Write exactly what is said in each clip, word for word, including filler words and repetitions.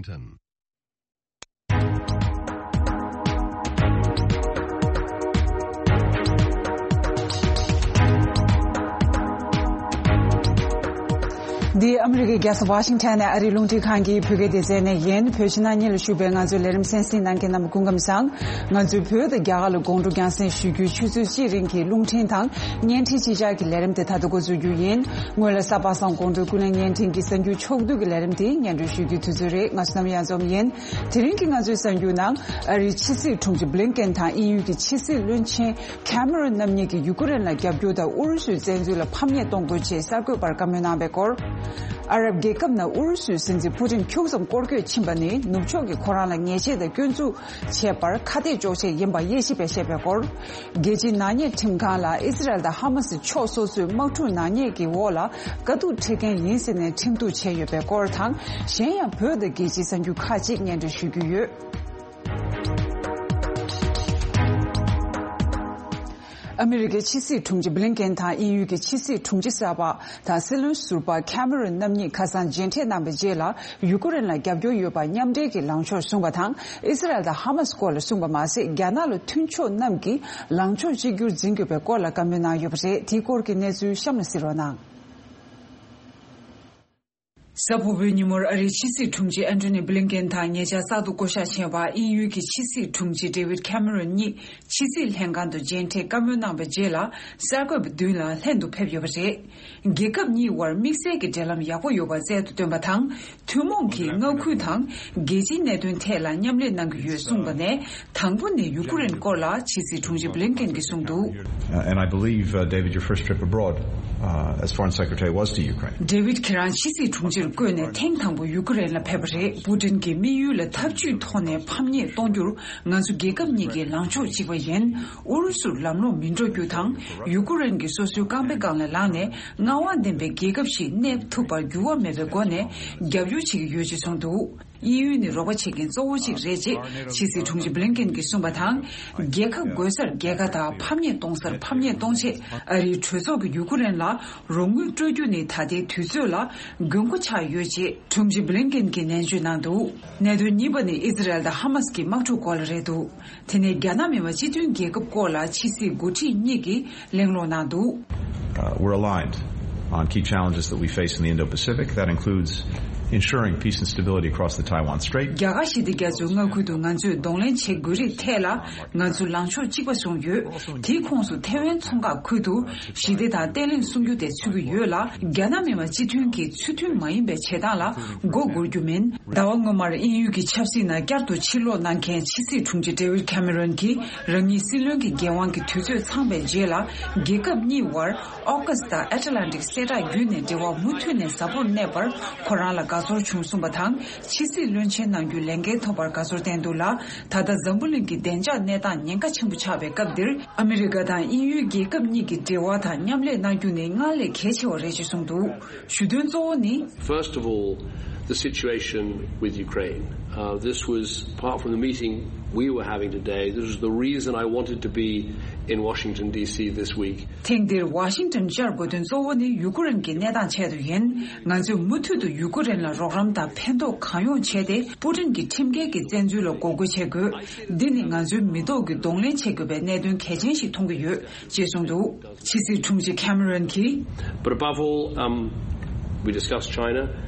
Washington. འདི་ཨ་མི་རི་ཀའི་རྒྱལ་ས་ཝ་ཤིང་ཊོན་ནས་ཨ་རིའི་རླུང་འཕྲིན་ཁང་གི་བོད་སྐད་སྡེ་ཚན་ནས་ཡིན། བོད་ཕྱི་ནང་གཉིས་ལ་བཞུགས་པའི་ང་ཚོའི་ལས་རིམ་གསན་གཟིགས་གནང་མཁན་རྣམས་སྐུ་ཁམས་བཟང་། ང་ཚོའི་བོད་དང་རྒྱ་གར་ལ་དགོང་དྲོ་རྒྱང་སྲིང་ཞུ་རྒྱུའི་ཆུ་ཚོད་གཅིག་རིང་གི་རླུང་འཕྲིན་དང་བརྙན་འཕྲིན་གཅིག་ཆར་གྱི་ལས་རིམ་དེ་ད་ལྟ་འགོ་འཛུགས་རྒྱུ་ཡིན། སྔོན་ལ་གཟའ་པ་སངས་དགོང་དྲོའི་ཀུན་གླེང་བརྙན་འཕྲིན་གྱི་གསར་འགྱུར་ཕྱོགས་བསྡུས་ཀྱི་ལས་རིམ་དེ་སྙན་སྒྲོན་ཞུ་རྒྱུའི་དུས་ཚོད་རེད། ང་ཚོ་ནམ་ཡང་འཛོམས་ཡིན། དེ་རིང་གི་ང་ཚོའི་གསར་འགྱུར་ནང་ཨ་རིའི་ཕྱི་སྲིད་དྲུང་ཆེ་བྷི་ལིན་ཀེན་དང་དབྱིན་ཡུལ་གྱི་ཕྱི་སྲིད་བློན་ཆེན་ཁེ་མེ་རོན་རྣམ་གཉིས་ཀྱིས་ཡུ་ཀེ་རེན་ལ་རྒྱབ་སྐྱོར་དང་ཨུ་རུ་སུའི་བཙན་འཛུལ་ལ་ཕམ་ཉེས་གཏོང་དགོས་ཅེས་གསར་འགོད་པར་བཀའ་མོལ་གནང་བའི་སྐོར། ཨ་རབ་རྒྱལ་ཁབ་ནང་ཨུ་རུ་སུའི་སྲིད་འཛིན་ཕུ་ཏིན་ཁྱུག་ཙམ་སྐོར་སྐྱོད་ཕྱིན་པ་ནི་ནུབ་ཕྱོགས་ཀྱིས་ཁོ་རང་ལ་ཉེས་ཆད་དང་སྐྱོན་འཛུགས་བྱས་པར་ཁ་གཏད་གཅོག་ཆེད་ཡིན་པ་དབྱེ་ཞིབ་པས་བཤད་པའི་སྐོར། རྒྱལ་སྤྱིའི་ནག་ཉེས་ཁྲིམས་ཁང་ལ་ཨི་སི་རལ་དང་ཧ་མ་སི་ཕྱོགས་སོ་སོའི་དམག་འཁྲུག་ནག་ཉེས་ཀྱི་འོག་ལ་དཀའ་སྡུག་འཕྲད་མཁན་ཡིན་ཟེར་ནས་ཁྲིམས་གཏུག་བྱས་ཡོད་པའི་སྐོར་དང་། གཞན་ཡང་བོད་དང་རྒྱལ་སྤྱིའི་གསར་འགྱུར་ཁག་ཅིག་སྙན་སྒྲོན་ཞུ་རྒྱུ་ཡོད། ཨ་མི་རི་ཀའི་ཕྱི་སྲིད་དྲུང་ཆེ་བྷི་ལིན་ཀེན་དང་དབྱིན་ཡུལ་གྱི་ཕྱི་སྲིད་དྲུང་ཆེ་གསར་པ་དང་སྲིད་བློན་ཟུར་པ་ཁེ་མེ་རོན་རྣམ་གཉིས་ཁ་སང་མཇལ་འཕྲད་གནང་བའི་རྗེས་ལ། ཡུ་ཀེ་རེན་ལ་རྒྱབ་སྐྱོར་ཡོད་པ་མཉམ་འབྲེལ་གྱི་ལངས་ཕྱོགས་བཟུང་བ་དང་། ཨི་སི་རལ་དང་ཧ་མ་སི་སྐོར་ལ་གསུངས་པ་མ་ཟད། རྒྱ་ནག་ལ་མཐུན་ཕྱོགས་རྣམས་ཀྱིས་ལངས་ཕྱོགས་གཅིག་གྱུར་འཛིན་དགོས་པའི་སྐོར་ལ་བཀའ་མོལ་གནང་ཡོད་པ་རེད། དེའི་སྐོར་གྱི་གནས་ཚུལ་གཤམ་ལ་གཟིགས་རོགས་གནང་། གཟའ་ཕུར་བུའི་ཉིན་མོར་ཨ་རིའི་ཕྱི་སྲིད་དྲུང་ཆེ་ཨན་ཐོ་ནི་བྷི་ལིན་ཀེན་དང་ཉེ་ཆར་གསར་དུ་བསྐོ་གཞག་བྱས་པ་དབྱིན་ཡུལ་གྱི་ཕྱི་སྲིད་དྲུང་ཆེ་ཌེ་ཝིད་ཁེ་མེ་རོན་གཉིས་ཕྱི་སྲིད་ལྷན་ཁང་དུ་མཇལ་འཕྲད་བཀའ་མོལ་གནང་བའི་རྗེས་ལ། གསར་འགོད་པ་མདུན་ལ་ལྷན་དུ་ཕེབས་ཡོད་པ་རེད། རྒྱལ་ཁབ་གཉིས་དབར་དམིགས་བསལ་གྱི་འབྲེལ་ལམ་ཡག་པོ་ཡོད་པ་རྩལ་དུ་བཏོན་པ་དང་། ཐུན་མོང་གི་མངའ་ཁུལ་དང་རྒྱལ་སྤྱིའི་གནད་དོན་ཐད་ལ་མཉམ་ལས་གནང་གི་ཡོད་གསུངས་པ་ནས། དང་པོ་ནས་ཡུ་ཀེ་རེན་སྐོར་ལ་ཕྱི་སྲིད་དྲུང་ཆེ་བྷི་ལིན་ཀེན་གྱིས་གསུངས་འདུག། Uh, and I believe, uh, David, your first trip abroad, uh, as Foreign Secretary was to Ukraine. ཌེ་ཝིད་ཁྱེད་རང་ཕྱི་སྲིད་དྲུང་ཆེར་བསྐོས་ནས་ཐེངས་དང་པོ་ཡུ་ཀེ་རེན་ལ་ཕེབས་པ་རེད། པུ་ཏིན་གྱིས་དམིགས་ཡུལ་ལ་འཐབ་ཇུས་ཐོག་ནས་ཕམ་ཉེས་གཏོང་རྒྱུར་ང་ཚོ་རྒྱལ་ཁབ་གཉིས་ཀྱི་ལངས་ཕྱོགས་གཅིག་པ་ཡིན། ཨུ་རུ་སུར་ལམ་ལྷོང་མི་འགྲོ་རྒྱུ་དང་། ཡུ་ཀེ་རེན་གྱིས་སོ་སོའི་རྐང་པའི་སྒང་ལ་ལངས་ནས་མངའ་དབང་ལྡན་པའི་རྒྱལ་ཁབ་ཞིག་གནས་ཐུབ་པར་འགྱུར་བ་མེད་པའི་སྒོ་ནས་རྒྱབ་སྐྱོར་བྱེད་ཀྱི་ཡོད་ཅེས་གསུངས་འདུག། དབྱིན་ཡུལ་ནི་རོགས་པ་བྱེད་མཁན་གཙོ་བོ་གཅིག་རེད་ཅེས་ཕྱི་སྲིད་དྲུང་ཆེ་བྷི་ལིན་ཀེན་གྱིས་གསུངས་པ་དང་། རྒྱལ་ཁ་རྒོལ་སར་རྒྱལ་ཁ་དང་ཕམ་ཉེས་གཏོང་སར་ཕམ་ཉེས་གཏོང་ཆེད་ཨ་རིའི་གྲོས་ཚོགས་ཀྱིས་ཡུ་ཀེ་རེན་ལ་རོགས་དངུལ་སྤྲོད་རྒྱུ་ནི་ད་ལྟའི་དུས་ཚོད་ལ་དགོས་མཁོ་ཆགས་ཡོད་ཅེས་དྲུང་ཆེ་བྷི་ལིན་ཀེན་གྱིས་ནན་བརྗོད་གནང་འདུག། གནད་དོན་གཉིས་པ་ནི་ཨི་ཛི་རལ་དང་ཧ་མ་སི་གི་དམག་འཁྲུག་སྐོར་ལ་རེད་འདུག། དེ་ནས་རྒྱ་ནག་མི་དམངས་སྤྱི་མཐུན་རྒྱལ་ཁབ་སྐོར་ལ་ཕྱི་སྲིད་འགོ་ཁྲིད་གཉིས་ཀྱིས་གླེང་སློང་གནང་འདུག། Uh, we're aligned on key challenges that we face in the Indo-Pacific. That includes ensuring peace and stability across the Taiwan Strait. རྒྱ་གར་ཞི་བདེ་རྒྱ་མཚོའི་མངའ་ཁུལ་དུ་ང་ཚོས་གདོང་ལེན་བྱེད་དགོས་རིགས་ཐད་ལ་ང་ཚོ་ལངས་ཕྱོགས་གཅིག་པ་བཟུང་ཡོད། དེའི་ཁོངས་སུ་ཐེ་ཝན་མཚོ་འགག་ཁུལ་དུ་ཞི་བདེ་དང་བརྟན་ལྷིང་སྲུང་རྒྱུ་དེ་ཚུད་ཀྱི་ཡོད་ལ། རྒྱ་ནག་མི་དམངས་སྤྱི་མཐུན་གྱི་ཚུལ་མཐུན་མ་ཡིན་པའི་བྱེད་སྟངས་ལ་མགོ་སྒུར་རྒྱུ་མིན། ཟླ་བ་སྔོན་མར་དབྱིན་ཡུལ་གྱི་ཆབ་སྲིད་ནང་བསྐྱར་དུ་ཕྱིར་ལོག་གནང་མཁན་ཕྱི་སྲིད་དྲུང་ཆེ་ཌེ་ཝིད་ཁེ་མེ་རོན་གྱིས་རང་ཉིད་སྲིད་བློན་གྱི་འགན་དབང་གི་དུས་ཚོད་ཚང་པའི་རྗེས་ལ། རྒྱལ་ཁབ་གཉིས་དབར་ཨོ་ཀཱ་སི་དང་ཨེ་ཊ་ལན་ཏིག་གསལ་བསྒྲགས་བརྒྱུད་ནས་འབྲེལ་བ་མུ་མཐུད་ནས་ཟབ་པོར་གནས་པར་ཁོ་རང་ལ་དགའ་ཚོར་བྱུང་གསུངས་པ་དང་། ཕྱི་སྲིད་བློན་ཆེན་གནང་རྒྱུའི་ལས་འགན་ཐོབ་པར་དགའ་ཚོར་བསྟན་འདུག་ལ། ད་ལྟ་འཛམ་བུ་གླིང་གི་བདེ་འཇགས་གནས་སྟངས་ཉེན་ཁ་ཆེན་པོ་ཆགས་པའི་སྐབས་འདིར། ཨ་མི་རི་ཀ་དང་དབྱིན་ཡུལ་རྒྱལ་ཁབ་གཉིས་ཀྱི་འབྲེལ་བ་དང་མཉམ་ལས་གནང་རྒྱུ་ནི་སྔར་ལས་གལ་ཆེ་བ་རེད་ཅེས་གསུངས་འདུག། ཞུ་དོན་གཙོ་བོ་ནི། First of all, the situation with Ukraine. Uh, this was, apart from the meeting we were having today, this was the reason I wanted to be in Washington, D C this week. ཐེངས་འདིར་ཝ་ཤིང་ཏོན་བཅར་དགོས་དོན་གཙོ་བོ་ནི་ཡུ་ཀེ་རེན་གྱི་གནས་སྟངས་ཆེད་དུ་ཡིན། ང་ཚོས་མུ་མཐུད་དུ་ཡུ་ཀེ་རེན་ལ་རོགས་རམ་དང་ཕན་ཐོགས་གང་ཡོང་བྱས་ཏེ། པུ་ཏིན་གྱི་ཁྲིམས་འགལ་གྱི་བཙན་འཛུལ་ལ་འགོག་རྒོལ་བྱེད་དགོས། འདི་ནི་ང་ཚོའི་མི་ཐོག་གི་གདོང་ལེན་བྱེད་དགོས་པའི་གནད་དོན་གལ་ཆེན་ཞིག་མཐོང་གི་ཡོད་ཅེས་གསུངས་འདུག། ཕྱི་སྲིད་དྲུང་ཆེ་ཁེ་མེ་རོན་གྱིས། But above all, um, we discussed China.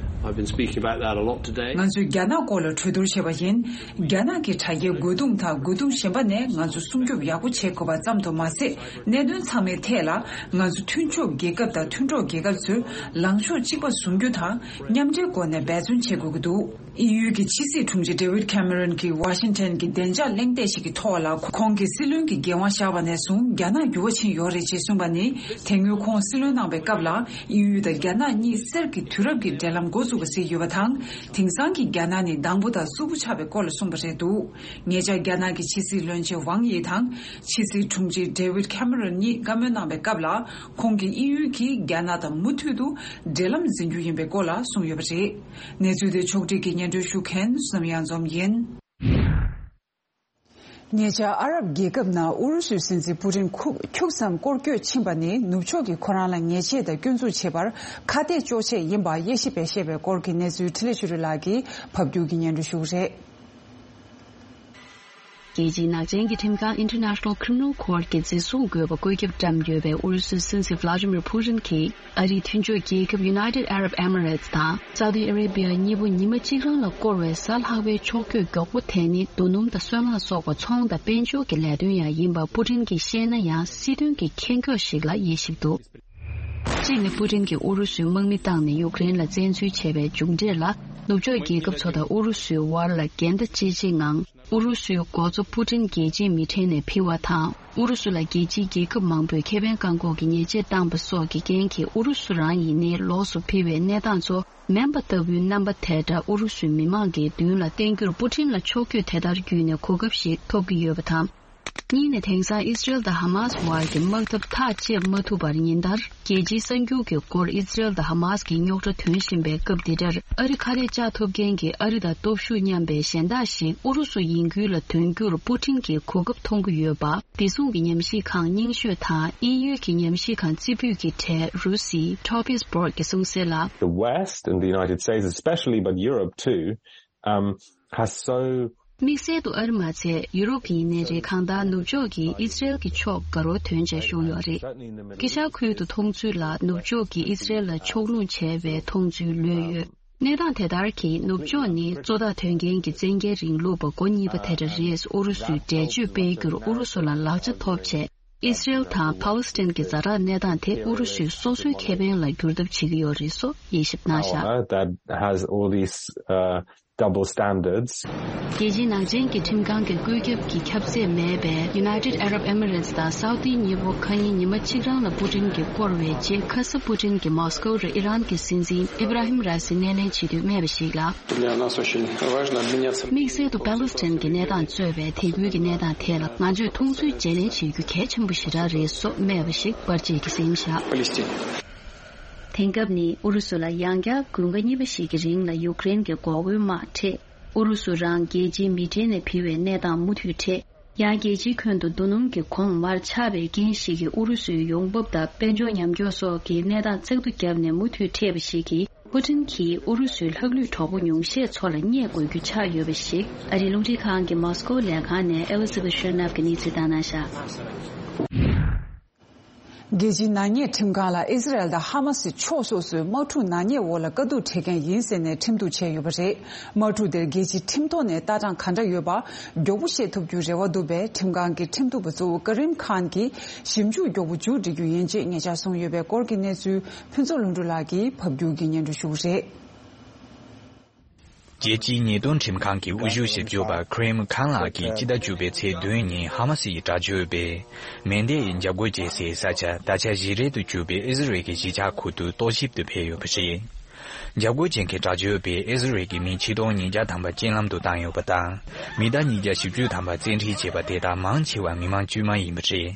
I've been speaking about that a lot today. ང་ཚོས་རྒྱ་ནག་སྐོར་ལ་གྲོས་བསྡུར་བྱས་པ་ཡིན། རྒྱ་ནག་གི་དྲ་རྒྱའི་རྒོལ་རྡུང་དང་རྒོལ་རྡུང་གཞན་པ་ནས་ང་ཚོ་སྲུང་སྐྱོབ་ཡག་པོ་བྱེད་དགོས་པ་ཙམ་དུ་མ་ཟད། གནད་དོན་ཚང་མའི་ཐད་ལ་ང་ཚོ་མཐུན་ཕྱོགས་རྒྱལ་ཁབ་དང་མཐུན་གྲོགས་རྒྱལ་ཁབ་ཚོས་ལངས་ཕྱོགས་གཅིག་པ་བཟུང་རྒྱུ་དང་མཉམ་འབྲེལ་སྒོ་ནས་འབད་བརྩོན་བྱེད་དགོས་ཀྱི་འདུག། དབྱིན་ཡུལ་གྱི་ཕྱི་སྲིད་དྲུང་ཆེ་ཌེ་ཝིད་ཁེ་མེ་རོན་གྱིས་ཝ་ཤིང་ཊོན་གྱི་བདེ་འཇགས་གླེང་སྟེགས་ཤིག་གི་ཐོག་ལ་ཁོང་གིས་སྲིད་བློན་གྱི་འགན་དབང་བཞག་པ་ནས་བཟུང་རྒྱ་ནག་འགྱུར་བ་ཕྱིན་ཡོད་རེད་ཅེས་གསུངས་པ་ནི། དེ་སྔོན་ཁོང་སྲིད་བློན་གནང་བའི་སྐབས་ལ་དབྱིན་ཡུལ་དང་རྒྱ་ནག་གཉིས་གསེར་གྱི་དུས་རབས་ཀྱི་འབྲེལ་ལམ་འགོ་བཙུགས་པ་གཟིགས་ཡོད་པ་དང་། དེང་སང་གི་རྒྱ་ནག་ནི་དང་པོ་དང་གསུམ་པོ་ཆགས་པའི་སྐོར་ལ་གསུངས་པ་རེད་འདུག། ཉེ་ཆར་རྒྱ་ནག་གི་ཕྱི་སྲིད་བློན་ཆེན་ཝང་ཡི་དང་ཕྱི་སྲིད་དྲུང་ཆེ་ཌེ་ཝིད་ཁེ་མེ་རོན་གཉིས་བཀའ་མོལ་གནང་བའི་སྐབས་ལ། ཁོང་གིས་དབྱིན་ཡུལ་གྱིས་རྒྱ་ནག་དང་མུ་མཐུད་དུ་འབྲེལ་ལམ་འཛིན་རྒྱུ་ཡིན་པའི་སྐོར་ལ་གསུངས་ཡོད་པ་རེད། གནས་ཚུལ་དེ་ཕྱོགས་སྒྲིག་གིས་སྙན་སྒྲོན་ཞུ་མཁན་བསོད་ནམས་གཡང་འཛོམས་ཡིན། ཉེ་ཆར་ཨ་རབ་རྒྱལ་ཁབ་ནང་ཨུ་རུ་སུའི་སྲིད་འཛིན་པུ་ཏིན་ཁུག་ཁྱུག་ཙམ་སྐོར་སྐྱོད་ཕྱིན་པ་ནི་ནུབ་ཕྱོགས་ཀྱིས་ཁོ་རང་ལ་ཉེས་ཆད་དང་སྐྱོན་འཛུགས་བྱེད་པར་ཁ་གཏད་གཅོག་ཆེད་ཡིན་པ་དབྱེ་ཞིབ་པས་བཤད་པའི་སྐོར་གྱི་གནས་ཚུལ་འཕྲིན་ལས་ཆོས་སྒྲོན་ལགས་ཀྱིས་ཕབ་སྒྱུར་གྱིས་སྙན་སྒྲོན་ཞུ་གི་རེད། རྒྱལ་སྤྱིའི་ནག་ཅན་གྱི་ཁྲིམས་ཁང་International Criminal Court གྱིས་འཛིན་བཟུང་དགོས་པ་བཀོད་ཁྱབ་བཀྲམ་ཡོད་པའི་ཨུ་རུ་སུའི་སྲིད་འཛིན་Vladimir Putin གྱིས་ཨ་རིའི་མཐུན་ཕྱོགས་རྒྱལ་ཁབ་United Arab Emirates དང་Saudi Arabia གཉིས་པོ་ཉི་མ་གཅིག་རང་ལ་བསྐོར་བའི་གཟའ་ལྷག་པའི་ཕྱོགས་བསྐྱོད་མགྱོགས་པོ་དེ་ནི་རྡོ་སྣུམ་དང་སོལ་རླངས་སོགས་པ་ཚོང་དང་དཔལ་འབྱོར་གྱི་ལས་དོན་ཡང་ཡིན་པ་པུ་ཏིན་གྱིས་བཤད་ན་ཡང་སྲིད་དོན་གྱི་ཁེ་འགོག་ཞིག་ལ་དབྱེ་ཞིབ་འདུག་གཅིག་ནི་པུ་ཏིན་གྱིས་ཨུ་རུ་སུའི་དམག་མི་བཏང་ནས་ཡུཀ་རེན་ལ་བཙན་འཛུལ་བྱས་པའི་མཇུག་འབྲས་ལ་ནུབ་ཕྱོགས་རྒྱལ་ཁབ་ཚོ་དང་ཨུ་རུ་སུའི་དབར་ལ་འགལ་ཟླ་ཅི་ཆེ་ངང་ཨུ་རུ་སུའི་འགོ་གཙོ་པུ་ཏིན་རྒྱལ་སྤྱིའི་མི་ཁྲོད་ནས་འཕེལ་བ་དང་། ཨུ་རུ་སུ་ལ་རྒྱལ་སྤྱིའི་རྒྱལ་ཁབ་མང་པོས་ཁེ་ཕན་བཀག་འགོག་གི་ཉེས་ཆད་བཏང་པ་སོགས་ཀྱི་རྐྱེན་གྱིས་ཨུ་རུ་སུ་རང་ཡིན་ནའི་ལོགས་སུ་འཕེལ་བའི་གནས་སྟངས་ཚོ་མེ་འབར་ལྟ་བུའི་རྣམ་པ་དེ་འདྲ་ཨུ་རུ་སུའི་མི་མང་གི་མདུན་ལ་བསྟན་རྒྱུར་པུ་ཏིན་ལ་ཕྱོགས་བསྐྱོད་དེ་ལྟར་བརྒྱུད་ནས་གོ་སྐབས་ཤིག་ཐོབ་ཀྱི་ཡོད་པ་དང་། གཉིས་ནས་དེང་སང་ཨི་སི་རེལ་དང་ཧ་མཱ་སི་དབར་གྱི་དམག་འཐབ་ཐག་བཅད་མ་ཐུབ་པར་ཉིན་ལྟར་རྒྱལ་སྤྱིའི་གསར་འགྱུར་གྱི་སྐོར་ཨི་སི་རེལ་དང་ཧ་མཱ་སི་གི་རྙོག་དྲ་ཐོན་བཞིན་པའི་སྐབས་འདི་འདྲར་ཨ་རི་ཁ་ལས་བཅག་ཐུབ་མཁན་གྱི་ཨ་རི་དང་སྟོབས་ཤུགས་མཉམ་པའི་གཞན་དག་ཞིག་ཨུ་རུ་སུ་ཡིན་ཁུལ་ལ་དོན་རྒྱུར་པུ་ཏིན་གྱིས་གོ་སྐབས་མཐོང་གི་ཡོད་པ། བདེ་སྲུང་གི་ཉམས་ཞིབ་ཁང་རྙིང་ཤོས་དང་དབྱིན་ཡུལ་གྱི་ཉམས་ཞིབ་ཁང་རྩེ་ཕུད་ཀྱི་གྲས་རུ་སི་Topaz Borg གིས་གསུངས་གསལ་ལ། The West and the United States especially, but Europe too, um, has so དམིགས་བསལ་དུ་ཨ་རི་མ་ཚད་ཡུ་རོབ་ཡིན་ནའི་རེད། གང་ལྟར་ནུབ་ཕྱོགས་ཀྱིས་ཨི་སི་རེལ་གྱི་ཕྱོགས་དགའ་རོགས་དོན་བྱས་བཞུགས་ཡོད་རེད། དཀྱིལ་ཤར་ཁུལ་དུ་མཐོང་ཚུལ་ལ་ནུབ་ཕྱོགས་ཀྱིས་ཨི་སི་རེལ་ལ་ཕྱོགས་ལྷུང་བྱས་པའི་མཐོང་ཚུལ་ལོས་ཡོད། གནས་སྟངས་དེ་ལྟར་གྱིས་ནུབ་ཕྱོགས་ནི་གཙོ་བདག་དོན་རྐྱེན་གྱི་བཙན་རྒྱལ་རིང་ལུགས་པ་མགོ་གཉིས་པ་དེ་འདྲ་རེད། ཨུ་རུ་སུའི་འགྲེལ་བརྗོད་སྤེལ་རྒྱུར་ཨུ་རུ་སུ་ལ་ལག་ཆ་ཐོབ་བྱས། ཨི་སི་རེལ་དང་ཕཱ་ལེ་སི་ཐན་གྱི་ཛ་དྲག་གནས་སྟངས་དེ་ཨུ་རུ་སུའི་སོ་སོའི་ཁེ་ཕན་ལ་བསྒྱུར་ཐབས་བྱེད་ཀྱི་ཡོད་རེད་སོགས་དབྱེ་ཞིབ་གནང་བཞག Power that has all these, uh, double standards. རྒྱལ་སྤྱིའི་ནག་ཅན་གྱི་ཁྲིམས་ཁང་གི་བཀོད་ཁྱབ་ཀྱི་ཁྱབ་ཚད་མེད་པའི་United Arab Emirates དང་སའུ་ཏི་གཉིས་པོ་ཁ་ཉིན་ཉི་མ་གཅིག་རང་ལ་པུ་ཏིན་གྱིས་བསྐོར་བའི་རྗེས། ཁ་སང་པུ་ཏིན་གྱིས་མོ་སི་ཀོ་རུ་ཨི་རན་གྱི་སྲིད་འཛིན་ཨི་བྷ་ར་ཧིམ་ར་སི་སྣེ་ལེན་བྱེད་དུས་སྨྲས་པ་ཞིག་ལ། Для нас очень важно обменяться. དམིགས་བསལ་དུ་པ་ལེ་སི་ཐན་གྱི་གནས་སྟངས་གཙོས་པའི་དེ་ཁུལ་གྱི་གནས་སྟངས་ཐད་ལ་ང་ཚོས་མཐོང་ཚུལ་བརྗེ་ལེན་བྱེད་རྒྱུ་གལ་ཆེན་པོ་ཞེ་དྲག་རེད་སོགས་སྨྲས་པ་ཞིག་པར་ཆས་ཀྱིས་གསན་བཞག Палестине. དེང་སྐབས་ནི་ཨུ་རུ་སུ་ལ་ཡང་བསྐྱར་དགུན་ཁ་གཉིས་པ་ཞིག་གི་རིང་ལ་ཡུཀ་རེན་གྱི་འགོག་རྒོལ་དམག་འཕྲད། ཨུ་རུ་སུ་རང་རྒྱལ་སྤྱིའི་མི་གྲལ་ནས་ཕུད་པའི་གནས་སྟངས་མུ་མཐུད་འཕྲད། ཡང་རྒྱལ་སྤྱིའི་ཁྱོན་དུ་རྡོ་སྣུམ་གྱི་གོང་མར་ཆག་པའི་རྐྱེན་ཞིག་གིས་ཨུ་རུ་སུའི་ཡོང་འབབ་དང་དཔལ་འབྱོར་ཉམས་འགྱུར་སོགས་ཀྱི་གནས་སྟངས་བཙག་འཐུ་བརྒྱབ་ནས་མུ་མཐུད་འཕྲད་པ་ཞིག་གིས། པུ་ཏིན་གྱིས་ཨུ་རུ་སུའི་ལྷག་ལུས་གྲོགས་པོ་ཉུང་ཤས་ཚོ་ལ་བརྙས་དགོས་རྒྱུ་ཆགས་ཡོད་པ་ཞིག་ཨ་རིའི་རླུང་འཕྲིན་ཁང་གི་མོ་སི་ཀོ་ལས་ཁང་ནས་ཨེ་ལི་ཛ་བྷེ་ཤོ་ནབ་ཀྱིས་གནས་ཚུལ་བཏང་གནང་བཞག་རྒྱལ་སྤྱིའི་ནག་ཉེས་ཁྲིམས་ཁང་ལ་ཨི་སི་རེལ་དང་ཧ་མ་སི་ཕྱོགས་སོ་སོས་དམག་འཁྲུག་ནག་ཉེས་འོག་ལ་དཀའ་སྡུག་འཕྲད་མཁན་ཡིན་ཟེར་ནས་ཁྲིམས་གཏུག་བྱས་ཡོད་པ་རེད། དམག་འཁྲུག་དེར་རྒྱལ་སྤྱིའི་ཁྲིམས་ཐོག་ནས་ལྟ་སྟངས་ག་འདྲ་ཡོད་པ་མགྱོགས་པོ་ཤེས་ཐུབ་རྒྱུའི་རེ་བ་འདུག་པས། ཁྲིམས་ཁང་གི་ཁྲིམས་གཏུག་པ་གཙོ་བོ་ཀ་རིམ་ཁཱན་གྱིས་ཞིབ་འཇུག་མགྱོགས་པོ་མཇུག་སྒྲིལ་རྒྱུ་ཡིན་ཅེས་ཉེ་ཆར་གསུངས་ཡོད་པའི་སྐོར་གྱི་གནས་ཚུལ་ཕུན་ཚོགས་ལྷུན་གྲུབ་ལགས་ཀྱིས་ཕབ་སྒྱུར་གྱིས་སྙན་སྒྲོན་ཞུ་གི་རེད། རྒྱལ་སྤྱིའི་ཉེས་དོན་ཁྲིམས་ཁང་གི་དབུ་བཞུགས་ཞིབ་འཇུག་པ་ཁི་རེམ་ཁཱན་ལགས་ཀྱིས་སྤྱི་ཟླ་བཅུ་པའི་ཚེས་བདུན་ཉིན་ཧ་མ་སི་ཡི་དྲག་སྤྱོད་པས་མེ་མདེའི་འཇབ་རྒོལ་བྱས་སའི་ས་ཆ་ད་ཆ་ཞིག་རལ་དུ་གྱུར་པའི་ཨི་ཟི་རལ་གྱི་གཞིས་ཆགས་ཁུལ་དུ་རྟོག་ཞིབ་ཏུ་ཕེབས་ཡོད་པ་རེད། འཇབ་རྒོལ་བྱེད་མཁན་དྲག་སྤྱོད་པས་ཨི་ཟི་རལ་གྱི་མི་ཆིག་སྟོང་ཉིས་བརྒྱ་ཐམ་པ་རྐྱེན་ལམ་དུ་བཏང་ཡོད་པ་དང་། མི་ཟླ་ཉིས་བརྒྱ་བཞི་བཅུ་ཐམ་པ་བཙན་ཁྲིད་བྱས་པ་དེ་དག་མང་ཆེ་བ་མི་མང་དཀྱུས་མ་ཡིན་པ་རེད།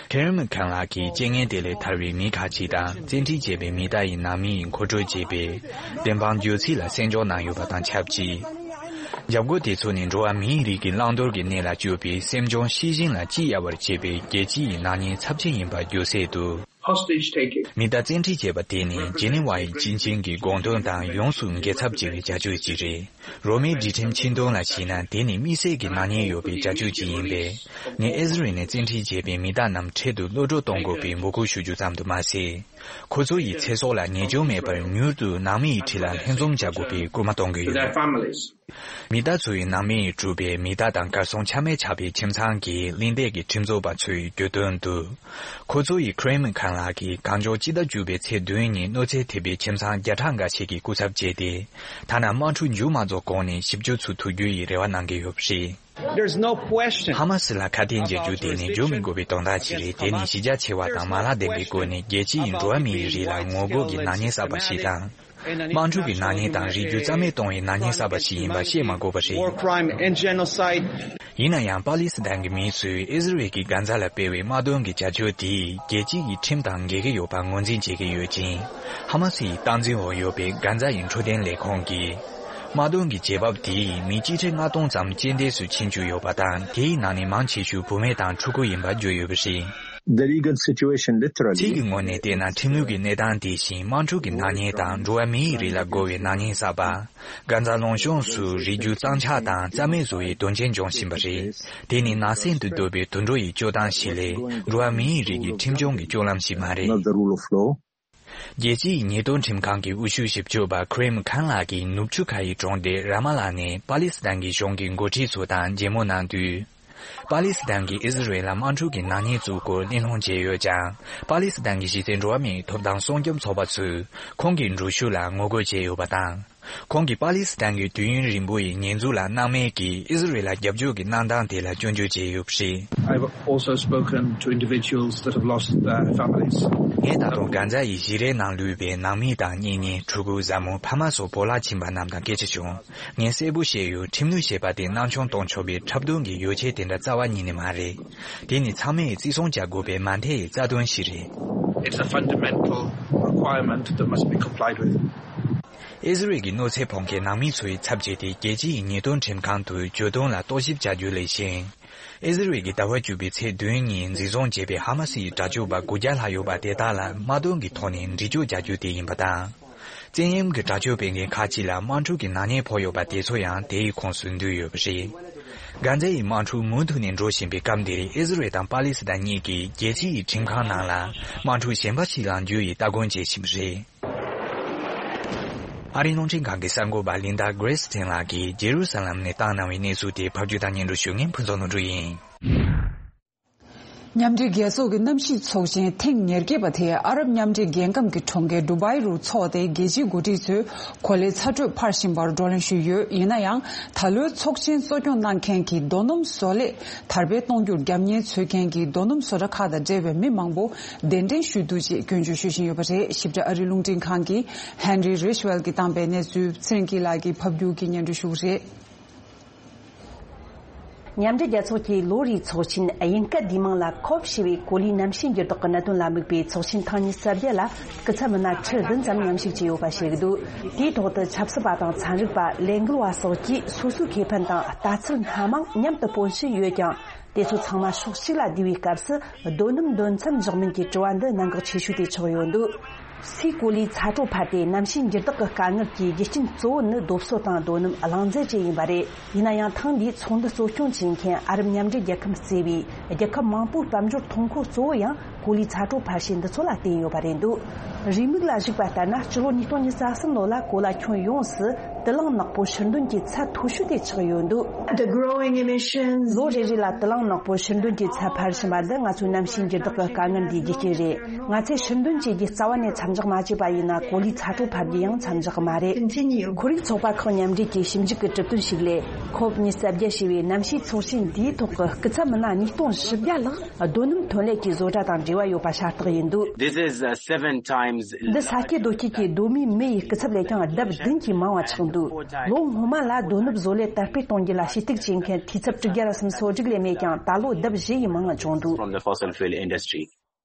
ཁེ་རེམ་ཁཱན་ལགས་ཀྱིས་རྐྱེན་ངན་དེ་ལས་ཐར་བའི་མི་ཁག་ཅིག་དང་བཙན་ཁྲིད་བྱས་པའི་མི་དག་ཡི་ནང་མི་ཡི་མཁོ་སྤྲོད་བྱས་པའི་བདེན་དཔང་བརྗོད་ཚིག་ལ་གསན་འཇོག་གནང་ཡོད་པ་དང་ཆབས་ཅིག་འཇབ་རྒོལ་དེ་ཚོ་ནི་འགྲོ་བ་མིའི་རིགས་ཀྱི་བླང་དོར་གྱི་གནས་ལ་སྤྱོད་པའི་སེམས་བྱུང་ཤི་བཞིན་ལ་སྐྱི་གཡའ་བར་བྱེད་པའི་རྒྱལ་སྤྱི་ཡི་ནག་ཉེས་ཚབས་ཆེན་ཡིན་པར་བརྗོད་གསལ་དུ། Hostage taking. མི་དག་བཙན་ཁྲིད་བྱས་པ་དེ་ནི་ཇི་ནི་ཝའི་སྤྱི་ཆིངས་ཀྱི་དགོངས་དོན་དང་ཡོངས་སུ་འགལ་ཚབས་ཆེ་བའི་བྱ་སྤྱོད་ཅིག་རེད། རོ་མའི་སྒྲིག་ཁྲིམས་ཆིངས་དོན་ལ་གཞིགས་ན་དེ་ནི་དམིགས་བསལ་གྱི་ནག་ཉེས་ཡོད་པའི་བྱ་སྤྱོད་ཅིག་ཡིན་པས། ངས་ཨི་ཟི་རལ་ནས་བཙན་ཁྲིད་བྱས་པའི་མི་དག་རྣམས་འཕྲལ་དུ་གློད་གྲོལ་གཏོང་དགོས་པའི་འབོད་སྐུལ་ཞུ་རྒྱུ་ཙམ་དུ་མ་ཟད། ཁོ་ཚོ་ཡི་ཚེ་སྲོག་ལ་ཉེས་སྐྱོན་མེད་པར་མྱུར་དུ་ནང་མི་ཡི་ཁྲི་ལ་ལྷན་འཛོམས་བྱ་དགོས་པའི་སྐུལ་མ་གཏོང་གི་ཡོད། Their families. མི་དག་ཚོ་ཡི་ནང་མི་ཡིས་གྲུབ་པའི་མི་དག་དང་གར་སོང་ཆ་མེད་ཆགས་པའི་ཁྱིམ་ཚང་གི་གླེང་སྟེགས་ཀྱི་ཁྲིམས་རྩོད་པ་ཚོས་བརྗོད་དོན་དུ། ཁོ་ཚོ་ཡིས་ཁི་རེམ་ཁཱན་ལགས་ཀྱིས་གང་མགྱོགས་སྤྱི་ཟླ་བཅུ་པའི་ཚེས་བདུན་ཉིན་གནོད་འཚེ་ཐེབས་པའི་ཁྱིམ་ཚང་བརྒྱ་ཕྲག་འགའ་ཤས་ཀྱི་སྐུ་ཚབ་བྱས་ཏེ། ཐ་ན་དམག་འཁྲུག་མཇུག་མ་རྫོགས་གོང་ནས་ཞིབ་འཇུག་ཚུར་ཐུག་རྒྱུ་ཡི་རེ་བ་གནང་གི་ཡོད་པ་རེད། There's no question. ཧ་མ་སི་ལ་ཁ་གཏད་འཇལ་རྒྱུ་དེ་ནི་བརྗོད་མི་དགོས་པའི་དོན་དག་ཅིག་རེད། དེ་ནི་གཞི་རྒྱ་ཆེ་བ་དང་མ་ལག་ལྡན་པའི་སྒོ་ནས་རྒྱལ་སྤྱི་ཡི་འགྲོ་བ་མིའི་རིགས་ལ་ངོ་རྒོལ་གྱི་ནག་ཉེས་བསགས་པ་ཞིག་དང་། དམག་འཁྲུག་གི་ནག་ཉེས་དང་རིགས་རྒྱུད་རྩ་མེད་གཏོང་བའི་ནག་ཉེས་བསགས་པ་ཞིག་ཡིན་པ་བཤད་མ་དགོས་པ་རེད། War crime and genocide. ཡིན་ན་ཡང་པ་ལི་སི་ཐན་གྱི་མི་ཚོས་ཨི་ཟི་རལ་གྱི་གྷན་ཛ་ལ་སྤེལ་བའི་དམག་དོན་གྱི་བྱ་སྤྱོད་དེས་རྒྱལ་སྤྱི་ཡི་ཁྲིམས་དང་འགལ་གྱི་ཡོད་པ་ངོས་འཛིན་བྱེད་ཀྱི་ཡོད་ཅིང་། ཧ་མ་སི་ཡི་སྟངས་འཛིན་འོག་ཡོད་པའི་གྷན་ཛ་ཡི་འཕྲོད་བསྟེན་ལས་ཁུངས་ཀྱིས། དམག་དོན་གྱི་རྒྱལ་འབབ་དེས་མི་སྐྱེ་ཁྲི་ལྔ་སྟོང་ཙམ་རྐྱེན་འདས་སུ་ཕྱིན་བཅུག་ཡོད་པ་དང་། དེའི་ནང་ནས་མང་ཆེ་ཤོས་བུད་མེད་དང་ཕྲུ་གུ་ཡིན་པ་བརྗོད་ཡོད་པ་རེད། The legal situation literally ཚིག་གི་ངོས་ནས་བལྟས་ན། ཁྲིམས་ལུགས་ཀྱི་གནས་སྟངས་དེ་བཞིན་དམག་འཁྲུག་གི་ནག་ཉེས་དང་འགྲོ་བ་མིའི་རིགས་ལ་རྒོལ་བའི་ནག་ཉེས་བསགས་པ། གྷན་ཛ་ལུང་གཤོང་སུ་རིགས་རྒྱུད་གཙང་ཆག་དང་རྩ་མེད་བཟོ་བའི་དོན་རྐྱེན་འབྱུང་བཞིན་པ་རེད། དེ་ནི་ནག་སེལ་དུ་འདོད་པའི་དུད་འགྲོ་ཡི་སྤྱོད་སྟངས་ཤིག་ལས། འགྲོ་བ་མིའི་རིགས་ཀྱི་ཁྲིམས་སྐྱོང་གི་སྤྱོད་ལམ་ཞིག་མ་རེད། Not the rule of law. རྒྱལ་སྤྱིའི་ཉེས་དོན་ཁྲིམས་ཁང་གི་དབུ་བཞུགས་ཞིབ་དཔྱོད་པ་ཁི་རིམ་ཁན་ལགས་ཀྱིས་ནུབ་ཆུ་ཁ་ཡི་གྲོང་སྡེ་ར་མ་ལ་ནས་པ་ལི་སི་ཐན་གྱི་གཞུང་གི་འགོ་ཁྲིད་ཚོ་དང་མཇལ་མོལ་གནང་དུས། པ་ལི་སི་ཐན་གྱིས་ཨི་ཟི་རེལ་ལ་དམག་འཁྲུག་གི་ནག་ཉེས་བཙུགས་སྐོར་གླེང་སློང་བྱས་ཡོད་ཀྱང་། པ་ལི་སི་ཐན་གྱི་གཞི་རྩའི་འགྲོ་བ་མིའི་ཐོབ་ཐང་སྲུང་སྐྱོབ་ཚོགས་པ་ཚོས་ཁོང་གི་འགྲུལ་བཞུད་ལ་ངོ་རྒོལ་བྱས་ཡོད་པ་དང་། ཁོང་གིས་པ་ལི་སི་ཐན་གྱི་དུས་ཡུན་རིང་པོ་ཡི་ཉེས་འཛུགས་ལ་སྣང་མེད་ཀྱིས་ཨི་ཟི་རེལ་ལ་རྒྱབ་སྐྱོར་གྱི་གནང་སྟངས་དེ་ལ་སྐྱོན་བརྗོད་བྱས་ཡོད་པ་རེད། I've also spoken to individuals that have lost their families. ངས་ད་དུང་གྷན་ཛ་ཡི་གཞིས་རའི་ནང་ལུས་པའི་ནང་མི་དང་གཉེན་ཉེ། ཕྲུ་གུ། བཟའ་མོ། ཕ་མ་སོགས་བོར་བརླག་ཕྱིན་པ་རྣམས་དང་སྐད་ཆ་བྱུང་། ངས་གསལ་པོ་བཤད་ཡོད། ཁྲིམས་ལུགས་ཞེས་པ་དེ་སྣང་ཆུང་གཏོང་ཆོག་པའི་འཁྲབ་སྟོན་གྱི་ཡོ་བྱད་དེ་འདྲ་རྩ་བ་ཉིད་ནས་མ་རེད། དེ་ནི་ཚང་མས་བརྩི་སྲུང་བྱ་དགོས་པའི་མ་མཐའི་རྩ་དོན་ཞིག་རེད། It's a fundamental requirement that must be complied with. ཨི་ཟི་རེལ་གྱི་གནོད་འཚེ་ཕོག་མཁན་ནང་མི་ཚོའི་ཚབ་བྱས་ཏེ་རྒྱལ་སྤྱིའི་ཉེས་དོན་ཁྲིམས་ཁང་དུ་གྱོད་དོན་ལ་རྟོག་ཞིབ་བྱ་རྒྱུ་ལས་གཞན། ཨི་ཟི་རེལ་གྱིས་ཟླ་བ་བཅུ་པའི་ཚེས་བདུན་ཉིན་འཛིན་བཟུང་བྱས་པའི་ཧ་མ་སི་ཡི་དྲག་སྤྱོད་པ་དགུ་བརྒྱ་ལྷག་ཡོད་པ་དེ་དག་ལ་དམག་དོན་གྱི་ཐོག་ནས་འདྲི་གཅོད་བྱ་རྒྱུ་དེ་ཡིན་པ་དང་། བཙན་གཡེམ་གྱི་དྲག་སྤྱོད་སྤེལ་མཁན་ཁག་ཅིག་ལ་དམག་འཁྲུག་གི་ནག་ཉེས་ཕོག་ཡོད་པ་དེ་ཚོ་ཡང་དེའི་ཁོངས་སུ་འདུས་ཡོད་པ་རེད། གྷན་ཛ་ཡི་དམག་འཁྲུག་མུ་མཐུད་ནས་འགྲོ་བཞིན་པའི་སྐབས་འདིར་ཨི་ཟི་རེལ་དང་པ་ལི་སི་ཐན་གཉིས་ཀྱིས་རྒྱལ་སྤྱི་ཡི་ཁྲིམས་ཁང་ནང་ལ་དམག་འཁྲུག་གཞན་པ་ཞིག་ལངས་རྒྱུ་ཡི་སྟ་གོན་བྱེད་བཞིན་པ་རེད། ཨ་རིའི་རླུང་འཕྲིན་ཁང་གི་གསར་འགོད་པ་ལིན་ཌ་གྷི་རེ་སི་ཐན་ལགས་ཀྱིས་ཇེ་རུ་ས་ལམ་ནས་བཏང་གནང་བའི་གནས་ཚུལ་དེ་ཕབ་སྒྱུར་དང་སྙན་སྒྲོན་ཞུ་མཁན་ཕུན་ཚོགས་ནོར་བུ་ཡིན། མཉམ་འབྲེལ་རྒྱལ་ཚོགས་ཀྱི་གནམ་གཤིས་ཚོགས་ཆེན་ཐེངས་ཉེར་བརྒྱད་པ་དེ་ཨ་རབ་མཉམ་འབྲེལ་རྒྱལ་ཁབ་ཀྱི་གྲོང་ཁྱེར་ཌུ་བའི་རུ་འཚོགས་ཏེ། རྒྱལ་སྤྱིའི་འགོ་ཁྲིད་ཚོས་གོ་ལའི་ཚ་དྲོད་འཕར་བཞིན་པར་བགྲོ་གླེང་ཞུས་ཡོད། ཡིན་ན་ཡང་། ད་ལོའི་ཚོགས་ཆེན་གཙོ་སྐྱོང་གནང་མཁན་གྱི་རྡོ་སྣུམ་བཟོ་ལས་དར་སྤེལ་གཏོང་རྒྱུར་རྒྱབ་གཉེར་འཚོལ་མཁན་གྱི་རྡོ་སྣུམ་བཟོ་གྲྭ་ཁག་དང་འབྲེལ་བའི་མི་མང་པོ་གདན་འདྲེན་ཞུས་འདུག་ཅེས་སྐྱོན་བརྗོད་ཞུ་བཞིན་ཡོད་པ་རེད། ཞིབ་ཕྲ་ཨ་རིའི་རླུང་འཕྲིན་ཁང་གི་ཧན་རི་རིཆ་ཝེལ་གྱིས་བཏང་པའི་གནས་ཚུལ་ཚེ་རིང་སྐྱིད་ལགས་ཀྱིས་ཕབ་སྒྱུར་གྱིས་སྙན་སྒྲོན་ཞུ་གི་རེད། མཉམ་འབྲེལ་རྒྱལ་ཚོགས་ཀྱི་ལོ་རེའི་ཚོགས་ཆེན་དབྱིན་སྐད་བསྡུས་མིང་ལ་ཁོབ་ཞེས་པའི་གོ་ལའི་གནམ་གཤིས་འགྱུར་ལྡོག་གི་གནད་དོན་ལ་དམིགས་པའི་ཚོགས་ཆེན་ཐེངས་ཉི་ཤུ་རྩ་བརྒྱད་ལ་སྐུ་ཚབ་མི་སྣ་ཁྲི་བདུན་ཙམ་མཉམ་ཞུགས་བྱས་ཡོད་པ་བཤད་ཀྱི་འདུག་དེའི་ཐོག་ཏུ་ཆབ་སྲིད་པ་དང་ཚན་རིག་པ། ལས་འགུལ་བ་སོགས་ཀྱིས་སོ་སོའི་ཁེ་ཕན་དང་ལྟ་ཚུལ་སྣ་མང་མཉམ་དུ་སྤོན་བཞིན་ཡོད་ཀྱང་། དེ་ཚོ་ཚང་མ་ཕྱོགས་གཅིག་ལ་བསྡུས་པའི་སྐབས་སུ་རྡོ་སྣུམ་འདོན་མཚམས་འཇོག་མིན་གྱི་དྲི་བ་འདི་གནད་འགག་ཆེ་ཤོས་དེ་ཆགས་ཡོད་འདུག་སའི་གོ་ལའི་ཚ་དྲོད་འཕར་ཏེ་གནམ་གཤིས་འགྱུར་ལྡོག་གི་དཀའ་ངལ་གྱི་རྒྱུ་རྐྱེན་གཙོ་བོ་ནི་རྡོ་སོལ་དང་རྡོ་སྣུམ་རླངས་རྫས་བཅས་ཡིན་པ་རེད། ཡིན་ན་ཡང་ཐེངས་འདིའི་ཚོགས་འདུ་གཙོ་སྐྱོང་བྱེད་མཁན་ཨ་རབ་མཉམ་འབྲེལ་རྒྱལ་ཁབ་གཙོས་པའི་རྒྱལ་ཁབ་མང་པོའི་དཔལ་འབྱོར་ཐོན་ཁུངས་གཙོ་བོ་ཡང་གོ་ལའི་ཚ་དྲོད་འཕར་ཤེས་འདི་ཚོ་ལ་བརྟེན་ཡོད་པ་རེད་འདུག་རེའུ་མིག་ལ་གཞིགས་པ་ལྟར་ན། སྤྱི་ལོ་ཉིས་སྟོང་ཉི་ཤུ་རྩ་གསུམ་ལོ་ལ་གོ་ལ་ཁྱོན་ཡོངས་སུ་དུད་རླངས་ནག་པོ་ཕྱིར་འདོན་གྱི་ཚད་མཐོ་ཤོས་དེ་ཆགས་ཡོད་འདུག The growing emissions. ལོ་རེ་རེ་ལ་དུད་རླངས་ནག་པོ་ཕྱིར་འདོན་གྱི་ཚད་འཕར་བཞིན་པ་འདི་ང་ཚོའི་གནམ་གཤིས་འགྱུར་ལྡོག་གི་དཀའ་ངལ་འདིའི་རྒྱུ་རྐྱེན་རེད། ང་ཚོས་ཕྱིར་འདོན་བྱེད་རྒྱུ་རྩ་བ་ནས་མཚམས་འཇོག་མ་བྱས་པ་ཡིན་ན། གོ་ལའི་ཚ་དྲོད་འཕར་རྒྱུ་ཡང་མཚམས་འཇོག་གི་མ་རེད། Continue. ཁོར་ཡུག་ཚོགས་པ་ཁག་མཉམ་འབྲེལ་གྱི་ཞིབ་འཇུག་གི་གྲུབ་དོན་ཞིག་ལས། ཁོབ་ཉི་ཤུ་རྩ་བརྒྱད་ཞེས་པའི་གནམ་གཤིས་ཚོགས་ཆེན་འདིའི་ཐོག་གི་སྐུ་ཚབ་མི་སྣ་ཉིས་སྟོང་བཞི་བརྒྱ་ལྷག་རྡོ་སྣུམ་ཐོན་ལས་ཀྱི་བཟོ་གྲྭ་དང་འབྲེལ་བ་ཡོད་པ་ཤ་སྟག་ཡིན་འདུག This is, uh, seven times འདི་ས་སྐྱེས་རྡོ་སྐྱེས་ཀྱི་གདོད་མའི་མི་ཡི་སྐུ་ཚབ་ལས་ཀྱང་ལྡབ་བདུན་གྱིས་མང་བ་ཆགས་འདུག་ལོ་སྔོན་མ་ལ་རྡོ་སྣུམ་བཟོ་ལས་དར་སྤེལ་གཏོང་རྒྱུ་ལ་ཞུ་གཏུག་བྱེད་མཁན་འཐུས་ཚབ་དྲུག་བརྒྱ་ར་སུམ་ཅུ་སོ་དྲུག་ལས་མེད་ཀྱང་། ད་ལོ་ལྡབ་བཞི་ཡིས་མང་བ་བྱུང་འདུག From the fossil fuel industry.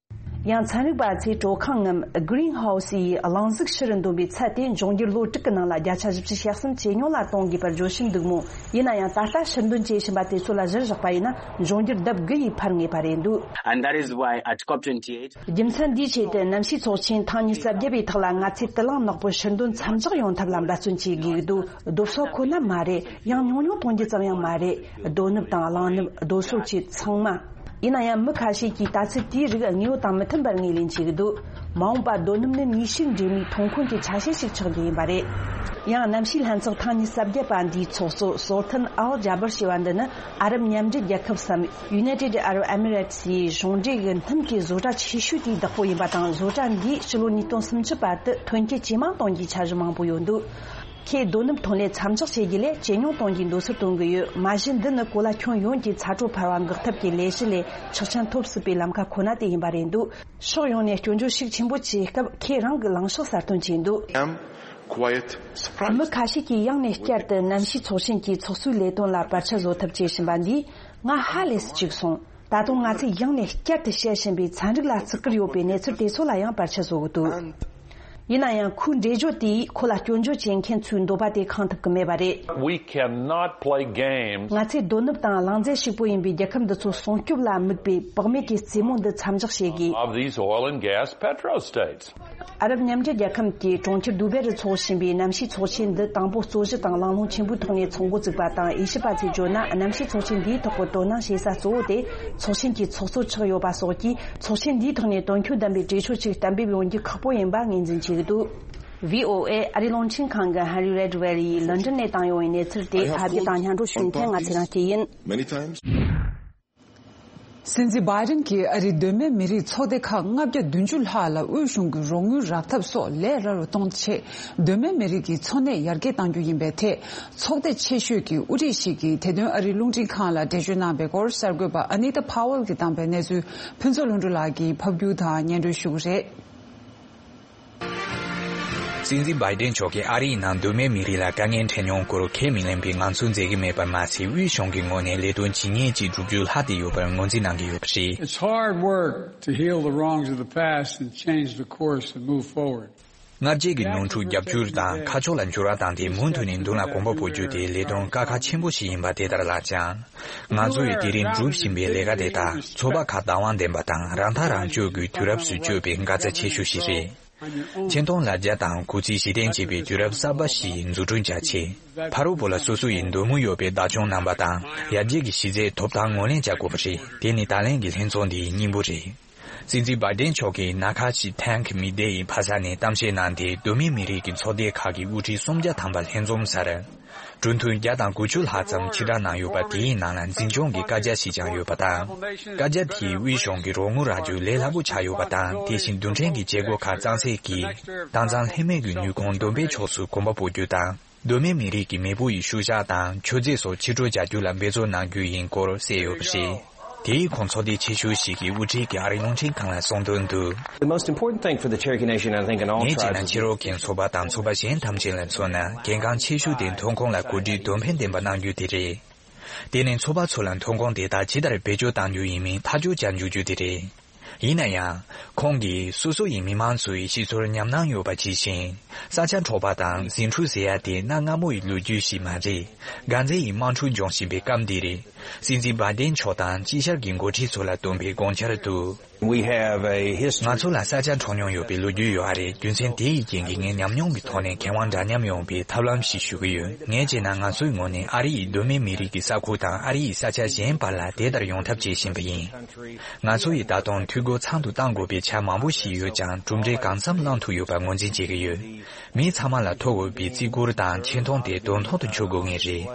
ཡང་ཚན་རིག་པ་ཚོས་དྲོད་ཁང་ངམ་Greenhouse ཡི་རླུང་གཟུགས་ཕྱི་རུ་འདོན་པའི་ཚད་དེ་འབྱུང་འགྱུར་ལོ་དྲུག་གི་ནང་ལ་བརྒྱ་ཆ་བཞི་བཅུ་ཞེ་གསུམ་ཇེ་ཉུང་ལ་གཏོང་དགོས་པར་བརྗོད་བཞིན་འདུག་མོད། ཡིན་ན་ཡང་ད་ལྟ་ཕྱིར་འདོན་བྱེད་བཞིན་པ་དེ་ཚོ་ལ་གཞིར་བཞག་པ་ཡིན་ན། འབྱུང་འགྱུར་ལྡབ་དགུ་ཡིས་འཕར་ངེས་པ་རེད་འདུག And that is why at COP twenty-eight རྒྱུ་མཚན་འདིའི་ཆེད་དུ་གནམ་གཤིས་ཚོགས་ཆེན་ཐེངས་ཉི་ཤུ་རྩ་བརྒྱད་པའི་ཐོག་ལ་ང་ཚོས་དུད་རླངས་ནག་པོ་ཕྱིར་འདོན་མཚམས་འཇོག་ཡོང་ཐབས་ལ་འབད་བརྩོན་བྱེད་དགོས་ཀྱི་འདུག་རྡོ་སོལ་ཁོ་ན་མ་རེད། ཡང་ཉུང་ཉུང་གཏོང་རྒྱུ་ཙམ་ཡང་མ་རེད། རྡོ་ནུབ་དང་རླངས་ནུབ། རྡོ་སོལ་བཅས་ཚང་མ། ཡིན་ན་ཡང་མི་ཁ་ཤས་ཀྱིས་ལྟ་ཚུལ་དེའི་རིགས་དངོས་ཡོད་དང་མི་མཐུན་པར་ངོས་ལེན་བྱེད་ཀྱི་འདུག་མ་འོངས་པར་རྡོ་སྣུམ་ནི་ནུས་ཤུགས་འདྲེས་མའི་ཐོན་ཁུངས་ཀྱི་ཆ་ཤས་ཤིག་ཆགས་རྒྱུ་ཡིན་པ་རེད། ཡང་གནམ་གཤིས་ལྷན་ཚོགས་ཐེངས་ཉི་ཤུ་རྩ་བརྒྱད་པ་འདིའི་ཚོགས་གཙོ་སོལ་ཐན་ཨལ་ཇཱ་བར་ཞེས་པ་འདི་ནི་ཨ་རབ་མཉམ་འབྲེལ་རྒྱལ་ཁབ་སམ། United Arab Emirates ཡི་གཞུང་འབྲེལ་གྱི་སྣུམ་གྱི་བཟོ་གྲྭ་ཆེ་ཤོས་དེའི་བདག་པོ་ཡིན་པ་དང་། བཟོ་གྲྭ་འདིས་ཕྱི་ལོ་ཉིས་སྟོང་སུམ་ཅུ་བར་དུ་ཐོན་སྐྱེད་ཇེ་མང་གཏོང་རྒྱུའི་འཆར་གཞི་མང་པོ་ཡོད་འདུག་ཁོས་རྡོ་སྣུམ་ཐོན་ལས་མཚམས་འཇོག་བྱེད་རྒྱུ་ལས་ཇེ་ཉུང་གཏོང་རྒྱུའི་འདོད་སར་གཏོང་གི་ཡོད། མ་གཞི་འདི་ནི་གོ་ལ་ཁྱོན་ཡོངས་ཀྱི་ཚ་དྲོད་འཕར་བ་འགོག་ཐབས་ཀྱི་ལས་གཞི་ལས་ཆོག་མཆན་ཐོབ་སྲིད་པའི་ལམ་ཁ་ཁོ་ན་དེ་ཡིན་པ་རེད་འདུག་ཕྱོགས་ཡོངས་ནས་སྐྱོན་བརྗོད་ཤུགས་ཆེན་པོ་བྱས་སྐབས། ཁོས་རང་གི་ལངས་ཕྱོགས་གསལ་སྟོན་བྱས་འདུག I'm quite surprised. མི་ཁ་ཤས་ཀྱིས་ཡང་ནས་བསྐྱར་དུ་གནམ་གཤིས་ཚོགས་ཆེན་གྱི་ཚོགས་གཙོའི་ལས་དོན་ལ་བར་ཆད་བཟོ་ཐབས་བྱེད་བཞིན་པ་འདིས་ང་ཧ་ལས་སུ་གཅིག་སོང་། ད་དུང་ང་ཚོས་ཡང་ནས་བསྐྱར་དུ་བཤད་བཞིན་པའི་ཚན་རིག་ལ་བརྩི་བཀུར་ཡོད་པའི་གནས་ཚུལ་དེ་ཚོ་ལ་ཡང་བར་ཆད་བཟོ་གི་འདུག་ཡིན་ན་ཡང་ཁོའི་འགྲེལ་བརྗོད་དེས་ཁོ་ལ་སྐྱོན་བརྗོད་བྱེད་མཁན་ཚོའི་འདོད་པ་དེ་ཁེངས་ཐུབ་ཀྱི་མེད་པ་རེད། We cannot play games. ང་ཚོས་དོ་ནུབ་དང་ལང་རྫས་ཕྱུག་པོ་ཡིན་པའི་རྒྱལ་ཁབ་འདི་ཚོ་སྲུང་སྐྱོབ་ལ་དམིགས་པའི་བག་མེད་ཀྱི་རྩེད་མོ་འདི་མཚམས་འཇོག་བྱེད་དགོས། Of these oil and gas petro states. ཨ་རབ་མཉམ་འབྲེལ་རྒྱལ་ཁབ་ཀྱི་གྲོང་ཁྱེར་དུ་བེ་རུ་འཚོགས་བཞིན་པའི་གནམ་གཤིས་ཚོགས་ཆེན་འདི་དང་པོ་རྩོད་གཞི་དང་གླེང་སློང་ཆེན་པོའི་ཐོག་ནས་ཚོགས་འགོ་བཙུགས་པ་དང་། དབྱེ་ཞིབ་པ་ཚོས་བརྗོད་ན། གནམ་གཤིས་ཚོགས་ཆེན་འདིའི་ཐོག་གི་དོ་སྣང་བྱེད་ས་གཙོ་བོ་དེ་ཚོགས་ཆེན་གྱི་ཚོགས་གཙོ་ཆགས་ཡོད་པ་སོགས་ཀྱིས། ཚོགས་ཆེན་འདིའི་ཐོག་ནས་དོན་འཁྱོལ་ལྡན་པའི་གྲོས་ཆོད་ཅིག་གཏན་འབེབས་ཡོང་རྒྱུ་ཁག་པོ་ཡིན་པ་ངོས་འཛིན་བྱེད་ཀྱི་འདུག། བྷི་ཨོ་ཨེ་ཨ་རིའི་རླུང་འཕྲིན་ཁང་གི་ཧན་རི་རེད་ཝེ་ཡིས་ལོན་ཌོན་ནས་བཏང་ཡོད་པའི་གནས་ཚུལ་དེ་ཕབ་སྒྱུར་དང་སྙན་སྒྲོན་ཞུ་མཁན་ང་ཚེ་རིང་སྐྱིད་ཡིན། Many times. སྲིད་འཛིན་བྷའི་ཌེན་གྱིས་ཨ་རིའི་གདོད་མའི་མི་རིགས་ཚོགས་སྡེ་ཁག་ལྔ་བརྒྱ་བདུན་ཅུ་ལྷག་ལ་དབུས་གཞུང་གི་རོགས་དངུལ་རག་ཐབས་སོགས་ལས་སླ་རུ་གཏོང་ཆེད། གདོད་མའི་མི་རིགས་ཀྱི་འཚོ་གནས་ཡར་རྒྱས་གཏང་རྒྱུ་ཡིན་པའི་ཐད། ཚོགས་སྡེ་ཆེ་ཤོས་ཀྱི་དབུ་ཁྲིད་ཞིག་གིས་དེ་དོན་ཨ་རིའི་རླུང་འཕྲིན་ཁང་ལ་འགྲེལ་བརྗོད་གནང་པའི་སྐོར། གསར་འགོད་པ་ཨ་ནི་ཏཱ་ཕ་ཝལ་གྱིས་བཏང་པའི་གནས་ཚུལ་ཕུན་ཚོགས་ལྷུན་གྲུབ་ལགས་ཀྱིས་ཕབ་སྒྱུར་དང་སྙན་སྒྲོན་ཞུ་གི་རེད། སྲིད་འཛིན་བྷའི་ཌེན་མཆོག་གིས་ཨ་རིའི་ནང་གདོད་མའི་མི་རིགས་ལ་དཀའ་ངལ་འཕྲད་མྱོང་སྐོར་ཁས་མི་ལེན་པའི་ངང་ཚུལ་མཛད་ཀྱི་མེད་པར་མ་ཟད། དབུས་གཞུང་གི་ངོས་ནས་ལས་དོན་ཇི་སྙེད་ཅིག་བསྒྲུབ་རྒྱུ་ལྷག་བསྡད་ཡོད་པར་ངོས་འཛིན་གནང་གི་ཡོད་པ་རེད། It's hard work to heal the wrongs of the past and change the course and move forward. སྔར་རྗེས་ཀྱི་ནོར་འཁྲུལ་རྒྱབ་སྐྱུར་དང་ཁ་ཕྱོགས་ལ་འགྱུར་བ་བཏང་སྟེ། མུ་མཐུད་ནས་མདུན་ལ་གོམ་པ་སྤོ་རྒྱུ་དེ་ལས་དོན་དཀའ་ཁག་ཆེན་པོ་ཞིག་ཡིན་པ་དེ་ལྟར་ལགས་ཀྱང་། ང་ཚོ་ཡིས་དེ་རིང་སྒྲུབ་བཞིན་པའི་ལས་ཀ་དེ་དག་ཚོགས་པ་ཁག་བདག་དབང་ལྡན་པ་དང་རང་ཐག་རང་གཅོད་ཀྱི་དུས་རབས་སུ་བསྐྱོད་པའི་འགག་རྩ་ཆེ་ཤོས་ཤིག་རེད། ཆེ་མཐོང་ལ་རྒྱ་དང་གུས་བརྩི་གཞི་རྟེན་བྱེད་པའི་དུས་རབས་གསར་པ་ཞིག་འཛུགས་སྐྲུན་བྱ་ཆེད། ཕ་རོལ་པོ་ལ་སོ་སོ་ཡི་འདོད་མོས་ཡོད་པའི་བདག་སྐྱོང་རྣམ་པ་དང་ཡར་རྒྱས་ཀྱི་གཞི་རྩའི་ཐོབ་ཐང་ངོས་ལེན་བྱ་དགོས་པ་རེད། དེ་ནི་ད་ལན་གྱི་ལྷན་ཚོགས་འདིའི་སྙིང་པོ་རེད། སྲིད་འཛིན་བྷའི་ཌེན་མཆོག་གིས་ན་ཁ་ཆི་ཐེང་གི་མི་སྡེ་ཡི་ཕ་ས་ནས་གཏམ་བཤད་གནང་སྟེ། གདོད་མའི་མི་རིགས་ཀྱི་ཚོགས་སྡེ་ཁག་གི་དབུ་ཁྲིད་སུམ་བརྒྱ་ཐམ་པ་ལྷན་འཛོམས་སར། གྲོས་མཐུན་བརྒྱ་དང་དགུ་བཅུ་ལྷག་ཙམ་ཕྱིར་བསྒྲགས་གནང་ཡོད་པ། དེའི་ནང་ལ་འཛིན་སྐྱོང་གི་བཀའ་རྒྱ་ཞིག་ཀྱང་ཡོད་པ་དང་། བཀའ་རྒྱ་དེས་དབུས་གཞུང་གི་རོགས་དངུལ་རག་རྒྱུ་ལས་སླ་པོ་ཆགས་ཡོད་པ་དང་། དེ་བཞིན་རྡུལ་ཕྲན་གྱི་བྱེད་སྒོ་ཁག་གཙང་སེལ་གྱིས། དྭངས་གཙང་ལྷད་མེད་ཀྱི་ནུས་ཁུངས་འདོན་སྤེལ་ཕྱོགས་སུ་གོམ་པ་སྤོ་རྒྱུ་དང་། གདོད་མའི་མི་རིགས་ཀྱི་མེས་པོ་ཡི་ཤུལ་བཞག་དང་མཆོད་རྫས་སོགས་ཕྱིར་སྤྲོད་བྱ་རྒྱུ་ལ་འབད་བརྩོན་གནང་རྒྱུ་ཡིན་སྐོར་གསལ་ཡོད་པ་རེད། དེའི་ཁོངས་ཚོགས་སྡེ་ཆེ་ཤོས་ཤིག་གི་དབུ་ཁྲིད་ཀྱིས་ཨ་རིའི་རླུང་འཕྲིན་ཁང་ལ་གསུངས་དོན་དུ། The most important thing for the Cherokee Nation, I think, in all tribes, ངས་བྱས་ན་ཕྱི་རོལ་གྱི་ཚོགས་པ་དང་ཚོགས་པ་གཞན་ཐམས་ཅད་ལ་མཚོན་ན། གལ་འགངས་ཆེ་ཤོས་དེ་ཐོན་ཁུངས་ལ་གོ་སྒྲིག་དོན་ཕན་ལྡན་པ་གནང་རྒྱུ་དེ་རེད། དེ་ནི་ཚོགས་པ་ཚོ་ལ་ཐོན་ཁུངས་དེ་དག་ཇི་ལྟར་བེད་སྤྱོད་གཏང་རྒྱུ་ཡིན་མིན་ཐག་གཅོད་བྱ་འཇུག་རྒྱུ་དེ་རེད། ཡིན་ན་ཡང་། ཁོང་གིས་སོ་སོ་ཡི་མི་མང་ཚོའི་ཤེས་ཚོར་ཉམས་སྣང་ཡོད་པ་ཇི་བཞིན། ས་ཆ་འཕྲོག་པ་དང་ཟིང་འཁྲུག་ཟེར་ཡ་དེ་གནའ་སྔ་མོ་ཡི་ལོ་རྒྱུས་ཤིག་མ་རེད། གང་ཚེ་ཡི་དམག་འཁྲུག་འབྱུང་བཞིན་པའི་སྐབས་འདི་རེད། སྲིད་འཛིན་བྷའི་ཌེན་མཆོག་དང་དཀྱིལ་ཤར་གྱི་འགོ་ཁྲིད་ཚོ་ལ་བཏོན་པའི་དགོངས་འཆར་དུ། We have a history. ང་ཚོ་ལ་ས་ཆ་འཕྲོག་མྱོང་ཡོད་པའི་ལོ་རྒྱུས་ཡོད་རེད། རྒྱུ་མཚན་དེ་ཡི་རྐྱེན་གྱིས་ངས་ཉམས་མྱོང་གི་ཐོག་ནས་མཁས་དབང་འདྲ་མཉམ་ཡོང་བའི་ཐབས་ལམ་ཞིག་ཞུ་གི་ཡོད། ངས་བྱས་ན་ང་ཚོའི་ངོས་ནས་ཨ་རི་ཡི་གདོད་མའི་མི་རིགས་ཀྱི་ས་ཁུལ་དང་ཨ་རི་ཡི་ས་ཆ་གཞན་བར་ལ་དེ་ལྟར་ཡོང་ཐབས་བྱེད་བཞིན་པ་ཡིན། ང་ཚོ་ཡིས་ད་དུང་འཐུས་སྒོ་ཚང་དུ་གཏང་དགོས་པའི་ཆ་མང་པོ་ཞིག་ཡོད་ཀྱང་། གྲུབ་འབྲས་གང་འཚམ་བླང་ཐུབ་ཡོད་པར་ངོས་འཛིན་བྱེད་ཀྱི་ཡོད། མི་ཚང་མ་ལ་ཐོབ་འོས་པའི་བརྩི་བཀུར་དང་ཆེ་མཐོང་དེ་དོན་ཐོག་ཏུ་འཁྱོལ་དགོས་ངེས་རེད།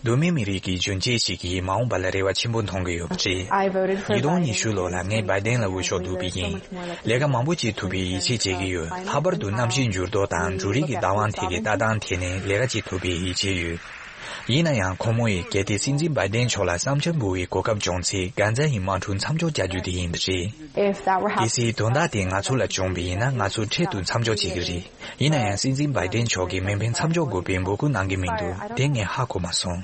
གདོད་མའི་མི་རིགས་ཀྱི་གཞོན་སྐྱེས་ཤིག་གིས་མ་འོངས་པ་ལ་རེ་བ་ཆེན་པོ་མཐོང་གི་ཡོད་པ་རེད། I voted for that. ཉིས་སྟོང་ཉི་ཤུ་ལོ་ལ་ངས་བྷའི་ཌེན་ལ་འོས་ཤོག་བླུགས་པ་ཡིན། ལས་ཀ་མང་པོ་བྱེད་ཐུབ་པའི་ཡིད་ཆེས་བྱེད་ཀྱི་ཡོད། ལྷག་པར་དུ་གནམ་གཤིས་འགྱུར་ལྡོག་དང་འབྲུ་རིགས་ཀྱི་བདག་དབང་ཐད་ཀྱི་ལྟ་སྟངས་ཐད་ནས་ལས་ཀ་བྱེད་ཐུབ་པའི་ཡིད་ཆེས་ཡོད། ཡིན་ན་ཡང་ཁོང་མོ་ཡིས་གལ་ཏེ་སྲིད་འཛིན་བྷའི་ཌེན་མཆོག་ལ་བསམ་འཆར་འབུལ་བའི་གོ་སྐབས་བྱུང་ཚེ། གྷན་ཛ་ཡི་དམག་འཁྲུག་མཚམས་འཇོག་བྱ་རྒྱུ་དེ་ཡིན་པ་རེད། If that were happening. གལ་སྲིད་དོན་དག་དེ་ང་ཚོ་ལ་བྱུང་བ་ཡིན་ན། ང་ཚོ་འཕྲལ་དུ་མཚམས་འཇོག་བྱེད་ཀྱི་རེད། ཡིན་ན་ཡང་སྲིད་འཛིན་བྷའི་ཌེན་མཆོག་གིས་མེ་འཕེན་མཚམས་འཇོག་དགོས་པའི་འབོད་སྐུལ་གནང་གི་མི་འདུག། དེ་ངས་ཧ་གོ་མ་སོང་།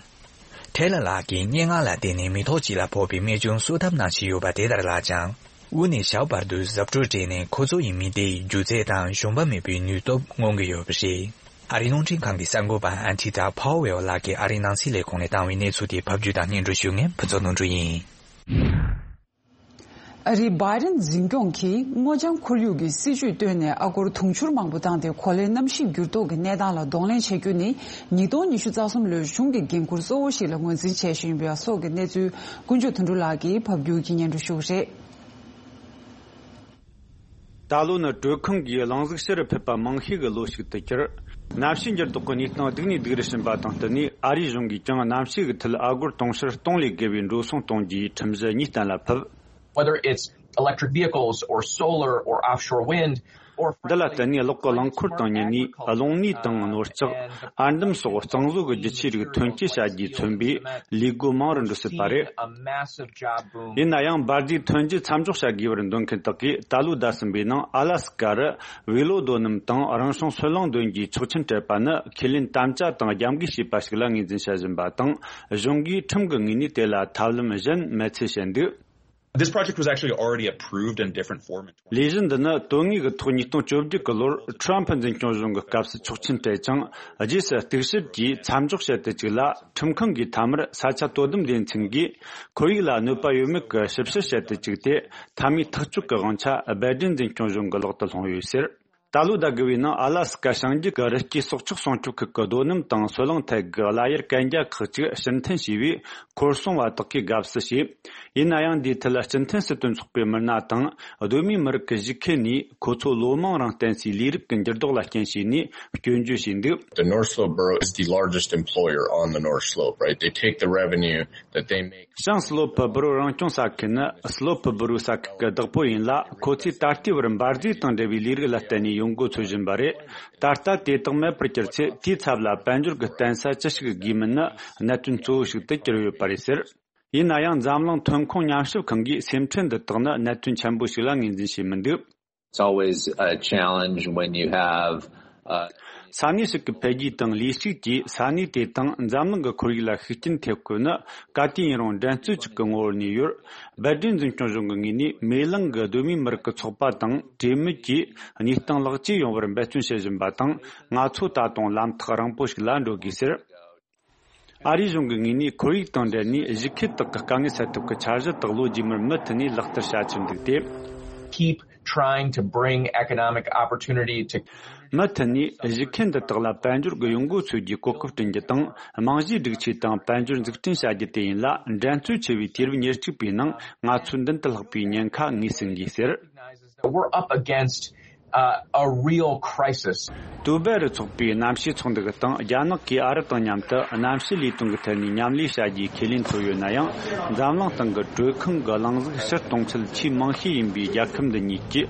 ཁྲེ་ལ་ལགས་ཀྱིས་སྙན་ངག་ལ་བརྟེན་ནས་མི་ཐོག་གཅིག་ལ་ཕོག་པའི་རྨས་སྐྱོན་གསོ་ཐབས་གནང་བཞིན་ཡོད་པ་དེ་ལྟར་ལགས་ཀྱང་། དབུས་ནས་ཞབས་བར་དུ་གཟབ་སྤྲོས་སྤྲས་ནས་ཁོ་ཚོ་ཡི་མི་སྡེ་ཡི་སྒྱུ་རྩལ་དང་ཞུམ་པ་མེད་པའི་ནུས་སྟོབས་མངོན་གྱི་ཡོད་པ་རེད། ཨ་རིའི་རླུང་འཕྲིན་ཁང་གི་གསར་འགོད་པ་ཨན་ཐི་ཏྲ་ཕའོ་ཝེལ་ལགས་ཀྱིས་ཨ་རིའི་ནང་སྲིད་ལས་ཁུངས་ནས་བཏང་བའི་གནས་ཚུལ་དེ་ཕབ་སྒྱུར་དང་སྙན་སྒྲོན་ཞུ་མཁན་ཕུན་ཚོགས་ནོར་འཁྲུལ་ཡིན། ཨ་རིའི་བྷའི་ཌེན་འཛིན་སྐྱོང་གིས་སྔོ་ལྗང་ཁོར་ཡུག་གི་སྲིད་ཇུས་བཏོན་ནས་ཨ་སྒོར་དུང་ཕྱུར་མང་པོ་བཏང་སྟེ། གོ་ལའི་གནམ་གཤིས་འགྱུར་ལྡོག་གི་གནས་སྟངས་ལ་གདོང་ལེན་བྱེད་རྒྱུ་ནི་ཉིས་སྟོང་ཉི་ཤུ་རྩ་གསུམ་ལོའི་གཞུང་གི་འགན་ཁུར་གཙོ་བོ་ཞིག་ལ་ངོས་འཛིན་བྱས་བཞིན་པ་སོགས་ཀྱི་གནས་ཚུལ་ཀུན་སྤྱོད་དོན་གྲུབ་ལགས་ཀྱིས་ཕབ་སྒྱུར་གྱིས་སྙན་སྒྲོན་ཞུ་གི་རེད། ད་ལོ་ནི་དྲོད་ཁང་གིས་རླུང་གཟུགས་ཕྱི་རུ་ཕུད་པ་མང་ཤོས་ཀྱི་ལོ་ཞིག་ཏུ་གྱུར། གནམ་གཤིས་འགྱུར་ལྡོག་གི་གནས་སྟངས་སྡུག་ནས་སྡུག་རུ་ཕྱིན་པ་དང་བསྟུན་ནས། ཨ་རིའི་གཞུང་གིས་ཀྱང་གནམ་གཤིས་ཀྱི་ཁྲོད་ཨ་སྒོར་དུང་ཕྱུར་སྟོང་ལས་བརྒལ་བའི་འགྲོ་སོང་གཏོང་རྒྱུའི་ཁྲིམས་གཞི་གཉིས་གཏན་ལ་ཕབ། Whether it's electric vehicles or solar or offshore wind or འདི་ལ་བརྟེན་ནས་གློག་གི་རླངས་འཁོར་དང་། གཉིས་ནས་རླུང་ནུས་དང་ནོར་ལྕགས། ཨར་འདམ་སོགས་གཙང་བཟོ་གི་རྒྱུ་ཆའི་རིགས་ཐོན་སྐྱེད་བྱ་རྒྱུས་མཚོན་པའི་ལས་སྒོ་མང་རུ་འགྲོ་སྲིད་པ་རེད། ཡིན་ན་ཡང་འབར་རྫས་ཐོན་རྒྱུ་མཚམས་འཇོག་བྱ་དགོས་པར་འདོད་མཁན་དག་གིས་ད་ལོའི་ཟླ་གསུམ་པའི་ནང་ཨ་ལ་སི་ཀ་རུ་བེ་ལོ་རྡོ་སྣུམ་དང་རང་བྱུང་སོལ་རླངས་འདོན་རྒྱུའི་ཆོག་མཆན་སྤྲད་པ་ནི་ཁས་ལེན་དམ་བཅའ་དང་རྒྱབ་འགལ་བྱས་པ་ཞིག་ལ་ངོས་འཛིན་བྱ་བཞིན་པ་དང་། གཞུང་གིས་ཁྲིམས་ཀྱི་ངོས་ནས་དེ་ལ་ཐབས་ལམ་གཞན་མེད་ཚུལ་བཤད་འདུག། This project was actually already approved in different form in ལས་གཞི་འདི་ནི་དོན་དངོས་ཀྱི་ཐོག་ཉིས་སྟོང་བཅོ་བརྒྱད་ཀྱི་ལོར་ཁྲོམ་ཕུ་འཛིན་སྐྱོང་གཞུང་གི་སྐབས་སུ་ཆོག་མཆན་སྤྲད་ཅིང་། རྗེས་སུ་གཏུག་བཤེར་གྱིས་མཚམས་འཇོག་བྱེད་དུ་བཅུག་ལ། ཁྲིམས་ཁང་གིས་མཐའ་མར་ས་ཆ་དོ་དམ་སྡེ་ཚན་གྱིས་ཁོར་ཡུག་ལ་གནོད་པ་ཡོད་མེད་ཀྱི་ཞིབ་བཤེར་བྱེད་དུ་བཅུག་སྟེ། མཐའ་མའི་ཐག་གཅོད་ཀྱི་དབང་ཆ་སྦལ་ཏྲེན་འཛིན་སྐྱོང་གཞུང་གི་ལག་ཏུ་ལྷུང་ཡོད་ཟེར། ད་ལོ་ཟླ་དགུ་བའི་ནང་ཨ་ལ་སི་ཀ་བྱང་རྒྱུད་ཀྱི་རི་སྐྱེས་སྲོག་ཆགས་སྲུང་སྐྱོབ་ཁུལ་གྱི་རྡོ་སྣུམ་དང་སོལ་རླངས་ཐད་ཀྱི་ཀླད་ཡར་གན་རྒྱ་ཁག་ཅིག་ཕྱིར་འཐེན་བྱས་པས། ཁོར་སྲུང་བ་དག་གིས་དགའ་བསུ་བྱས། ཡིན་ན་ཡང་འདིའི་ཐད་སྤྱི་མཐུན་སྲིད་དོན་ཚོགས་པའི་མི་སྣ་དང་གདོད་མའི་མི་རིགས་ཀྱི་གཞིས་ཁུལ་ནས་ཁོ་ཚོ་ལོ་མང་རིང་བརྟེན་སའི་ལས་རིགས་ཀྱི་འགྱུར་ལྡོག་ལ་རྐྱེན་བྱས་ནས་སྐྱོན་བརྗོད་བྱས་འདུག The North Slope Borough is the largest employer on the North Slope, right? They take the revenue that they make. བྱང་སི་ལོ་ཕུ་སྦུ་རུ་རང་སྐྱོང་ས་ཁུལ་ནི་སི་ལོ་ཕུ་སྦུ་རུ་ས་ཁུལ་གྱི་བདག་པོ་ཡིན་ལ། ཁོ་ཚོས་ད་ལྟའི་བར་འབར་རྫས་དང་འབྲེལ་བའི་ལས་རིགས་ལ་བརྟེན་ནས་ཡོང་སྒོ་འཚོལ་བཞིན་པ་རེད། ད་ལྟ་དེ་དག་མེད་པར་གྱུར་ཚེ། དེའི་ཚབ་ལ་དཔལ་འབྱོར་གྱི་བརྟེན་ས་ཅི་ཞིག་དགོས་མིན་ནི་གནད་དོན་གཙོ་བོ་ཞིག་ཏུ་གྱུར་ཡོད་པ་རེད་ཟེར། ཡིན་ན་ཡང་འཛམ་གླིང་ཐོན་ཁུངས་ཉམས་ཞིབ་ཁང་གིས་སེམས་ཁྲལ་འདི་དག་ནི་གནད་དོན་ཆེན་པོ་ཞིག་ལ་ངོས་འཛིན་བྱས་མི་འདུག It's always a challenge when you have, uh, ས་གནས་ཤིག་གི་འཕེལ་རྒྱས་དང་ལུས་ཤུགས་ཀྱིས་ས་གནས་དེ་དང་འཛམ་གླིང་གི་ཁོར་ཡུག་ལ་ཤུགས་རྐྱེན་ཐེབས་དགོས་ནི་ག་དུས་ཡིན་རུང་འགྲན་རྩོད་ཅིག་གི་ངོ་བོར་གནས་ཡོད། སྦལ་ཏྲེན་འཛིན་སྐྱོང་གཞུང་གི་ངོས་ནས་མེ་གླིང་གི་གདོད་མའི་མི་རིགས་ཀྱི་ཚོགས་པ་དང་གྲོས་མོལ་གྱིས་གནས་སྟངས་ལེགས་བཅོས་ཡོང་བར་འབད་བརྩོན་བྱེད་བཞིན་པ་དང་། ང་ཚོ་ད་དུང་ལམ་ཐག་རིང་པོ་ཞིག་ལ་འགྲོ་དགོས་ཟེར། ཨ་རིའི་གཞུང་གི་ངོས་ནས་ཁོར་ཡུག་དང་འབྲེལ་ནས་གཞིས་ཁུལ་དག་གི་དཀའ་ངལ་སེལ་ཐབས་ཀྱི་འཆར་གཞི་དག་ལོ་རྗེས་མར་མུ་མཐུད་ནས་ལག་བསྟར་བྱ་ཕྱིར་འདུག་སྟེ། Keep trying to bring economic opportunity to མུ་མཐུད་ནས་གཞིས་ཁུལ་འདི་དག་ལ་དཔལ་འབྱོར་གྱི་ཡོང་སྒོ་འཚོལ་རྒྱུའི་གོ་སྐབས་བསྐྲུན་རྒྱུ་དང་། རྨང་གཞིའི་སྒྲིག་ཆས་དང་དཔལ་འབྱོར་འཛུགས་སྐྲུན་བྱ་རྒྱུ་དེ་ཡིན་ལ། འགྲན་རྩོད་ཆེ་བའི་དུས་རབས་ཉེར་གཅིག་པའི་ནང་ང་ཚོས་མདུན་དུ་ལྷགས་པའི་ཉེན་ཁ་ངོས་ཟིན་དགོས་ཟེར། We're up against, uh, a real crisis. ཏུའུ་སྦལ་རི་ཚོགས་པའི་གནམ་གཤིས་ཚོགས་འདུ་དང་རྒྱ་ནག་གིས་ཨ་རི་དང་མཉམ་དུ་གནམ་གཤིས་ལས་དོན་གྱི་ཐད་ནས་མཉམ་ལས་བྱ་རྒྱུའི་ཁས་ལེན་བྱུང་ཡོད་ན་ཡང་། འཛམ་གླིང་སྟེང་གི་དྲོད་ཁང་གི་རླུང་གཟུགས་ཕྱིར་གཏོང་ཚད་ཆེས་མང་ཤོས་ཡིན་པའི་རྒྱལ་ཁབ་འདི་གཉིས་ཀྱི་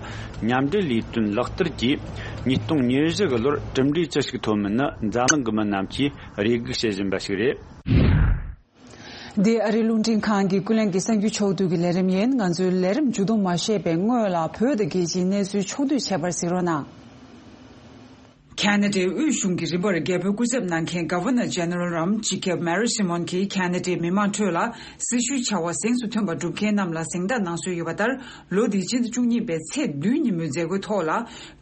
མཉམ་འབྲེལ་ལས་དོན་ལག་བསྟར་གྱིས་ཉིས་སྟོང་ཉེར་བཞི་གི་ལོར་གྲུབ་འབྲས་ཅི་ཞིག་ཐོབ་མིན་ནི་འཛམ་གླིང་གི་མི་རྣམས་ཀྱིས་རེ་སྒུག་བྱེད་བཞིན་པ་ཞིག་རེད། འདི་ཨ་རིའི་རླུང་འཕྲིན་ཁང་གི་ཀུན་གླེང་གི་གསར་འགྱུར་ཕྱོགས་བསྡུས་ཀྱི་ལས་རིམ་ཡིན། ང་ཚོའི་ལས་རིམ་མཇུག་བསྡོམས་མ་བྱས་པའི་སྔོན་ལ་བོད་དང་རྒྱལ་སྤྱིའི་གནས་ཚུལ་ཕྱོགས་བསྡུས་བྱས་པར་གཟིགས་རོགས་གནང་། ཁ་ན་ཌའི་དབུས་གཞུང་གི་རིམ་པར་རྒྱལ་པོའི་སྐུ་ཚབ་གནང་མཁན་Governor General རམ་སྤྱི་ཁྱབ་Mary Simon གྱིས་ཁ་ན་ཌའི་མི་མང་ཁྲོད་ལ་སྲི་ཞུའི་བྱ་བ་གཟེངས་སུ་ཐོན་པ་སྒྲུབ་མཁན་རྣམས་ལ་གཟེངས་རྟགས་གནང་སྲོལ་ཡོད་པ་ལྟར། ལོ་འདིའི་སྤྱི་ཟླ་བཅུ་གཉིས་པའི་ཚེས་བདུན་ཉིན་མོའི་མཛད་སྒོའི་ཐོག་ལ།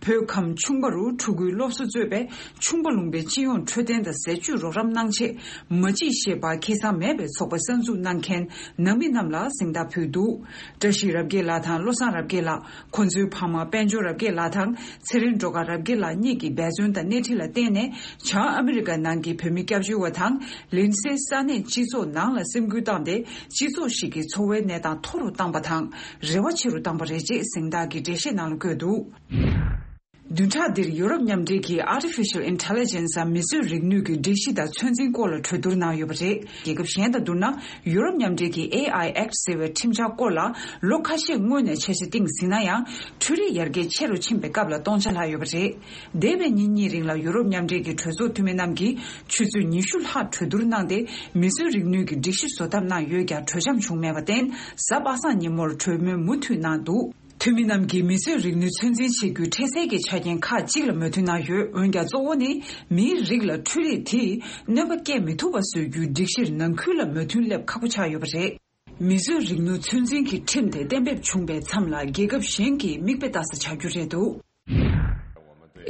བོད་ཁམས་ཆུང་པ་རུ་ཕྲུ་གུའི་སློབ་གསོ་གཙོས་པའི་ཆུང་པ་ལུང་པའི་སྤྱི་ཡོངས་འཕྲོད་བསྟེན་དང་ཟས་བཅུད་རོགས་རམ་གནང་ཆེད་མ་གཅིག་ཞེས་པ་ཁེ་བཟང་མེད་པའི་ཚོགས་པ་གསར་འཛུགས་གནང་མཁན་ནང་མི་རྣམས་ལ་གཟེངས་རྟགས་ཕུལ་འདུག། བཀྲ་ཤིས་རབ་རྒྱས་ལགས་དང་བློ་བཟང་རབ་རྒྱས་ལགས། ཁོ་ཚོའི་ཕ་མ་དཔལ་འབྱོར་རབ་རྒྱས་ལགས་དང་ཚེ་རིང་སྒྲོལ་དཀར་རབ་རྒྱས་ལགས་གཉིས་ཀྱི་འབད་བརྩོན་དང་སྣེ་ཁྲིད་ལ་བརྟེན་ནས། བྱང་ཨ་མི་རི་ཀ་ནང་གི་བོད་མི་སྐྱབས་བཅོལ་བ་དང་ལིན་སེ་ས་གནས་སྤྱི་ཚོགས་ནང་ལ་སེམས་འགུལ་བཏང་སྟེ། སྤྱི་ཚོགས་ཤིག་གི་འཚོ་བའི་གནས་སྟངས་མཐོ་རུ་བཏང་པ་དང་རེ་བ་ཆེ་རུ་བཏང་པ་རེད་ཅེས་གཟེངས་རྟགས་ཀྱི་འགྲེལ་བཤད་ནང་ལ་བཀོད་འདུག། བདུན་ཕྲག་འདིར་ཡུ་རོབ་མཉམ་འབྲེལ་གྱིས་Artificial Intelligence འམ་མི་བཟོས་རིག་ནུས་ཀྱི་སྒྲིག་གཞི་དང་ཚོད་འཛིན་སྐོར་ལ་གྲོས་བསྡུར་གནང་ཡོད་པ་རེད། རྒྱལ་ཁབ་གཞན་དང་བསྡུར་ན། ཡུ་རོབ་མཉམ་འབྲེལ་གྱི་ཨེ་ཨའི་ཨེཀཊ་ཟེར་བའི་ཁྲིམས་འཆར་སྐོར་ལ་ལོ་ཁ་ཤས་སྔོན་ནས་འཆར་གཞི་བཏིང་ཟིན་ན་ཡང་། འཕྲུལ་རིག་ཡར་རྒྱས་ཆེ་རུ་ཕྱིན་པའི་སྐབས་ལ་སྟོང་ཆ་ལྷག་ཡོད་པ་རེད། འདས་པའི་ཉིན་གཉིས་རིང་ལ་ཡུ་རོབ་མཉམ་འབྲེལ་གྱི་གྲོས་ཚོགས་འཐུས་མི་རྣམས་ཀྱིས་ཆུ་ཚོད་ཉི་ཤུ་ལྷག་གྲོས་བསྡུར་གནང་སྟེ། མི་བཟོས་རིག་ནུས་ཀྱི་སྒྲིག་གཞི་བཟོ་ཐབས་གནང་ཡོད་ཀྱང་གྲོས་འཆམ་བྱུང་མེད་པར་བརྟེན། གཟའ་པ་སངས་ཉིན་མོར་གྲོས་མོལ་མུ་མཐུད་གནང་འདུག། འཐུས་མི་རྣམས་ཀྱིས་མི་བཟོས་རིག་ནུས་ཚོད་འཛིན་བྱེད་རྒྱུའི་འཕྲལ་སེལ་གྱི་ཆ་རྐྱེན་ཁག་ཅིག་ལ་མོས་མཐུན་གནང་ཡོད། འོན་ཀྱང་གཙོ་བོ་ནི་མིའི་རིགས་ལ་འཕྲུལ་རིག་དེས་གནོད་པ་སྐྱེལ་མི་ཐུབ་པ་བཟོ་རྒྱུའི་སྒྲིག་གཞིར་ནང་ཁུལ་ལ་མོས་མཐུན་སླེབས་ཁག་པོ་ཆགས་ཡོད་པ་རེད། མི་བཟོས་རིག་ནུས་ཚོད་འཛིན་གྱི་ཁྲིམས་དེ་གཏན་འབེབས་བྱུང་བའི་མཚམས་ལ་རྒྱལ་ཁབ་གཞན་གྱིས་མིག་དཔེ་ལྟ་ས་ཆགས་རྒྱུ་རེད་འདུག།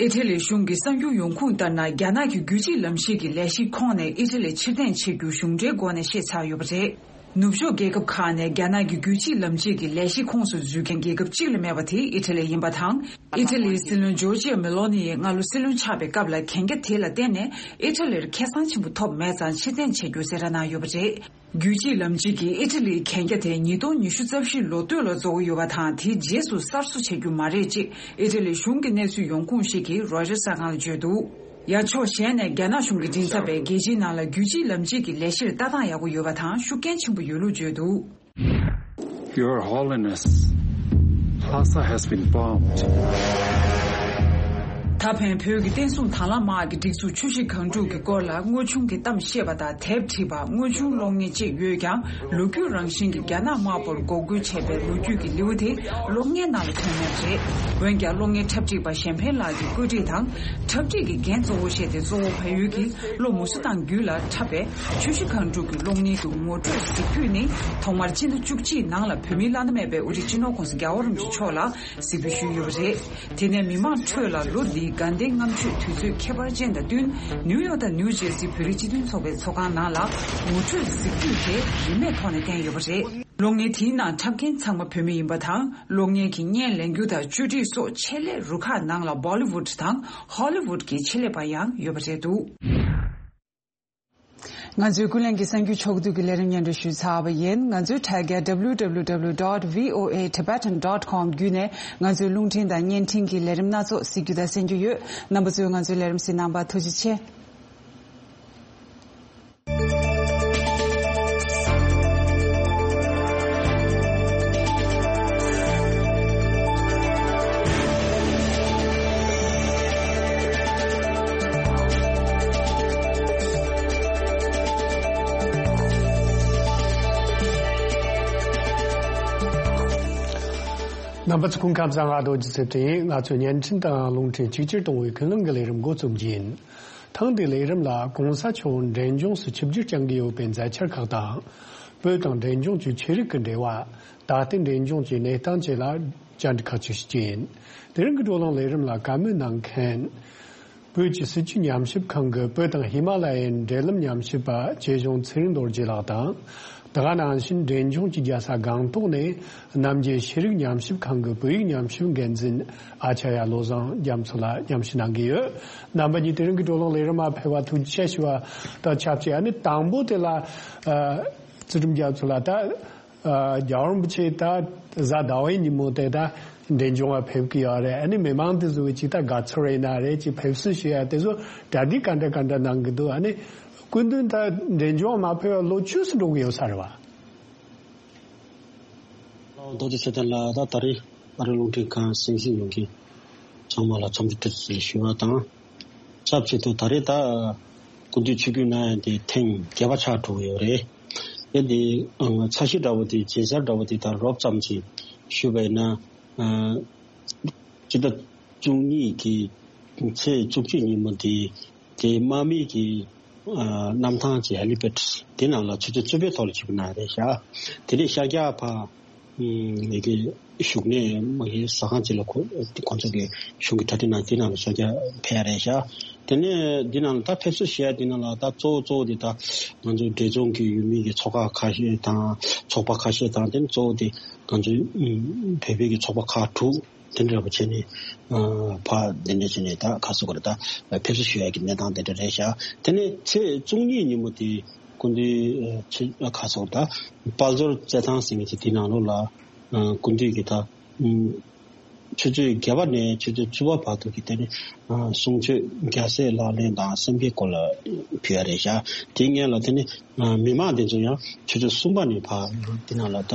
ཨི་ཊ་ལི་གཞུང་གི་གསར་འགྱུར་ཡོང་ཁུངས་ལྟར་ན། རྒྱ་ནག་གི་རྒྱུད་གཅིག་ལམ་གཤིས་ཀྱི་ལས་གཞིའི་ཁོངས་ནས་ཨི་ཊ་ལི་ཕྱིར་འཐེན་བྱེད་རྒྱུ་གཞུང་འབྲེལ་སྒོ་ནས་ཤེས་ཚར་ཡོད་པ་རེད། ནུབ་ཕྱོགས་རྒྱལ་ཁབ་ཁག་ནས་རྒྱ་ནག་གི་རྒྱུད་གཅིག་ལམ་གཅིག་གི་ལས་གཞིའི་ཁོངས་སུ་འཛུལ་མཁན་རྒྱལ་ཁབ་གཅིག་ལས་མེད་པ་དེ་ཨི་ཊ་ལི་ཡིན་པ་དང་། ཨི་ཊ་ལིའི་སྲིད་བློན་ཇོར་ཇི་ཡ་མེ་ལོ་ནི་ཡིས་སྔ་ལོ་སྲིད་བློན་ཆགས་པའི་སྐབས་ལ་གན་རྒྱ་དེ་ལ་བརྟེན་ནས་ཨི་ཊ་ལིར་ཁེ་བཟང་ཆེན་པོ་ཐོབ་མེད་ཙང་ཕྱིར་འཐེན་བྱེད་རྒྱུ་གསལ་བསྒྲགས་གནང་ཡོད་པ་རེད། རྒྱུད་གཅིག་ལམ་གཅིག་གིས་ཨི་ཊ་ལིའི་གན་རྒྱ་དེ་ཉིས་སྟོང་ཉི་ཤུ་རྩ་བཞིའི་ལོ་སྟོད་ལ་རྫོགས་ཀྱི་ཡོད་པ་དང་། དེའི་རྗེས་སུ་གསར་བཟོ་བྱེད་རྒྱུ་མ་རེད་ཅེས་ཨི་ཊ་ལིའི་གཞུང་གི་གནས་ཚུལ་ཡོང་ཁུངས་ཤིག་གིས་རོའི་ཊར་གསར་ཁང་ལ་བརྗོད་འདུག། ཡང་ཕྱོགས་གཞན་ནས་རྒྱ་ནག་གཞུང་གིས་མགྲིན་ཚབ་པས་རྒྱལ་སྤྱིའི་ནང་ལ་རྒྱུད་གཅིག་ལམ་གཅིག་གི་ལས་གཞིར་ལྟ་སྟངས་ཡག་པོ་ཡོད་པ་དང་ཤུགས་རྐྱེན་ཆེན་པོ་ཡོད་ལུགས་བརྗོད་འདུག། Your Holiness, Lhasa has been bombed. ད་ ད་ཕན་བོད་ཀྱི་བསྟན་སྲུང་དང་བླངས་དམག་གི་སྒྲིག་འཛུགས་ཆུ་བཞི་སྒང་དྲུག་གི་སྐོར་ལ་དངོས་བྱུང་གི་གཏམ་བཤད་པ་དང་དེབ་བྲིས་པ་དངོས་བྱུང་གློག་བརྙན་བཅས་ཡོད་ཀྱང་། ལོ་རྒྱུས་རང་བཞིན་གྱི་རྒྱ་ནག་དམར་པོར་འགོག་རྒོལ་བྱས་པའི་ལོ་རྒྱུས་ཀྱི་ལེའུ་དེ་གློག་བརྙན་ནང་ལ་ཐོན་མེད་པ་རེད། འོན་ཀྱང་གློག་བརྙན་འཁྲབ་ཁྲིད་པ་གཞན་ཕན་ལགས་ཀྱིས་བཀོད་སྒྲིག་དང་འཁྲབ་ཁྲིད་ཀྱི་འགན་གཙོ་བོ་བཞེས་ཏེ་གཙོ་བོ་བལ་ཡུལ་གྱི་གློག་མུ་ཟི་ཐང་བརྒྱུད་ལ་འཁྲབ་པའི་ཆུ་བཞི་སྒང་དྲུག་གི་གློག་བརྙན་གྱི་ངོ་སྤྲོད་གཟིགས་ཕུད་ནི་ཐོག་མར་སྤྱི་ཟླ་བཅུ་གཅིག་ནང་ལ་བོད་མིའི་བླ་ན་མེད་པའི་དབུ་ཁྲིད་སྤྱི་ནོར་༸གོང་ས་༸རྒྱལ་བ་རིན་པོ་ཆེ་མཆོག་ལ་གཟིགས་འབུལ་ཞུས་ཡོད་པ་རེད། དེ་ནས་མི་མང་ཁྲོད་ལ་ལོ་འདིའི་དགའ་ལྡན་ལྔ་མཆོད་དུས་ཚོད་ཁྱད་པར་ཅན་དང་བསྟུན་ནིའུ་ཡོག་དང་ནིའུ་ཇེར་སི་བོད་རིགས་སྤྱི་མཐུན་ཚོགས་པའི་ཚོགས་ཁང་ནང་ལ་ངོ་སྤྲོད་གཟིགས་ཕུད་དེ་རིན་མེད་ཐོག་ནས་བསྟན་ཡོད་པ་རེད། གློག་བརྙན་དེའི་ནང་འཁྲབ་མཁན་ཚང་མ་བོད་མི་ཡིན་པ་དང་། གློག་བརྙན་གྱི་བརྙན་ལེན་རྒྱུ་དང་བཅོས་སྒྲིག་སོགས་ཆེད་ལས་རུ་ཁག་ནང་ལ་བོ་ལི་ཝུད་དང་ཧོ་ལི་ཝུད་ཀྱི་ཆེད་ལས་པ་ཡང་ཡོད་པ་རེད་འདུག་ང་ཚོའི་ཀུན་གླེང་གི་གསར་འགྱུར་ཕྱོགས་བསྡུས་ཀྱི་ལས་རིམ་སྙན་སྒྲོན་ཞུས་ཚར་བ་ཡིན། ང་ཚོའི་དྲ་རྒྱ་W W W dot V O A Tibetan dot com བརྒྱུད་ནས་ང་ཚོའི་རླུང་འཕྲིན་དང་བརྙན་འཕྲིན་གྱི་ལས་རིམ་སྣ་ཚོགས་གཟིགས་རྒྱུ་དང་གསན་རྒྱུ་ཡོད། རྣམ་པ་ཚོས་ང་ཚོའི་ལས་རིམ་གཟིགས་གནང་བར་ཐུགས་རྗེ་ཆེ། རྣམ་པ་ཚོ་སྐུ་ཁམས་བཟང་། ང་རྡོ་རྗེ་ཚེ་བརྟན་ཡིན། ང་ཚོའི་བརྙན་འཕྲིན་དང་རླུང་འཕྲིན་གཅིག་གྱུར་གཏོང་བའི་ཀུན་གླེང་གི་ལས་རིམ་འགོ་རྩོམ་རྒྱུ་ཡིན། ཐེངས་འདིའི་ལས་རིམ་ལ་གོང་ས་མཆོག་འབྲས་ལྗོངས་སུ་ཆིབས་བསྒྱུར་བསྐྱང་གི་ཡོད་པའི་མཛད་འཆར་ཁག་དང་། བོད་དང་འབྲས་ལྗོངས་ཀྱི་ཆོས་རིག་གི་འབྲེལ་བ། ད་ལྟའི་འབྲས་ལྗོངས་ཀྱི་གནས་སྟངས་བཅས་ལ་བཅར་འདྲི་ཁག་ཅིག་ཞུ་རྒྱུ་ཡིན། དེ་རིང་གི་བགྲོ་གླེང་ལས་རིམ་ལ་བཀའ་མོལ་གནང་མཁན། བོད་ཀྱི་སྲིད་བྱུས་ཉམས་ཞིབ་ཁང་གི་བོད་དང་ཧི་མ་ལ་ཡའི་འབྲེལ་ལམ་ཉམས་ཞིབ་པ་ཆོས་གཞུང་ཚེ་རིང་རྡོ་རྗེ་ལགས་དང་། དེ་ག་ནང་བཞིན་འབྲས་ལྗོངས་ཀྱི་རྒྱལ་ས་སྒང་ཏོག་ནས་རྣམ་རྒྱལ་ཤེས་རིག་ཉམས་ཞིབ་ཁང་གི་བོད་ཡིག་ཉམས་ཞིབ་འགན་འཛིན་ཨ་ཅཱརྱ་བློ་བཟང་རྒྱ་མཚོ་ལགས་མཉམ་ཞུགས་གནང་གི་ཡོད། རྣམ་པ་གཉིས་དེ་རིང་གི་བགྲོ་གླེང་ལས་རིམ་མ་ཕེབས་པ་ཐུགས་རྗེ་ཆེ་ཞུ་བ་དང་ཆབས་ཅིག་ཨ་ནི་དང་པོ་དེ་ལ་ཨ་ཚུལ་ཁྲིམས་རྒྱ་མཚོ་ལགས་ད། ཨ་རྒྱལ་བ་རིན་པོ་ཆེ་ད་གཟའ་ཟླ་བའི་ཉིན་མོ་དེ་ད་འབྲས་ལྗོངས་ལ་ཕེབས་ཀྱི་ཡོད་རེད། ཨ་ནི་མི་མང་དེ་ཚོ་གི་ཅིག་ད་དགའ་ཚོར་ཡིན་ན་རེད། ཅིག་ཕེབས་བསུ་ཞུ་ཡ་དེ་ཚོ་གྲ་སྒྲིག་ག་འདྲ་ག་འདྲ་གནང་གི་འདུག་ཨ་ནི་སྐུ་མདུན་ད་འབྲས་ལྗོངས་མ་ཕེབས་པ་ལོ་བཅུ་ཙམ་འགྲོ་གི་ཡོད་ས་རེད་བ། ཨོ་རྡོ་རྗེ་ཚེ་བརྟན་ལགས། ད་ད་རེས་ཨ་རི་རླུང་འཕྲིན་ཁང་གསན་གཟིགས་ཡོང་མཁན་ཚང་མ་ལ་འཚམས་འདྲི་བཀྲ་ཤིས་བདེ་ལེགས་ཞུ་བ་དང་། ཆབས་ཅིག་ཏུ་ད་རེས་ད་སྐུ་མདུན་ཆིབས་བསྒྱུར་གནང་ཡ་དེ་ཐེངས་བརྒྱད་པ་ཆགས་འགྲོ་གི་ཡོད་རེད། དེ་འདི་ཚ་ཤི་འདྲ་བོ་དེ་མཇལ་མཚར་འདྲ་བོ་དེ་ད་རོབ་ཙམ་ཅིག་ཞུས་པ་ཡིན་ན། སྤྱི་ཟླ་བཅུ་གཉིས་ཀྱི་ཚེས་བཅུ་གཅིག་ཉིན་མོ་དེ་དེ་དམག་མི་གི་གནམ་ཐང་གི་ཧེ་ལི་པེཌ་དེ་ནང་ལ་ཆུ་ཚོད་བཅུ་པའི་ཐོག་ལ་ཆིབས་བསྒྱུར་གནང་ཡ་རེད་ཤག་དེ་ནས་ཤར་རྒྱག་ཕ། ཨུམ། ཡ་གི་བཞུགས་གནས་མ་གི་ཟ་ཁང་ཅིག་ལ་ཁོ་ཁོང་ཚོ་གི་གཞུང་གི་གྲ་སྒྲིག་གནང་དེ་ནང་ལ་ཤར་རྒྱག་ཕེབས་ཡ་རེད་ཤག་དེ་ནས་འདི་ནང་ལ་ད་ཕེབས་བསུ་ཞུ་ཡ་འདི་ནང་ལ་ད་གཙོ་བོ་གཙོ་བོ་དེ་ད་ང་ཚོ་འབྲས་ལྗོངས་ཀྱི་ཡུལ་མི་གི་ཚོགས་ཁག་ཁ་ཤས་དང་ཚོགས་པ་ཁ་ཤས་དང་དེ་ནས་གཙོ་བོ་དེ་ང་ཚོའི་ཨུམ་བོད་པའི་གི་ཚོགས་པ་ཁག་དྲུག་དེ་འདྲ་བ་བྱས་ནས་ཨ་ཕ་དེ་འདྲ་བྱས་ནས་ད་ག་ཟེར་དགོས་རེད། ད་ཕེབས་བསུ་ཞུ་ཡ་གི་གནས་སྟངས་དེ་འདྲ་རེད་ཤག་དེ་ནས་ཚེས་བཅུ་གཉིས་ཉིན་མོ་དེ་སྐུ་མདུན་ཨ་ཆེ་ཨ་ག་ཟེར་དགོས་རེད། ད་དཔལ་འབྱོར་རྩེད་ཐང་ཟེར་མཁན་ཅིག་དེ་ནང་ལོགས་ལ་ཨ་སྐུ་མདུན་གྱིས་ད་ཨུམ་ཆུ་ཚོད་བརྒྱད་པ་ནས་ཆུ་ཚོད་བཅུ་པ་བར་དུ་གི་དེ་ནས་ཨ་གསུང་ཆོས་རྒྱལ་སྲས་ལག་ལེན་དང་སེམས་བསྐྱེད་སྐོར་ལ་ཕུལ་ཡ་རེད་ཤག་དེའི་སྔོན་ལ་དེ་ནས་ཨ་མི་མང་དེ་ཚོ་ཡང་ཆུ་ཚོད་གསུམ་པ་ནས་ཕར་དེ་ནང་ལ་ད་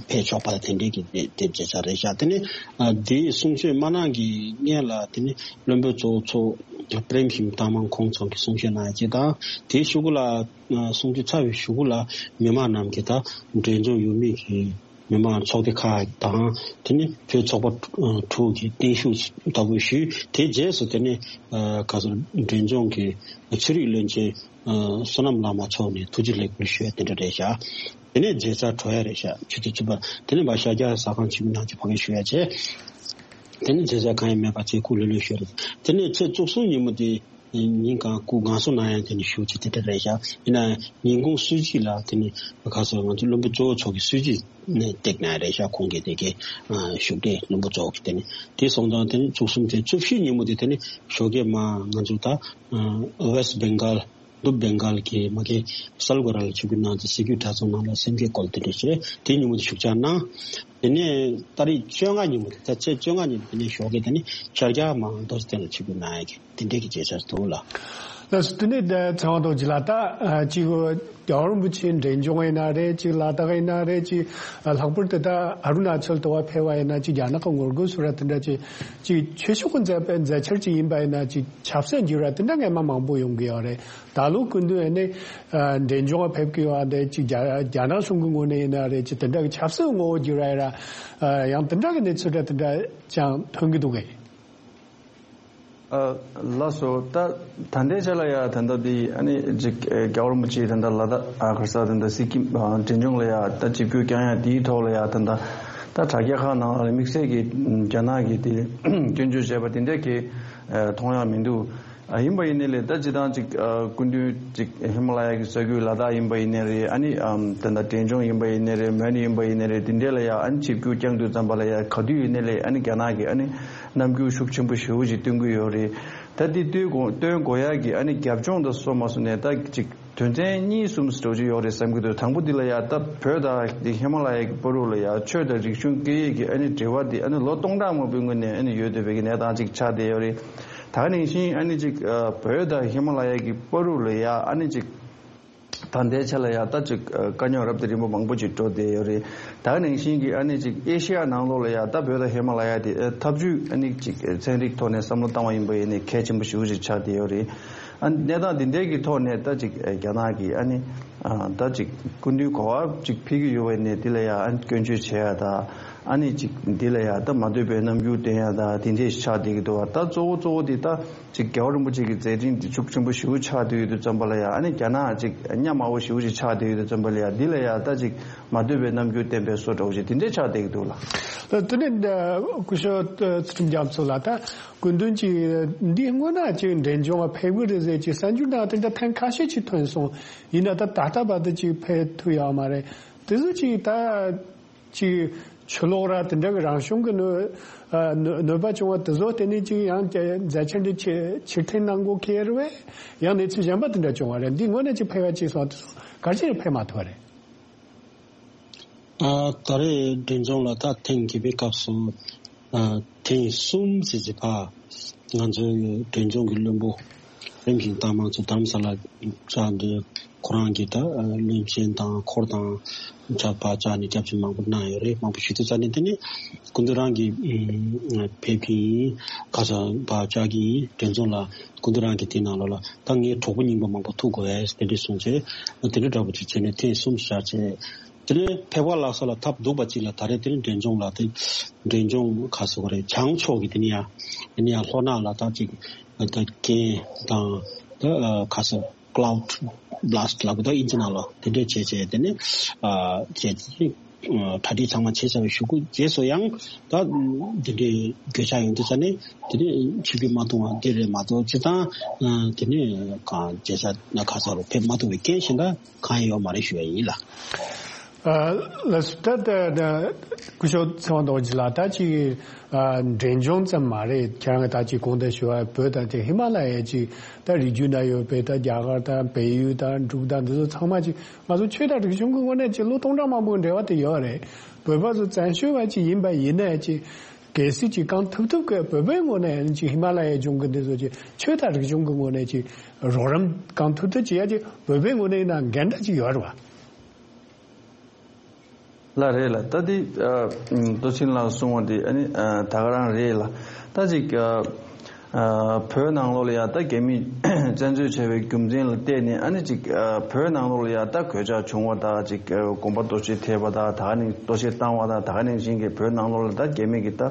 ཕེབས་ཆོག་པ་དེ་འདྲའི་གི་དེ་དེ་བྱས་ཚར་རེད་ཤག་དེ་ནས་ཨ་དེའི་གསུང་ཆོས་མ་གནང་གི་སྔོན་ལ་དེ་ནས་བློན་པོ་གཙོ་བོ་མཚོ་པྲེམ་ཤིང་ཐང་མང་ཁོང་ཚོ་གི་གསུང་བཤད་གནང་ཡ་ཅིག་དང་། དེའི་གཞུག་གུ་ལ་ཨ་གསུང་ཆོས་ཚར་བའི་གཞུག་གུ་ལ་མི་མང་རྣམས་ཀྱིས་ད་འབྲས་ལྗོངས་ཡུལ་མི་གི་མི་མང་ཚོགས་སྡེ་ཁག་དང་དེ་ནས་བོད་ཚོགས་པ་དྲུག་གི་བརྟན་བཞུགས་ལྟ་བུ་ཞུས། དེའི་རྗེས་སུ་དེ་ནས་ཨ་ག་ཚོད་འབྲས་ལྗོངས་ཀྱི་ཆོས་རིག་བློན་ཆེན་ཨ་བསོད་ནམས་བླ་མ་མཆོག་ནས་ཐུགས་རྗེ་ལེགས་འབུལ་ཞུ་ཡ་དེ་འདྲ་རེད་ཤག་དེ་ནས་མཇལ་མཚར་གྲོལ་ཡ་རེད་ཤག་ཆུ་ཚོད་བཅུ་པ། དེ་ནས་ཕར་ཤར་རྒྱག་ཟ་ཁང་ཆེན་མོ་ནང་ཅིག་ཕ་གིར་བཞུགས་ཡ་བྱས། དེ་ནས་མཇལ་མཚར་གང་ཡང་མེད་པ་བྱས་སྐུ་ལྷོད་ལྷོད་བཞུགས་རེད། དེ་ནས་ཚེས་བཅུ་གསུམ་ཉིན་མོ་དེ་ཉིན་གང་སྐུ་ངལ་གསོ་གནང་ཡ་དེ་ནས་བཞུགས་བྱས་དེ་འདྲ་རེད་ཤག་ཡིན་ན་ཉིན་གུང་གསོལ་ཇ་ལ་དེ་ནས་ག་ཚོད་ང་ཚོ་བློན་པོ་གཙོ་བོ་མཆོག་གི་གསོལ་ཇ་ནས་བཏེགས་གནང་ཡ་རེད་ཤག་ཁོང་གི་དེ་གའི་བཞུགས་གྲལ་བློན་པོ་གཙོ་བོ་གི་དེ་ནས་དེ་སོང་ཙང་དེ་ནས་བཅུ་གསུམ་དེ་བཅུ་བཞི་ཉིན་མོ་དེ་དེ་ནས་ཞོགས་ཀས་མ་ང་ཚོ་ད་ཨ་West Bengal། ནུབ་བེང་གཱལ་གྱི་མ་གི་སལ་གོ་ར་ལ་ཆིབས་བསྒྱུར་གནང་སྟེ་གཟིགས་རྒྱུད་གྲྭ་ཚང་ནང་ལ་སེམས་བསྐྱེད་སྐོར་དེ་འདྲ་བྱས། དེ་ཉིན་མོ་དེ་བཞུགས་ཚར་གནང་ དེ་ནས་ཏ་རིག་བཅོ་ལྔ་ཉིན་མོ་རེད། ད་ཚེས་བཅོ་ལྔ་ཉིན་དེ་ནས་ཞོགས་ཀས་དེ་ནས་ཤར་རྒྱག་མང་རྡོ་རྗེ་གདན་ལ་ཆིབས་བསྒྱུར་གནང་ཡ་གི་དེ་འདྲས་ཀྱི་མཛད་འཆར་འདུག་ལགས། ལགས་སོ། དེ་ནས་ད་ཚེ་དབང་རྡོ་རྗེ་ལགས། ད་ཨ་གཅིག་རྒྱལ་བ་རིན་པོ་ཆེ་འབྲས་ལྗོངས་ཡིན་ན་རེད། གཅིག་ལ་དྭགས་ཡིན་ན་རེད། གཅིག་ཨ་ལྷག་པར་དུ་ད་ཨ་རུ་ན་ཅལ་དུ་བ་ཕེབས་པ་ཡིན་ན། གཅིག་རྒྱ་ནག་གི་ངོ་རྒོལ་སོགས་ར་དེ་འདྲ་གཅིག་གཅིག་ཆོས་ཕྱོགས་ཀྱི་མཛད་པ་མཛད་འཆར་གཅིག་ཡིན་པ་ཡིན་ན། གཅིག་ཆབ་སྲིད་འགྱུར་བ་དེ་འདྲ་སྔ་མ་མང་པོ་ཡོང་གི་ཡོད་རེད། ད་ལོ་སྐུ་མདུན་ཨ་ནི་ཨ་འབྲས་ལྗོངས་ལ་ཕེབས་ཀྱི་ཡོད་རེད། གཅིག་རྒྱ་རྒྱ་ནག་གཞུང་གི་ངོས་ནས་ཡིན་ན་རེད། གཅིག་དེ་འདྲ་གི་ཆབ་སྲིད་ངོ་བོ་འགྱུར་བ་ཡིན་ར། ཨ་ཡང་དེ་འདྲ་གི་གནས་ཚུལ་འདྲ་དེ་འདྲ་ཀྱང་ཐོན་གྱི་འདུག་གས། ཨ་ལགས་སོ། ད་ད་ལྟའི་ཆ་ལ་ཡ་ད་ལྟ་འདི་ཨ་ནི་ཅིག་ཨ་རྒྱལ་བ་རིན་པོ་ཆེ་ད་ལྟ་ལ་དྭགས་ཨ་ག་རེ་ཟེར། ད་ལྟ་སི་ཀིམ་ཨ་འབྲས་ལྗོངས་ལ་ཡ་ད་ཆིབས་བསྒྱུར་བསྐྱངས་ཡ་དེའི་ཐོག་ལ་ཡ་ད་ལྟ་ད་དྲ་རྒྱ་ཁག་ནང་ལ་དམིགས་བསལ་གྱི་རྒྱ་ནག་གི་དེ་སྐྱོན་བརྗོད་བྱས་པ་དེ་འདྲ་གི་ཨ་མཐོང་ཡ་མི་འདུག། ཨ་ཡིན་པ་ཡིན་ནའི་ལས་ད་སྤྱིར་བཏང་ཅིག་ཨ་སྐུ་མདུན་ཅིག་ཧི་མ་ལ་ཡ་གི་ས་ཁུལ་ལ་དྭགས་ཡིན་པ་ཡིན་ནའི་རེད། ཨ་ནི་ཨམ་ད་ལྟ་འབྲས་ལྗོངས་ཡིན་པ་ཡིན་ནའི་རེད། མོན་ཡིན་པ་ཡིན་ནའི་རེད། དེ་འདྲས་ལ་ཡ་ཨ་ནི་ཆིབས་བསྒྱུར་བསྐྱངས་དུས་ཙམ་པ་ལ་ཡ་ག་དུས་ཡིན་ནའི་ལས་ཨ་ནི་རྒྱ་ནག་གི་ཨ་ནི་རྣམ་འགྱུར་ཤུགས་ཆེན་པོ་ཞེ་པོ་ཅིག་སྟོན་གྱི་ཡོད་རེད། ད་དེ་སྟོན་དགོས་སྟོན་དགོས་ཡ་གི་ཨ་ནི་རྒྱབ་ལྗོངས་དང་སོགས་མ་སོང་ནས་ད་ཅིག་དོན་ཚན་གཉིས་གསུམ་འདྲ་ཅིག་ཡོད་རེད་བསམ་གྱི་འདུག། དང་པོ་འདི་ལ་ཡ་ད་བོད་དང་དེ་ཧི་མ་ལ་ཡ་གི་བར་དུ་ལ་ཡ་ཆོས་དང་རིག་གཞུང་སྐད་ཡིག་གི་ཨ་ནི་འབྲེལ་བ་དེ་ཨ་ནི་ལོ་སྟོང་ཕྲག་མང་པོའི་སྔོན་ནས་ཨ་ནི་ཡོད་བསྡད་པའི་གི་གནས་སྟངས་ཅིག་ཆགས་བསྡད་ཡོད་རེད། ད་ག་ནང་བཞིན་ཨ་ནི་ཅིག་ཨ་བོད་དང་ཧི་མ་ལ་ཡ་གི་བར་དུ་ལ་ཡ་ཨ་ནི་ཅིག་ད་ལྟའི་ཆ་ལ་ཡ་ད་ཅིག་ཨ་དཀའ་རྙོག་རབ་དང་རིམ་པ་མང་པོ་ཅིག་འགྲོ་བསྡད་ཡོད་རེད། ད་ག་ནང་བཞིན་གྱི་ཨ་ནི་ཅིག་ཨེ་ཤི་ཡ་ནང་ལོགས་ལ་ཡ་ད་བོད་དང་ཧི་མ་ལ་ཡ་དེ་ཨ་འཐབ་ཇུས་ཨ་ནི་ཅིག་ཨ་ཚན་རིག་ཐོག་ནས་བསམ་བློ་བཏང་བ་ཡིན་པ་ཡིན་ནའི་གལ་ཆེན་པོ་ཞེ་པོ་ཅིག་ཆགས་བསྡད་ཡོད་རེད། ཨ་གནས་སྟངས་འདི་འདྲའི་གི་ཐོག་ནས་ད་ཅིག་ཨ་རྒྱ་ནག་གི་ཨ་ནི་ཨ་ད་ཅིག་སྐུ་མདུན་གོ་བ་ཅིག་ཕུལ་གྱི་ཡོད་པ་ཡིན་ནའི་འདི་ལ་ཡ་ཨ་ནི་སྐྱོན་བརྗོད་བྱེད་ཡ་ད། ཨ་ནི་ཅིག་འདི་ལ་ཡ་ད་མ་འདོད་པའི་རྣམ་འགྱུར་སྟོན་ཡ་ད་དེ་འདྲས་ཆགས་བསྡད་ཀྱི་འདུག་བ། ད་གཙོ་བོ་གཙོ་བོ་འདི་ད་ཅིག་རྒྱལ་བ་རིན་པོ་ཆེ་གི་མཛད་འཕྲིན་འདི་ཤུགས་ཆེན་པོ་ཞེ་པོ་ཆགས་བསྡད་ཡོད་དུས་ཙམ་པ་ལ་ཡ་ཨ་ནི་རྒྱ་ནག་ཅིག་གཉའ་མར་པོ་ཞེ་པོ་ཅིག་ཆགས་བསྡད་ཡོད་དུས་ཙམ་པ་ལ་ཡ་འདི་ལ་ཡ་ད་ཅིག་མ་འདོད་པའི་རྣམ་འགྱུར་སྟོན་པའི་བཟོ་འདྲ་བོ་ཅིག་དེ་འདྲས་ཆགས་བསྡད་ཀྱི་འདུག་ལགས། ད་དེ་ནས་འདི་སྐུ་ཞབས་ཚུལ་ཁྲིམས་རྒྱ་མཚོ་ལགས། ད་སྐུ་མདུན་གྱིས་འདི་སྔོན་ན་ཅིག་འབྲས་ལྗོངས་ལ་ཕེབས་ཀྱི་རེད་ཟེར་ཅིག་གསར་འགྱུར་ནང་དེ་འདྲ་ཐེངས་ཁ་ཤས་ཅིག་ཐོན་སོང་། ཡིན་ན་ད་ད་ལྟ་བར་དུ་ཅིག་ཕེབས་ཐུབ་ཡོད་མ་རེད། དེ་ཚོ་ཅིག་ད་ཅིག་ཆུ་ལོག་ར་དེ་འདྲ་གི་རང་བྱུང་གི་གནོད་ཨ་གནོད་གནོད་པ་བྱུང་བ་དེ་ཚོ་བརྟེན་ནས་ཅིག་ཡང་མཛད་འཆར་འདི་ཕྱིར་ཕྱིར་འཐེན་གནང་དགོས་ཁེལ་བས། ཡང་གནས་ཚུལ་གཞན་པ་དེ་འདྲ་བྱུང་བ་རེད། འདི་དངོས་གནས་ཅིག་ཕེབས་པ་ཅིག་སོང་དེ་ཚོ་ག་རེ་བྱས་ཕེབས་མ་ཐུབ་པ་རེད། ཨ་ད་རེས་འབྲས་ལྗོངས་ལ་ད་ཐེངས་བརྒྱད་པའི་སྐབས་སུ་ཨ་ཐེངས་གསུམ་ཟེར་ཟེར་ཕ་ང་ཚོའི་འབྲས་ལྗོངས་ཀྱི་བློན་པོ་རིམ་བཞིན་བཏང་མང་ཚོ་དྷ་རམ་ས་ལ་བཅར་འདི་ཁོ་རང་གིས་ད་བློན་ཆེན་དང་འཁོར་དང་ཆ་ཕ་བཅར་ནས་སྐྱབས་བཅོལ་མང་པོ་གནང་ཡོད་རེད། མང་པོ་ཞུ་དུས་ཙ་ནས་དེ་ནས་སྐུ་མདུན་རང་གིས་ཕེབས་ཀྱི་ཡིན། ཁ་སང་ཕ་བཅར་གྱི་ཡིན། འབྲས་ལྗོངས་ལ་སྐུ་མདུན་རང་གིས་དེའི་ནང་ལོགས་ལ་ད་ངའི་གྲོགས་པོ་རྙིང་པ་མང་པོ་ཐུག་དགོས་ཨེ་དེ་འདྲ་གསུངས་བྱས་དེ་འདྲ་འདྲ་པོ་ཅིག་བྱས་ནས་ཐེངས་གསུམ་བཞག་བྱས། དེ་ནས་ཕེབས་པ་ལགས་སོ་ལ་ཐབས་སྡུག་པ་ཅིག་ལ་ད་རེས་དེ་ནས་འབྲས་ལྗོངས་ལ་དེ་འབྲས་ལྗོངས་ཁ་སོ་ག་རེ་བྱང་ཕྱོགས་ཀྱི་དེ་ནས་ཡང་དེ་ནས་ཡང་ལྷོ་ནག་ལ་ད་ཅིག་ད་རྐྱེན་དང་ད་ཁ་སོ་ཀླའུ་ཌི་བྷ་ལ་སི་ཊི་ལབ་དགོས་ད་ཨིན་ཇི་ནང་ལ་དེ་འདྲས་བྱས་བྱས་དེ་ནས་བྱས་ཏེ་གྲ་སྒྲིག་ཚང་མ་བྱས་ཚར་བའི་གཞུག་གུ་རྗེས་སུ་ཡང་ད་དེ་འདྲས་གྱོད་ཆག་ཡོང་དུས་ཙ་ནས་དེ་ནས་ཆིབས་བསྒྱུར་མ་གཏོང་བ་དེ་རེད་མ་གཏོགས་སྤྱིར་བཏང་དེ་ནས་གང་བྱས་ས་ན་ཁ་སོ་ལ་ཕེབས་མ་ཐུབ་པའི་རྐྱེན་གཞན་དག་གང་ཡང་ཡོད་མ་རེད་ཞུ་ཡ་ཡིན་ལགས། ལགས་སོ། ད་ལྟ་སྐུ་ཞབས་ཚེ་དབང་རྡོ་རྗེ་ལགས། ད་ཅིག་འབྲས་ལྗོངས་ཙམ་མ་རེད། ཁྱེད་རང་གིས་ད་ཅིག་གོང་དུ་ཞུ་བ་བོད་དང་དེ་ཧི་མ་ལ་ཡའི་ཅིག་ད་རི་རྒྱུད་ན་ཡོད་པའི་ད་རྒྱ་གར་དང་བལ་ཡུལ་དང་འབྲུག་དང་འདི་ཚོ་ཚང་མ་ཅིག་ང་ཚོ་ཆོས་དང་རིག་གཞུང་གི་ངོས་ནས་ཅིག་ལོ་སྟོང་ཕྲག་མང་པོའི་འབྲེལ་བ་དེ་ཡོད་རེད། བོད་པ་ཚོ་བཙན་བྱོལ་བ་ཅིག་ཡིན་པ་ཡིན་ནའི་ཅིག་གལ་སྲིད་ཅིག་གང་ཐུབ་ཐུབ་ཀྱི་བོད་པའི་ངོས་ནས་ཅིག་ཧི་མ་ལ་ཡའི་ལྗོངས་ཀྱི་འདི་ཚོ་ཅིག་ཆོས་དང་རིག་གཞུང་གི་ངོས་ནས་ཅིག་རོགས་རམ་གང་ཐུབ་ཐུབ་བྱེད་ཡ་ཅིག་བོད་པའི་ངོས་ནས་ཡིན་ན་འགན་འདྲ་ཅིག་ཡོད་རེད་བ། ལགས་རེད་ལགས། ད་དེ་ཨ་ཨུམ་རྡོ་རྗེ་ལགས་གསུངས་པ་དེ་ཨ་ནི་ཨ་ད་ག་རང་རེད་ལགས། ད་ཅིག་ཨ་ཨ་བོད་ནང་ལོགས་ལ་ཡང་ད་རྒྱ་མིས་བཙན་འཛུལ་བྱས་པའི་རྒྱུ་མཚན་ལ་བལྟས་ནས་ཨ་ནི་ཅིག་ཨ་བོད་ནང་ལོགས་ལ་ཡང་ད་གོད་ཆག་བྱུང་བ་དང་ཅིག་ཨ་དགོན་པ་གཏོར་བཤིག་ཐེབས་པ་དང་ད་ག་ནང་གཏོར་བཤིག་བཏང་བ་དང་ད་ག་ནང་བཞིན་གྱི་བོད་ནང་ལོགས་ལ་ད་རྒྱ་མི་གིས་ད་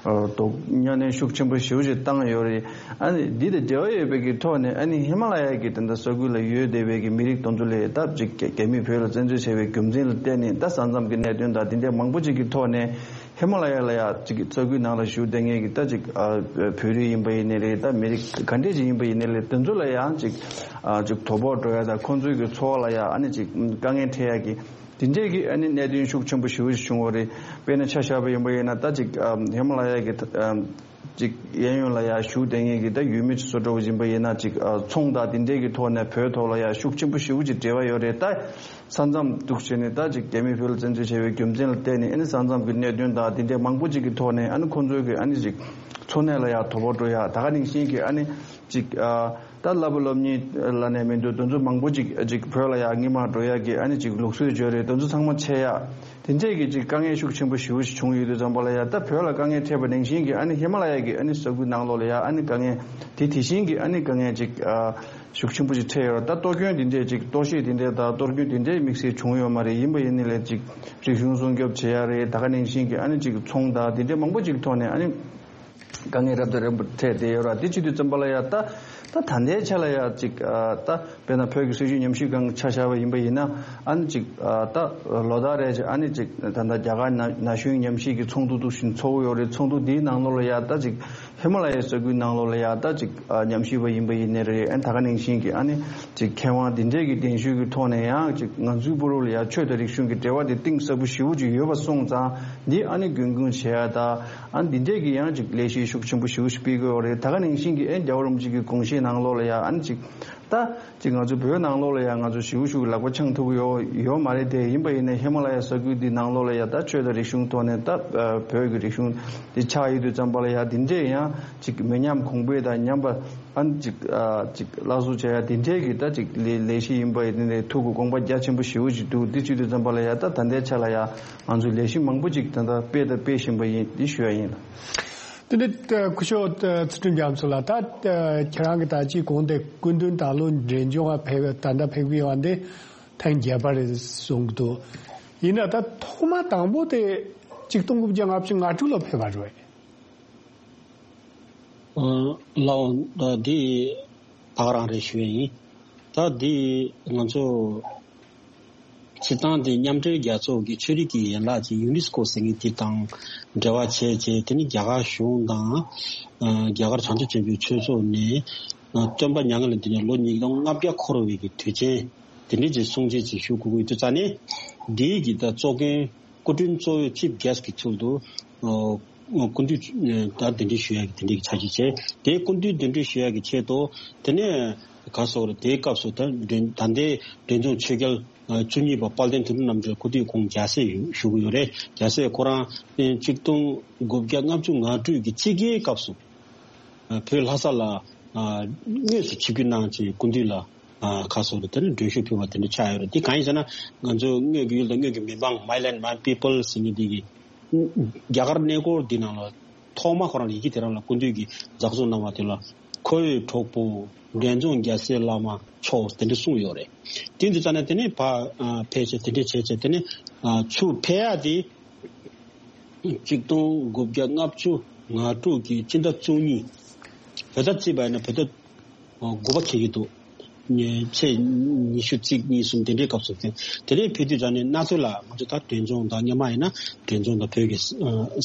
ཨ་དོ་གཉའ་གནོན་ཤུགས་ཆེན་པོ་ཞེ་པོ་ཅིག་བཏང་ཡོད་རེད། ཨ་ནི་འདི་དང་འབྲེལ་བ་ཡོད་པའི་གི་ཐོག་ནས་ཨ་ནི་ཧི་མ་ལ་ཡ་གི་དེ་འདྲ་ས་ཁུལ་ལ་ཡོད་བསྡད་པའི་གི་མི་རིགས་དེ་ཚོ་ལ་ད་ཅིག་རྒྱ་རྒྱ་མིས་བོད་ལ་བཙན་འཛུལ་བྱས་པའི་རྒྱུ་མཚན་ལ་བརྟེན་ནས་ད་ས་མཚམས་ཀྱི་གནད་དོན་དང་དེ་འདྲ་མང་པོ་ཅིག་གི་ཐོག་ནས་ཧི་མ་ལ་ཡ་ལ་ཡ་ཅིག་ས་ཁུལ་ནང་ལ་བཞུགས་བསྡད་མཁན་གི་ད་ཅིག་ཨ་བོད་རིགས་ཡིན་པ་ཡིན་ནའི་རེད། ད་མི་རིགས་ག་འདྲས་ཅིག་ཡིན་པ་ཡིན་ནའི་རེད། དེ་ཚོ་ལ་ཡང་ཅིག་ཨ་ཅིག་དོ་ཕོག་འགྲོ་ཡ་དང་ཁོང་ཚོའི་གི་འཚོ་བ་ལ་ཡ་ཨ་ནི་ཅིག་དཀའ་ངལ་འཕྲད་ཡ་གི་དེ་འདྲས་ཀྱི་ཨ་ནི་གནད་དོན་ཤུགས་ཆེན་པོ་ཞེ་པོ་ཞིག་བྱུང་བ་རེད། དཔེར་ན་ཆ་བཞག་པ་ཡིན་པ་ཡིན་ན་ད་ཅིག་ཨ་ཧི་མ་ལ་ཡ་གི་ཨ་ ཅིག་གཡས་གཡོན་ལ་ཡ་བཞུགས་བསྡད་མཁན་གྱི་ད་ཡུལ་མི་ཚོ་འདྲ་བོ་ཡིན་པ་ཡིན་ན་ཅིག་ཨ་ཚོང་དང་དེ་འདྲས་ཀྱི་ཐོག་ནས་བོད་ཐོག་ལ་ཡ་ཤུགས་ཆེན་པོ་ཞེ་པོ་ཅིག་འབྲེལ་བ་ཡོད་རེད། ད་ས་མཚམས་འདུག་བྱས་ནས་ད་ཅིག་རྒྱ་མི་བོད་ལ་བཙན་འཛུལ་བྱས་པའི་རྒྱུ་མཚན་ལ་བརྟེན་ནས་ཨ་ནི་ས་མཚམས་ཀྱི་གནད་དོན་དང་དེ་འདྲས་མང་པོ་ཅིག་གི་ཐོག་ནས་ཨ་ནི་ཁོང་ཚོའི་གི་ཨ་ནི་ཅིག་འཚོ་གནས་ལ་ཡ་དོ་ཕོག་འགྲོ་ཡ། ད་ག་ནང་བཞིན་གྱི་ཨ་ནི་ཅིག་ཨ་ད་བསླབ་པ་སློབ་གཉེར་ལ་ནས་མི་འདུག་དེ་ཚོ་མང་པོ་ཅིག་ཅིག་བོད་ལ་ཡ་སྔོན་མ་འགྲོ་ཡ་གི་ཨ་ནི་ཅིག་ལུགས་སྲོལ་བརྗོད་རེད། དེ་ཚོ་ཚང་མ་ཆད་ཡ། དེ་འདྲས་ཀྱི་ཅིག་དཀའ་ངལ་ཤུགས་ཆེན་པོ་ཞེ་པོ་ཞིག་བྱུང་ཡོད་དུས་ཙམ་པ་ལ་ཡ་ད་བོད་ལ་དཀའ་ངལ་འཕྲད་པ་ནང་བཞིན་གྱི་ཨ་ནི་ཧི་མ་ལ་ཡ་གི་ཨ་ནི་ས་ཁུལ་ནང་ལོགས་ལ་ཡ་ཨ་ནི་དཀའ་ངལ་དེ་དེ་བཞིན་གྱི་ཨ་ནི་དཀའ་ངལ་ཅིག་ཨ་ཤུགས་ཆེན་པོ་ཞིག་འཕྲད་ཡོད་རེད། ད་གཏོར་སྐྱོན་དེ་འདྲས་ཅིག་གཏོར་བཤིག་དེ་འདྲས་དང་གཏོར་སྐྱོན་དེ་འདྲས་དམིགས་བསལ་བྱུང་ཡོད་མ་རེད། ཡིན་པ་ཡིན་ནའི་ལས་ཅིག་རིག་གཞུང་སྲུང་སྐྱོབ་བྱེད་ཡ་རེད། ད་ག་ནང་བཞིན་གྱི་ཨ་ནི་ཅིག་ཚོང་དང་དེ་འདྲས་མང་པོ་ཅིག་ཐོག་ནས་ཨ་ནི་དཀའ་ངལ་རབ་དང་རིམ་པ་འཕྲད་བསྡད་ཡོད་རེད། དེ་བྱེད་དུས་ཙམ་པ་ལ་ཡ་ད་ད་ད་ལྟའི་ཆ་ལ་ཡ་ཅིག་ཨ་ད་དཔེར་ན་བོད་ཀྱི་སྲིད་བྱུས་ཉམས་ཞིབ་ཁང་ཆ་བཞག་པ་ཡིན་པ་ཡིན་ན་ཨ་ནི་ཅིག་ཨ་ད་ལོ་ལྟར་རེ་བཞིན་ཨ་ནི་ཅིག་ད་ལྟ་རྒྱ་གར་ན་ན་གཞོན་ཉམས་ཞིབ་ཀྱི་ཚོགས་འདུ་འདུག་བཞིན་ཚོགས་ཀྱི་ཡོད་རེད། ཚོགས་འདུ་འདིའི་ནང་ལོགས་ལ་ཡ་ད་ཅིག་ཧི་མ་ལ་ཡའི་ས་ཁུལ་ནང་ལོགས་ལ་ཡ་ད་ཅིག་ཨ་ཉམས་ཞིབ་པ་ཡིན་པ་ཡིན་ནའི་རེད། ཨ་ནི་ད་ག་ནང་བཞིན་གྱི་ཨ་ནི་ཅིག་མཁས་དབང་འདི་འདྲས་ཀྱི་གདན་ཞུ་གི་ཐོག་ནས་ཡང་ཅིག་ང་ཚོའི་བར་ལ་ཡ་ཆོས་དང་རིག་གཞུང་གི་འབྲེལ་བ་དེ་གཏིང་ཟབ་པོ་ཞེ་པོ་ཅིག་ཡོད་པ་སོང་ཙང་འདི་ཨ་ནི་རྒྱུན་སྐྱོང་བྱེད་ཡ་ད་ཨ་ནི་འདི་འདྲས་ཀྱི་ཡང་ཅིག་ལས་གཞི་ཤུགས་ཆེན་པོ་ཞེ་པོ་ཞིག་སྤེལ་གྱི་ཡོད་རེད། ད་ག་ནང་བཞིན་གྱི་ཨེ་རྒྱལ་བ་རིན་པོ་ཆེ་གི་དགོངས་བཞེད་ནང་ལོགས་ལ་ཡ་ཨ་ནི་ཅིག་ད་ཅིག་ང་ཚོ་བོད་ནང་ལོགས་ལ་ཡ་ང་ཚོ་ཞེ་པོ་ཞེ་པོ་ལག་པ་འཆང་ཐུབ་ཀྱི་ཡོད་ཡོད་མ་རེད་དེ། ཡིན་པ་ཡིན་ན་ཧི་མ་ལ་ཡ་ས་ཁུལ་འདི་ནང་ལོགས་ལ་ཡ་ད་ཆོས་དང་རིག་གཞུང་ཐོག་ནས་ད་བོད་ཀྱི་རིག་གཞུང་འདི་ཆགས་ཡོད་དུས་ཙམ་པ་ལ་ཡ་འདི་འདྲས་ཡང་ཅིག་མི་ཉམས་གོང་འཕེལ་དང་ཉམས་པ་ཨ་ནི་ཅིག་ཨ་ཅིག་སླར་གསོ་བྱ་ཡ་དེ་འདྲས་ཀྱི་ད་ཅིག་ལས་ལས་གཞི་ཡིན་པ་ཡིན་ནའི་ཐུགས་ཀྱི་དགོངས་པ་རྒྱ་ཆེན་པོ་ཞེ་པོ་ཅིག་འདུག་དེ་བྱེད་དུས་ཙམ་པ་ལ་ཡ་ད་ད་ལྟའི་ཆ་ལ་ཡ་ང་ཚོས་ལས་གཞི་མང་པོ་ཅིག་ད་ལྟ་སྤེལ་དང་སྤེལ་བཞིན་པ་ཡིན་འདི་ཞུ་ཡ་ཡིན་ལ། དེ་ནས་སྐུ་ཞབས་ཚུལ་ཁྲིམས་རྒྱ་མཚོ་ལགས། ད་ཁྱེད་རང་གི་ད་ཅིག་གོང་དེ་སྐུ་མདུན་ད་ལོ་འབྲས་ལྗོངས་ལ་ཕེབས་ད་ལྟ་ཕེབས་ཀྱི་ཡོད་འདི་ཐེངས་བརྒྱད་པ་རེད་གསུང་གི་འདུག་ཡིན་ན་ད་ཐོག་མ་དང་པོ་དེ་ཆིག་སྟོང་དགུ་བརྒྱ་ལྔ་བཅུ་ང་དྲུག་ལ་ཕེབས་པ་རེད། ཨ་ལགས་འོང་། ད་འདི་ད་ག་རང་རེད་ཞུ་ཡ་ཡིན། ད་འདི་ང་ཚོ་སྤྱིར་བཏང་འདི་མཉམ་འབྲེལ་རྒྱལ་ཚོགས་ཀྱི་ཆོས་རིག་གི་ཡན་ལག་ཅིག་ཡུ་ནེ་སི་ཀོ་ཟེར་མཁན་དེ་དང་འབྲེལ་བ་བྱས་བྱས་དེ་ནི་རྒྱ་གར་གཞུང་དང་ཨ་རྒྱ་གར་བྱང་ཆུབ་ཆེན་པོའི་ཆོས་ཚོགས་ནས་ཨ་སྟོན་པ་མྱ་ངན་ལས་འདས་ནས་ལོ་ཉིས་སྟོང་ལྔ་བརྒྱ་འཁོར་བའི་གི་དུས་ཆེན་དེ་འདྲའི་ཅིག་སྲུང་བརྩི་ཅིག་ཞུ་དགོས་ཀྱི་ཡོད་དུས་ཙང་ནས་འདིའི་གི་ད་གཙོ་འགན། སྐུ་མགྲོན་གཙོ་བོའི་ཆིབ་གེ་སི་གི་ཚུལ་དུ་ཨ་སྐུ་མདུན་ད་གདན་འདྲེན་ཞུ་ཡག་གི་དེ་འདྲའི་ཆ་ཤས་བྱས། དེ་སྐུ་མདུན་གདན་འདྲེན་ཞུ་ཡག་གི་ཆེད་དུ་དེ་ནས་ག་སོགས་རེད། དེའི་སྐབས་སུ་ད་འདྲེན་ད་ལྟའི་འབྲས་ལྗོངས་ཆོས་རྒྱལ་བཅུ་གཉིས་པ་དཔལ་ལྡན་དོན་གྲུབ་རྣམ་གྲོལ་སྐུ་དུས་ཁོང་རྒྱལ་སྲས་ཞུ་གི་ཡོད་རེད། རྒྱལ་སྲས་ཁོ་རང་ཆིག་སྟོང་དགུ་བརྒྱ་ལྔ་བཅུ་ང་དྲུག་གི་དཔྱིད་ཀའི་སྐབས་སུ་བོད་ལྷ་ས་ལ་དངོས་སུ་ཆིབས་བསྒྱུར་གནང་བྱས་སྐུ་མདུན་ལ་ཨ་ཁ་སོ་རེ་དེ་ནི་མགྲོན་ཤོག་ཕུལ་བ་དེ་འདྲ་ཆགས་ཡོད་རེད། དེ་གང་ཡིན་ཟེར་ན་ང་ཚོ་དངོས་ཀྱི་ཡུལ་དང་དངོས་ཀྱི་མི་འབངས། My Land My People ཟེར་མཁན་དེ་གི་རྒྱ་གར་གནས་སྐོར་འདི་ནང་ལ་ཐོག་མ་ཁོ་རང་ཡི་གེ་དེ་རང་ལ་སྐུ་མདུན་གྱིས་ཛག་འཛུགས་གནང་བ་དེ་ལ་ཁོ་བོའི་གྲོགས་པོ་འབྲས་ལྗོངས་རྒྱལ་སྲས་བླ་མ་མཆོག་དེ་འདྲ་གསུངས་ཡོད་རེད། དེ་འདི་ཙ་ནས་དེ་ནས་ཕ་ཨ་ཕལ་ཆེར་དེ་འདྲ་བྱས་བྱས་དེ་ནས་ཨ་ཚུར་ཕེབས་ཡག་དེ། ཆིག་སྟོང་དགུ་བརྒྱ་ལྔ་བཅུ་ང་དྲུག་གི་སྤྱི་ཟླ་བཅུ་གཉིས། བོད་ཟླ་བརྩིས་པ་ཡིན་ན་བོད་ཟླ་དགུ་པ་འཁེལ་གྱི་འདུག་ཚེས་ཉི་ཤུ་གཅིག་གཉིས་གསུམ་དེ་འདྲའི་སྐབས་སུ་ཕེབས། དེ་ནས་ཕེབས་དུས་ཙ་ནས་གནའ་མཐོ་ལ་ང་ཚོ་ད་འབྲས་ལྗོངས་དང་སྔོན་མ་ཡིན་ན་འབྲས་ལྗོངས་དང་བོད་ཀྱི་ས་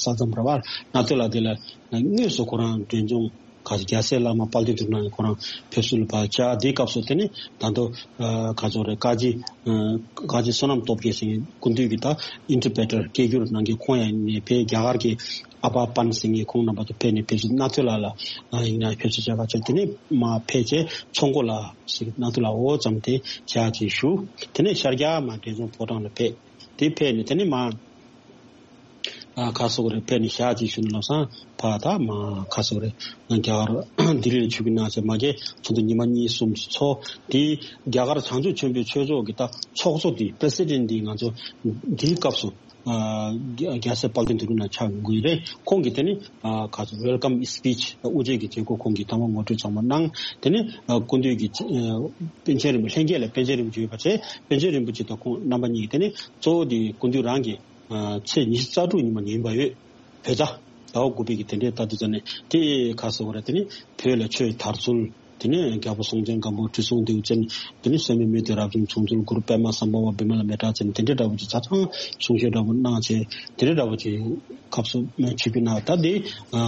མཚམས་རེད་པ། གནའ་མཐོ་ལ་དེ་ལ་དངོས་སུ་ཁོ་རང་འབྲས་ལྗོངས་ག་ཚོད་རྒྱལ་སྲས་བླ་མ་དཔལ་ལྡན་དོན་གྲུབ་རྣམ་གཉིས་ཁོ་རང་ཕེབས་བསུ་ལ་ཕར་བཅར། དེའི་སྐབས་སུ་དེ་ནི་ད་དུང་ག་ཚོད་རེད། བཀའ་སྤྱི་བཀའ་སྤྱི་བསོད་ནམས་སྟོབས་རྒྱས་ཟེར་མཁན་སྐུ་མདུན་གྱིས་ད་ཨིན་ཊར་པི་རི་ཊར་སྐད་སྒྱུར་གནང་མཁན་ཁོང་ཡང་ནས་ཕེབས། རྒྱ་གར་གྱི་ཨ་པ་པན་ཟེར་མཁན་ཁོང་རྣམ་པ་ཚོ་ཕེབས་ནས་ཕེབས་བསུ་གནའ་མཐོ་ལ་ལ་ཡིན་ན་ཕེབས་བསུ་བྱས་པ་བྱས། དེ་ནས་མར་ཕེབས་བྱས་ཚོང་མགོ་ལ་ཟེར་གནའ་མཐོ་ལ་འོ་ཙམ་དེ་བྱས་ཅིག་བཞུགས། དེ་ནས་ཤར་རྒྱག་མར་འབྲས་ལྗོངས་ཕོ་བྲང་ལ་ཕེབས། དེ་ཕེབས་ནས་དེ་ནས་མར། ཨ་ཁ་སོག་རེ་ཕེབས་ནས་ཞག་ཅིག་བཞུགས་ནས་ལམ་སང་ཕར་ད་མར་ཁ་སོག་རེ་རྒྱ་གར་ལྡི་ལི་ལ་ཆིབས་བསྒྱུར་གནང་བྱས་མ་གི་ཚོགས་འདུ་ཉི་མ་གཉིས་གསུམ་ཅིག་ཚོགས། དེ་རྒྱ་གར་བྱང་ཆུབ་ཆེན་པོའི་ཆོས་ཚོགས་ཀྱི་ད་ཚོགས་གཙོ་དེ་པི་རེ་སི་ཌེན་ཊི་དེ་ང་ཚོ་དེའི་སྐབས་སུ་ཨ་རྒྱལ་སྲས་དཔལ་ལྡན་དོན་གྲུབ་རྣམ་གཉིས་ཆགས་ཡོང་གི་རེད། ཁོང་གིས་དེ་ནི་ཨ་ཁ་སོག་ཝེལ་ཀམ་སི་པིཆ་དབུ་འབྱེད་ཀྱི་མཛད་སྒོ་ཁོང་གིས་དང་པོ་ངོ་སྤྲོད་ཚང་མ་གནང་། དེ་ནི་ཨ་སྐུ་མདུན་གྱིས་ཨ་པཎ་ཆེན་རིན་པོ་ལྷན་རྒྱས་ལ་པཎ་ཆེན་རིན་པོ་ཆེ་ཡོད་པ་བྱས། པཎ་ཆེན་རིན་པོ་ཆེ་དང་ཁོང་རྣམ་པ་གཉིས་ཀྱིས་དེ་ནི་གཙོ་བོ་དེ་སྐུ་མདུན་རང་གིས། ཨ་ཚེས་ཉི་ཤུ་རྩ་དྲུག་ཉི་མ་ཉིན་པ་ཡོད། བོད་ཟླ་ཟླ་བ་དགུ་པའི་གི་དེ་འདྲའི་ལྟ་དུས་ཙ་ནས་དེ་ཁ་གསལ་བོ་རེད། དེ་ནི་བོད་ལ་ཆོས་དར་ཚུལ། དེ་ནས་རྒྱལ་པོ་སྲོང་བཙན་སྒམ་པོ་ཁྲི་སྲོང་ལྡེའུ་བཙན། དེ་ནི་སད་མི་མུ་སྟེགས་རབ་འབྱམས་བྱུང་ཚུལ། གུ་རུ་པདྨ་སམ་བྷ་ཝ་བི་མ་ལ་མི་ཏྲ་ཅན། དེ་འདྲའི་འདྲ་པོ་ཅིག་ཆ་ཚང་གསུང་བཤད་འདྲ་པོ་གནང་བྱས། དེ་འདྲའི་འདྲ་པོ་ཅིག་སྐབས་སུ་ཆིབས་བསྒྱུར་གནང་། ད་དེ་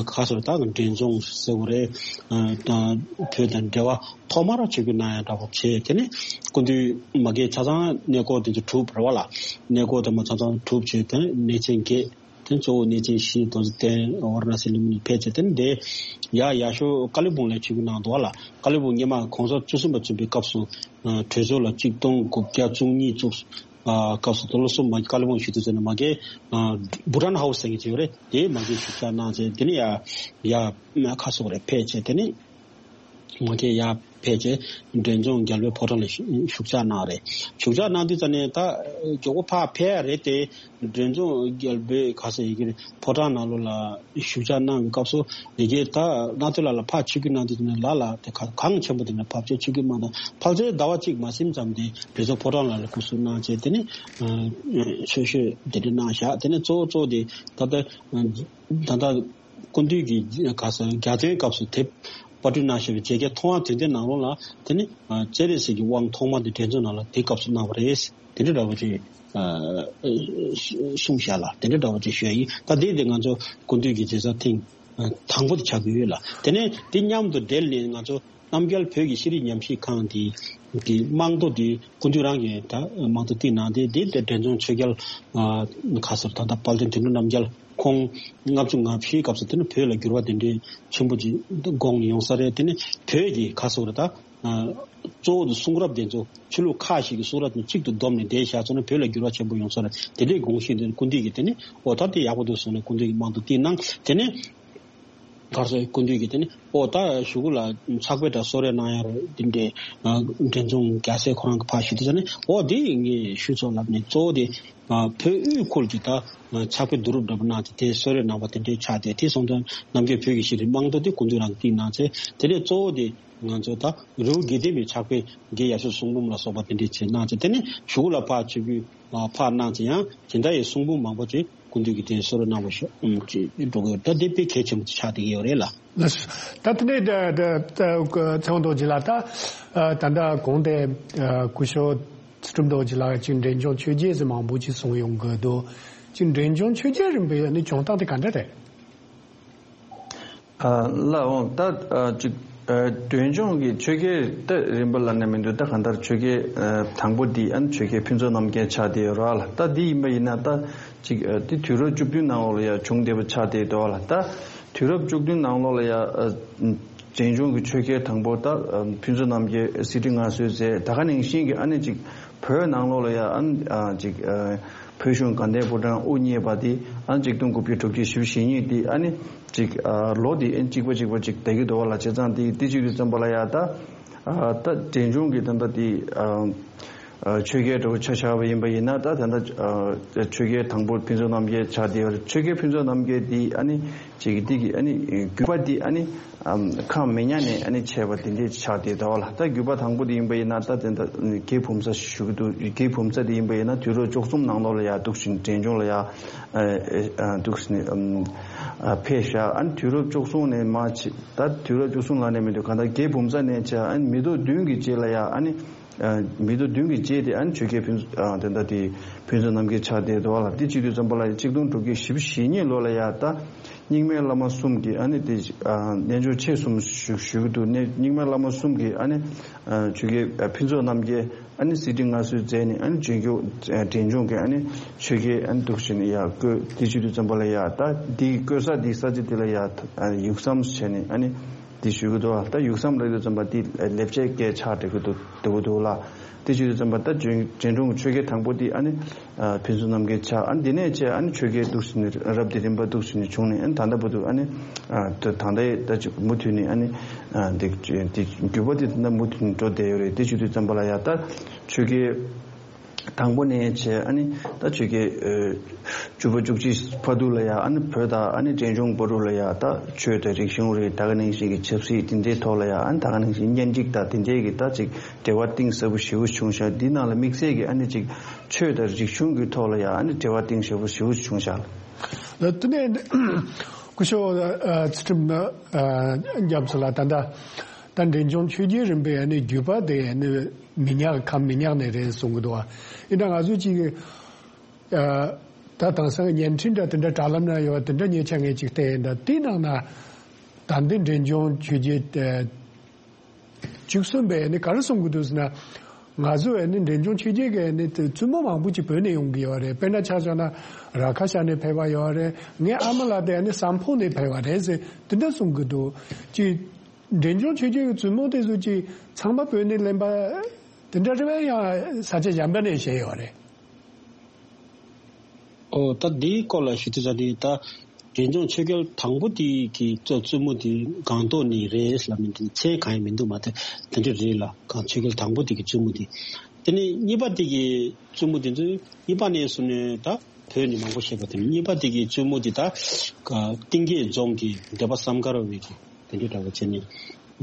ཁ་གསལ་བོ་ད་འབྲས་ལྗོངས་ཟེར་བོ་རེད། ད་བོད་དང་འབྲེལ་བ་ཐོག་མར་ཆིབས་བསྒྱུར་གནང་ཡ་འདྲ་པོ་བྱས། དེ་ནི་སྐུ་མདུན་མ་གི་ཆ་ཚང་གནས་སྐོར་དེ་ཚོ་གྲུབ་རེད་པ་ལ། གནས་སྐོར་དེ་མ་ཆ་ཚང་གྲུབ་བྱས། དེ་ནས་གནས་ཆེན་བརྒྱད། དེ་གཙོ་བོ་གནས་ཆེན་བཞི་རྡོ་རྗེ་གདན་ཝཱ་ར་ཎ་སི་ལུམ་བི་ནི་ཕེབས་བྱས། དེ་ནས་དེ་ཡ་ཡ་ཤོ་ཀ་ལི་བོང་ལ་ཆིབས་བསྒྱུར་གནང་འདུག་བ་ལ། ཀ་ལི་བོང་སྔོན་མ་གོང་ས་བཅུ་གསུམ་པ་བཙུན་པའི་སྐབས་སུ་ཨ་གྲོས་ཚོགས་ལ་ཆིག་སྟོང་དགུ་བརྒྱ་བཅུ་གཉིས་བཙུགས། ཨ་སྐབས་སུ་དུ་ལོ་གསུམ་མ་ཀ་ལི་བོང་ཞུ་དུས་ཚོད་ནས་མ་གི་ཨ་བྷུ་ཊན་ཧའུ་སི་ཟེར་མཁན་ཅིག་ཡོད་རེད། དེའི་མ་གི་བཞུགས་ཞག་གནང་བྱས། དེ་ནས་ཡ་ཡ་ཁ་སོག་རེ་ཕེབས་བྱས། དེ་ནས། ང་ཚོས་ཡར་ཕེབས་བྱས་འབྲས་ལྗོངས་རྒྱལ་པོའི་ཕོ་བྲང་ལ་བཞུགས་ཕྱག་གནང་རེད། བཞུགས་ཕྱག་གནང་དུས་ཙམ་ནས་ད་མགྱོགས་པོ་ཕར་ཕེབས་ཡ་རེད་དེ། འབྲས་ལྗོངས་རྒྱལ་པོའི་ག་ས་ཡི་གེ་ཕོ་བྲང་ནང་ལོགས་ལ་བཞུགས་ཕྱག་གནང་བའི་སྐབས་སུ་ཡི་གེ་ད་གནང་དུས་ལ་ལ་ཕར་ཆིབས་བསྒྱུར་གནང་དུས་ཙམ་ནས་ལ་ལ་དེ་ག་གངས་ཆེན་པོ་དེ་ནས་ཕར་ཕྱོགས་ཆིབས་བསྒྱུར་གནང་དང་ཕལ་ཆེར་ཟླ་བ་གཅིག་མ་ཟིན་ཙམ་དེ་འབྲས་ལྗོངས་ཕོ་བྲང་ལ་ལ་སྐུ་གཟུགས་གནང་བྱས། དེ་ནས་ཆོས་ཞུ་དེ་འདྲ་གནང་བཞག་དེ་ནས་གཙོ་བོ་གཙོ་བོ་དེ་ད་ལྟ་ད་ལྟ། སྐུ་མདུན་གྱི་ག་ས་རྒྱལ་བཙུན་སྐབས་སུ་དེབ་པར་སྐྲུན་གནང་བཞག་པའི་མཇལ་ཁའི་ཐོག་མ་དེ་འདྲའི་ནང་ལོགས་ལ་དེ་ནི་སྤྱན་རས་གཟིགས་ཀྱི་དབང་ཐོག་མ་དེ་འབྲས་ལྗོངས་ནང་ལ་དེ་སྐབས་སུ་གནང་བ་རེད། དེ་འདྲ་འདྲ་བོ་ཅིག་གསུངས་བཞག་ལ། དེ་འདྲ་འདྲ་བོ་ཅིག་ཞུ་ཡ་ཡིན། ད་དེ་དེ་ང་ཚོ་སྐུ་མདུན་གྱི་མཇལ་ས་ཐེངས་དང་པོ་དེ་ཆགས་ཀྱི་ཡོད་ལ། དེ་ནས་དེ་མཉམ་དུ་འབྲེལ་ནས་ང་ཚོ་རྣམ་རྒྱལ་བོད་ཀྱི་ཤེས་རིག་ཉམས་ཞིབ་ཁང་དེ་གི་རྨང་རྡོ་དེ་སྐུ་མདུན་རང་གིས་ད་རྨང་རྡོ་བཏིང་གནང་སྟེ། དེ་དེ་འབྲས་ལྗོངས་ཆོས་རྒྱལ་ཁ་སར་ད་ལྟ་དཔལ་ལྡན་དོན་གྲུབ་རྣམ་རྒྱལ། ཁོང་ལྔ་བཅུ་ང་བཞིའི་སྐབས་སུ་དེ་ནི་བོད་ལ་འགྱུར་བ་དེ་འདྲའི་ཆེན་པོ་ཅིག་དགོངས་ནས་ཡོང་ས་རེད། དེ་ནི་བོད་ཀྱི་ཁ་སོགས་རེད་ད། གཙོ་བོ་དེ་གསུང་རབ་དེ་ཚོ་ཆོས་ལུགས་ཁག་ཞིག་གི་གསུང་རབ་དེ་གཅིག་ཏུ་བསྡོམས་ནས་བསྡད་བཞག་ཚོ་ནི་བོད་ལ་འགྱུར་བ་ཆེན་པོ་ཡོང་ས་རེད། དེ་འདྲའི་དགོངས་གཞི་དེ་ནི་སྐུ་མདུན་གྱིས་དེ་ནི་ཨོ་ད་དེ་ཡག་པོ་འདུག་གསུངས་ནས་སྐུ་མདུན་གྱིས་རྨང་རྡོ་བཏིང་གནང་། དེ་ནི་གར་སོགས་སྐུ་མདུན་གྱིས་དེ་ནི་ཨོ་ད་གཞུག་གུ་ལ་ཕྱག་དཔེ་དང་གསོལ་རས་གནང་ཡ་རོ་དེ་འདྲའི་འབྲས་ལྗོངས་རྒྱལ་སྲས་ཁོ་རང་གི་ཕར་ཞུ་དུས་ཙམ་ནས་ཨོ་དེ་ངས་ཞུས་ཚོ་ལབ་ནས། གཙོ་བོ་དེ། བོད་དབུས་ཁུལ་གྱི་ད་ཕྱག་དཔེ་བསྡུ་རུབ་འདྲ་པོ་གནང་སྟེ་དེ་གསོལ་རས་གནང་བ་དེ་འདྲའི་ཆགས་ཏེ། དེ་སོང་ཙང་རྣམ་རྒྱལ་བོད་ཀྱི་ཤེས་རིག་རྨང་རྡོ་དེ་སྐུ་མདུན་རང་གིས་བཏིང་གནང་ཚེ། དེ་ནས་གཙོ་བོ་དེ་ང་ཚོ་ད་རི་བོ་དགེ་ལྡན་པའི་ཕྱག་དཔེ་དགེ་ཡབ་སྲས་གསུང་འབུམ་ལ་སོགས་པ་དེ་འདྲའི་ཆེད་གནང་ཚེ། དེ་ནས་གཞུག་ལ་ཕར་ཆིབས་བསྒྱུར་ཕར་གནང་ཚེ་ཡང་དེ་འདྲ་ཡི་གསུང་འབུམ་མང་པོ་ཅིག་སྐུ་མདུན་གྱིས་དེ་གསོལ་རས་གནང་བ་ཤོག་ཅེས་འགྲོ་གི་ཡོད། ད་དེ་དཔེ་གལ་ཆེན་པོ་ཆགས་བསྡད་ཀྱི་ཡོད་རེད་ལ། ལགས་སོ། ད་དེ་ནས་ད་ད་ད་ཚེ་དབང་རྡོ་རྗེ་ལགས། ད་ད་ལྟ་གོང་དེ་སྐུ་ཞབས་ཚུལ་ཁྲིམས་རྡོ་རྗེ་ལགས་ཀྱིས་འབྲས་ལྗོངས་ཆོས་རྒྱལ་ཟེར་མང་པོ་ཅིག་གསུངས་ཡོང་གི་འདུག་ཅིག་འབྲས་ལྗོངས་ཆོས་རྒྱལ་རིམ་པའི་ནི་བྱུང་སྟངས་དེ་ག་འདྲ་རེད། ལགས་འོང་། ད་ཅིག་འབྲས་ལྗོངས་ཀྱི་ཆོས་རྒྱལ་ད་རིམ་པ་ལབ་ན་མི་འདུག་ད་གང་ལྟར་ཆོས་རྒྱལ་དང་པོ་འདི་ཨ་ནི་ཆོས་རྒྱལ་ཕུན་ཚོགས་རྣམ་རྒྱལ་ཆགས་བསྡད་ཡོད་རེད་ལ། ད་འདི་ཡིན་པ་ཡིན་ན་ད་ཅིག་འདི་དུས་རབས་བཅུ་བདུན་ནང་ལོགས་ལ་ཡང་བྱུང་བསྡད་པ་ཆགས་བསྡད་འདུག་ལ། ད་དུས་རབས་བཅུ་བདུན་ནང་ལོགས་ལ་ཡང་འབྲས་ལྗོངས་ཀྱི་ཆོས་རྒྱལ་དང་པོ་ད་ཕུན་ཚོགས་རྣམ་རྒྱལ་གཟི་བརྗིད་མངའ་གསོལ་མཛད། ད་ག་ནང་བཞིན་གྱི་ཨ་ནི་ཅིག་བོད་ནང་ལོགས་ལ་ཡང་ཨ་ནི་ཅིག་བོད་གཞུང་དགའ་ལྡན་ཕོ་བྲང་དབུ་བརྙེས་པ་དེ་ཨ་ནི་ཆིག་སྟོང་དགུ་བརྒྱ་དྲུག་ཅུ་ཞེ་གཉིས་དེ་ཨ་ནི་ཅིག་ལོ་དེ་ཨ་ནི་གཅིག་པ་གཅིག་པ་ཅིག་བསྡད་ཀྱི་འདུག་ལ། བྱས་ཙང་དེ་དེ་བྱེད་དུས་ཙམ་པ་ལ་ཡང་ད་ད་འབྲས་ལྗོངས་ཀྱི་ད་ལྟ་དེ། ཆོས་རྒྱལ་འདྲ་བོ་ཆ་བཞག་པ་ཡིན་པ་ཡིན་ན། ད་ད་ལྟ་ཆོས་རྒྱལ་དང་པོ་ཕུན་ཚོགས་རྣམ་རྒྱལ་ཆགས་བསྡད་ཡོད་རེད། ཆོས་རྒྱལ་ཕུན་ཚོགས་རྣམ་རྒྱལ་འདི་ཨ་ནི་ཅིག་འདི་གི་ཨ་ནི་བརྒྱུད་པ་འདི་ཨ་ནི་ཁམས་མི་ཉག་ནས་ཨ་ནི་ཆད་པ་དེ་འདྲས་ཆགས་བསྡད་འདུག་ལ། ད་བརྒྱུད་པ་དང་པོ་དེ་ཡིན་པ་ཡིན་ན་ད་དེ་འདྲ་རྒྱའི་བུམ་ས་ཞུ་གི་འདུག་རྒྱའི་བུམ་ས་དེ་ཡིན་པ་ཡིན་ན་དུས་རབས་བཅུ་གསུམ་ནང་ལོགས་ལ་ཡར་འདུག་བཞིན་འབྲས་ལྗོངས་ལ་ཡར་འདུག་བཞིན་ཕེབས་བཞག་ཨ་ནི་དུས་རབས་བཅུ་གསུམ་ནས་མར་ཕྱིན། ད་དུས་རབས་བཅུ་གསུམ་ལ་ནས་མི་འདུག་གང་ལྟར་རྒྱའི་བུམ་ས་ནས་བྱས་ཨ་ནི་མི་ཐོག་བདུན་གྱི་རྗེས་ལ་ཡར་ཨ་ནི། མི་ཐོག་བདུན་གྱི་རྗེས་དེ་ཨ་ནི་ཆོས་རྒྱལ་ཕུན་ཚོགས་དེ་འདྲ་དེ་ཕུན་ཚོགས་རྣམ་རྒྱལ་ཆགས་བསྡད་འདུག་ལ། དེ་བྱེད་དུས་ཙམ་པ་ལ་ཆིག་སྟོང་དྲུག་བརྒྱ་བཞི་བཅུ་ཞེ་གཉིས་ལོ་ལ་ཡ་ད་རྙིང་མའི་བླ་མ་གསུམ་གྱིས་ཨ་ནི་དེ་རྣལ་འབྱོར་ཆེ་གསུམ་ཞུ་ཞུ་གི་འདུག་རྙིང་མའི་བླ་མ་གསུམ་གྱིས་ཨ་ནི་ཆོས་རྒྱལ་ཕུན་ཚོགས་རྣམ་རྒྱལ་ཨ་ནི་གཟི་བརྗིད་མངའ་གསོལ་མཛད་ནས་ཨ་ནི་འབྲས་ལྗོངས་འབྲས་ལྗོངས་ཀྱི་ཨ་ནི་ཆོས་རྒྱལ་ཨ་ནི་འདུག་བྱས་ནས་ཡ་བསྐོས། དེ་བྱེད་དུས་ཙམ་པ་ལ་ཡ་ད་དེ་བསྐོས་ས་དེ་ས་ཆ་དེ་ལ་ཡ་ཡུགས་ཟམ་བྱས་ནས་ཨ་ནི། དེ་ཞུ་གི་འདུག་ལ། ད་ཡུགས་ཟམ་ལབ་དུས་ཙམ་པ་དེ་ལེབ་ཆའི་སྐད་ཆགས་འགྲོ་གི་འདུག་འགྲོ་གི་འདུག་ལ། དེ་བྱེད་དུས་ཙམ་པ་ད་འབྲས་ལྗོངས་ཀྱི་ཆོས་རྒྱལ་དང་པོ་དེ་ཨ་ནི་ཕུན་ཚོགས་རྣམ་རྒྱལ་ཆགས། ཨ་ནི་དེ་ནས་བྱས་ཨ་ནི་ཆོས་རྒྱལ་འདུག་ཟེར་ནས་རབ་དེ་རིམ་པ་འདུག་ཟེར་ནས་བྱུང་ནས་ཨ་ནི་ད་ལྟ་བར་དུ་ཨ་ནི་ད་ད་ལྟ་ད་ཅིག་མུ་མཐུད་ནས་ཨ་ནི་དེ་དེ་བརྒྱུད་པ་དེ་ད་ལྟ་མུ་མཐུད་ནས་འགྲོ་བསྡད་ཡོད་རེད། དེ་བྱེད་དུས་ཙམ་པ་ལ་ཡ་ད་ཆོས་རྒྱལ། དང་པོ་ནས་བྱས་ཨ་ནི་ད་ཆོས་རྒྱལ་བཅུ་པ་བཅུ་གཅིག་བར་དུ་ལ་ཡ་ཨ་ནི་བོད་དང་ཨ་ནི་འབྲས་ལྗོངས་བར་དུ་ལ་ཡ་ད་ཆོས་དང་རིག་གཞུང་རེད། ད་ག་ནང་བཞིན་གྱི་ཆབ་སྲིད་དེ་འདྲའི་ཐོག་ལ་ཡ་ཨ་ནི་ད་ག་ནང་བཞིན་གཉེན་སྒྲིག་དང་དེ་འདྲའི་གི་ད་ཅིག་འབྲེལ་བ་གཏིང་ཟབ་པོ་ཞེ་པོ་བྱུང་ཤག་འདི་ནང་ལ་དམིགས་བསལ་གྱི་ཨ་ནི་ཅིག་ཆོས་དང་རིག་གཞུང་གི་ཐོག་ལ་ཡ་ཨ་ནི་འབྲེལ་བ་གཏིང་ཟབ་པོ་ཞེ་པོ་བྱུང་ཤག་ལ། དེ་ནས་སྐུ་ཞབས་ཚུལ་ཁྲིམས་རྒྱ་མཚོ་ལགས་ད་ལྟ། ད་འབྲས་ལྗོངས་ཆོས་རྒྱལ་རིམ་པའི་ཨ་ནི་བརྒྱུད་པ་དེ་ཨ་ནི་མི་ཉག་ཁམས་མི་ཉག་ནས་རེད་གསུང་གི་འདུག་བ། ཡིན་ན་ང་ཚོས་ཅིག་ཨ་ད་དེང་སང་བརྙན་འཕྲིན་འདྲ་དེ་འདྲ་དྲ་ལམ་ན་ཡོད་པ་དེ་འདྲ་ཉེ་ཆར་ངས་ཅིག་བལྟས་ཡིན། ད་དེའི་ནང་ན་ད་འདི་འབྲས་ལྗོངས་ཆོས་རྒྱལ་ཨ་བཅུ་གསུམ་པས་ཨ་ནི་ག་རེ་གསུང་གི་འདུག་ཟེར་ན། ང་ཚོ་ཨ་ནི་འབྲས་ལྗོངས་ཆོས་རྒྱལ་གྱི་ཨ་ནི་དེ་བཙུན་མོ་མང་པོ་ཅིག་བོད་ནས་ཡོང་གི་ཡོད་རེད། དཔེར་ན་ཆ་བཞག་ན་ར་ཁ་ཤ་ནས་ཕེབས་པ་ཡོད་རེད། ངའི་ཨ་མ་ལགས་དེ་ཨ་ནི་སམ་ཕོ་ནས་ཕེབས་པ་རེད་ཟེར་དེ་འདྲ་གསུང་གི་འདུག་ཅིག་འབྲས་ལྗོངས་ཆོས་རྒྱལ་གྱི་བཙུན་མོ་དེ་ཚོ་ཅིག་ཚང་མ་བོད་ནས་ལེན་པ་དེ་འདྲ་རེད་པས། ཡང་ས་ཆ་གཞན་པ་ནས་བཞེས་ཡོད་རེད། ཨོ་ད་འདིའི་སྐོར་ལ་ཞུ་དུས་ཙ་ནི་ད་འབྲས་ལྗོངས་ཆོས་རྒྱལ་དང་པོ་དེ་གི་གཙོ་བཙུན་མོ་དེ་སྒང་ཏོག་ནས་རེད་ལབ་ནས་འདི་མཚན་གང་ཡང་མི་འདུག་མ་གཏོགས་དེ་འདྲ་རེད་ལ། གང་ཆོས་རྒྱལ་དང་པོ་དེ་གི་བཙུན་མོ་དེ། དེ་ནས་གཉིས་པ་དེ་གི་བཙུན་མོ་དེ་ཚོ་གཉིས་པ་ནས་བཟུང་ནས་ད་བོད་ནས་མང་པོ་བཞེས་པ་དེ་ནས་གཉིས་པ་དེ་གི་བཙུན་མོ་དེ་ད་ག་གཏིང་སྐྱེས་རྫོང་གི་སྡེ་པ་བསམ་དཀར་བའི་གི་དེ་འདྲའི་འདྲ་བོ་བྱས་ནས་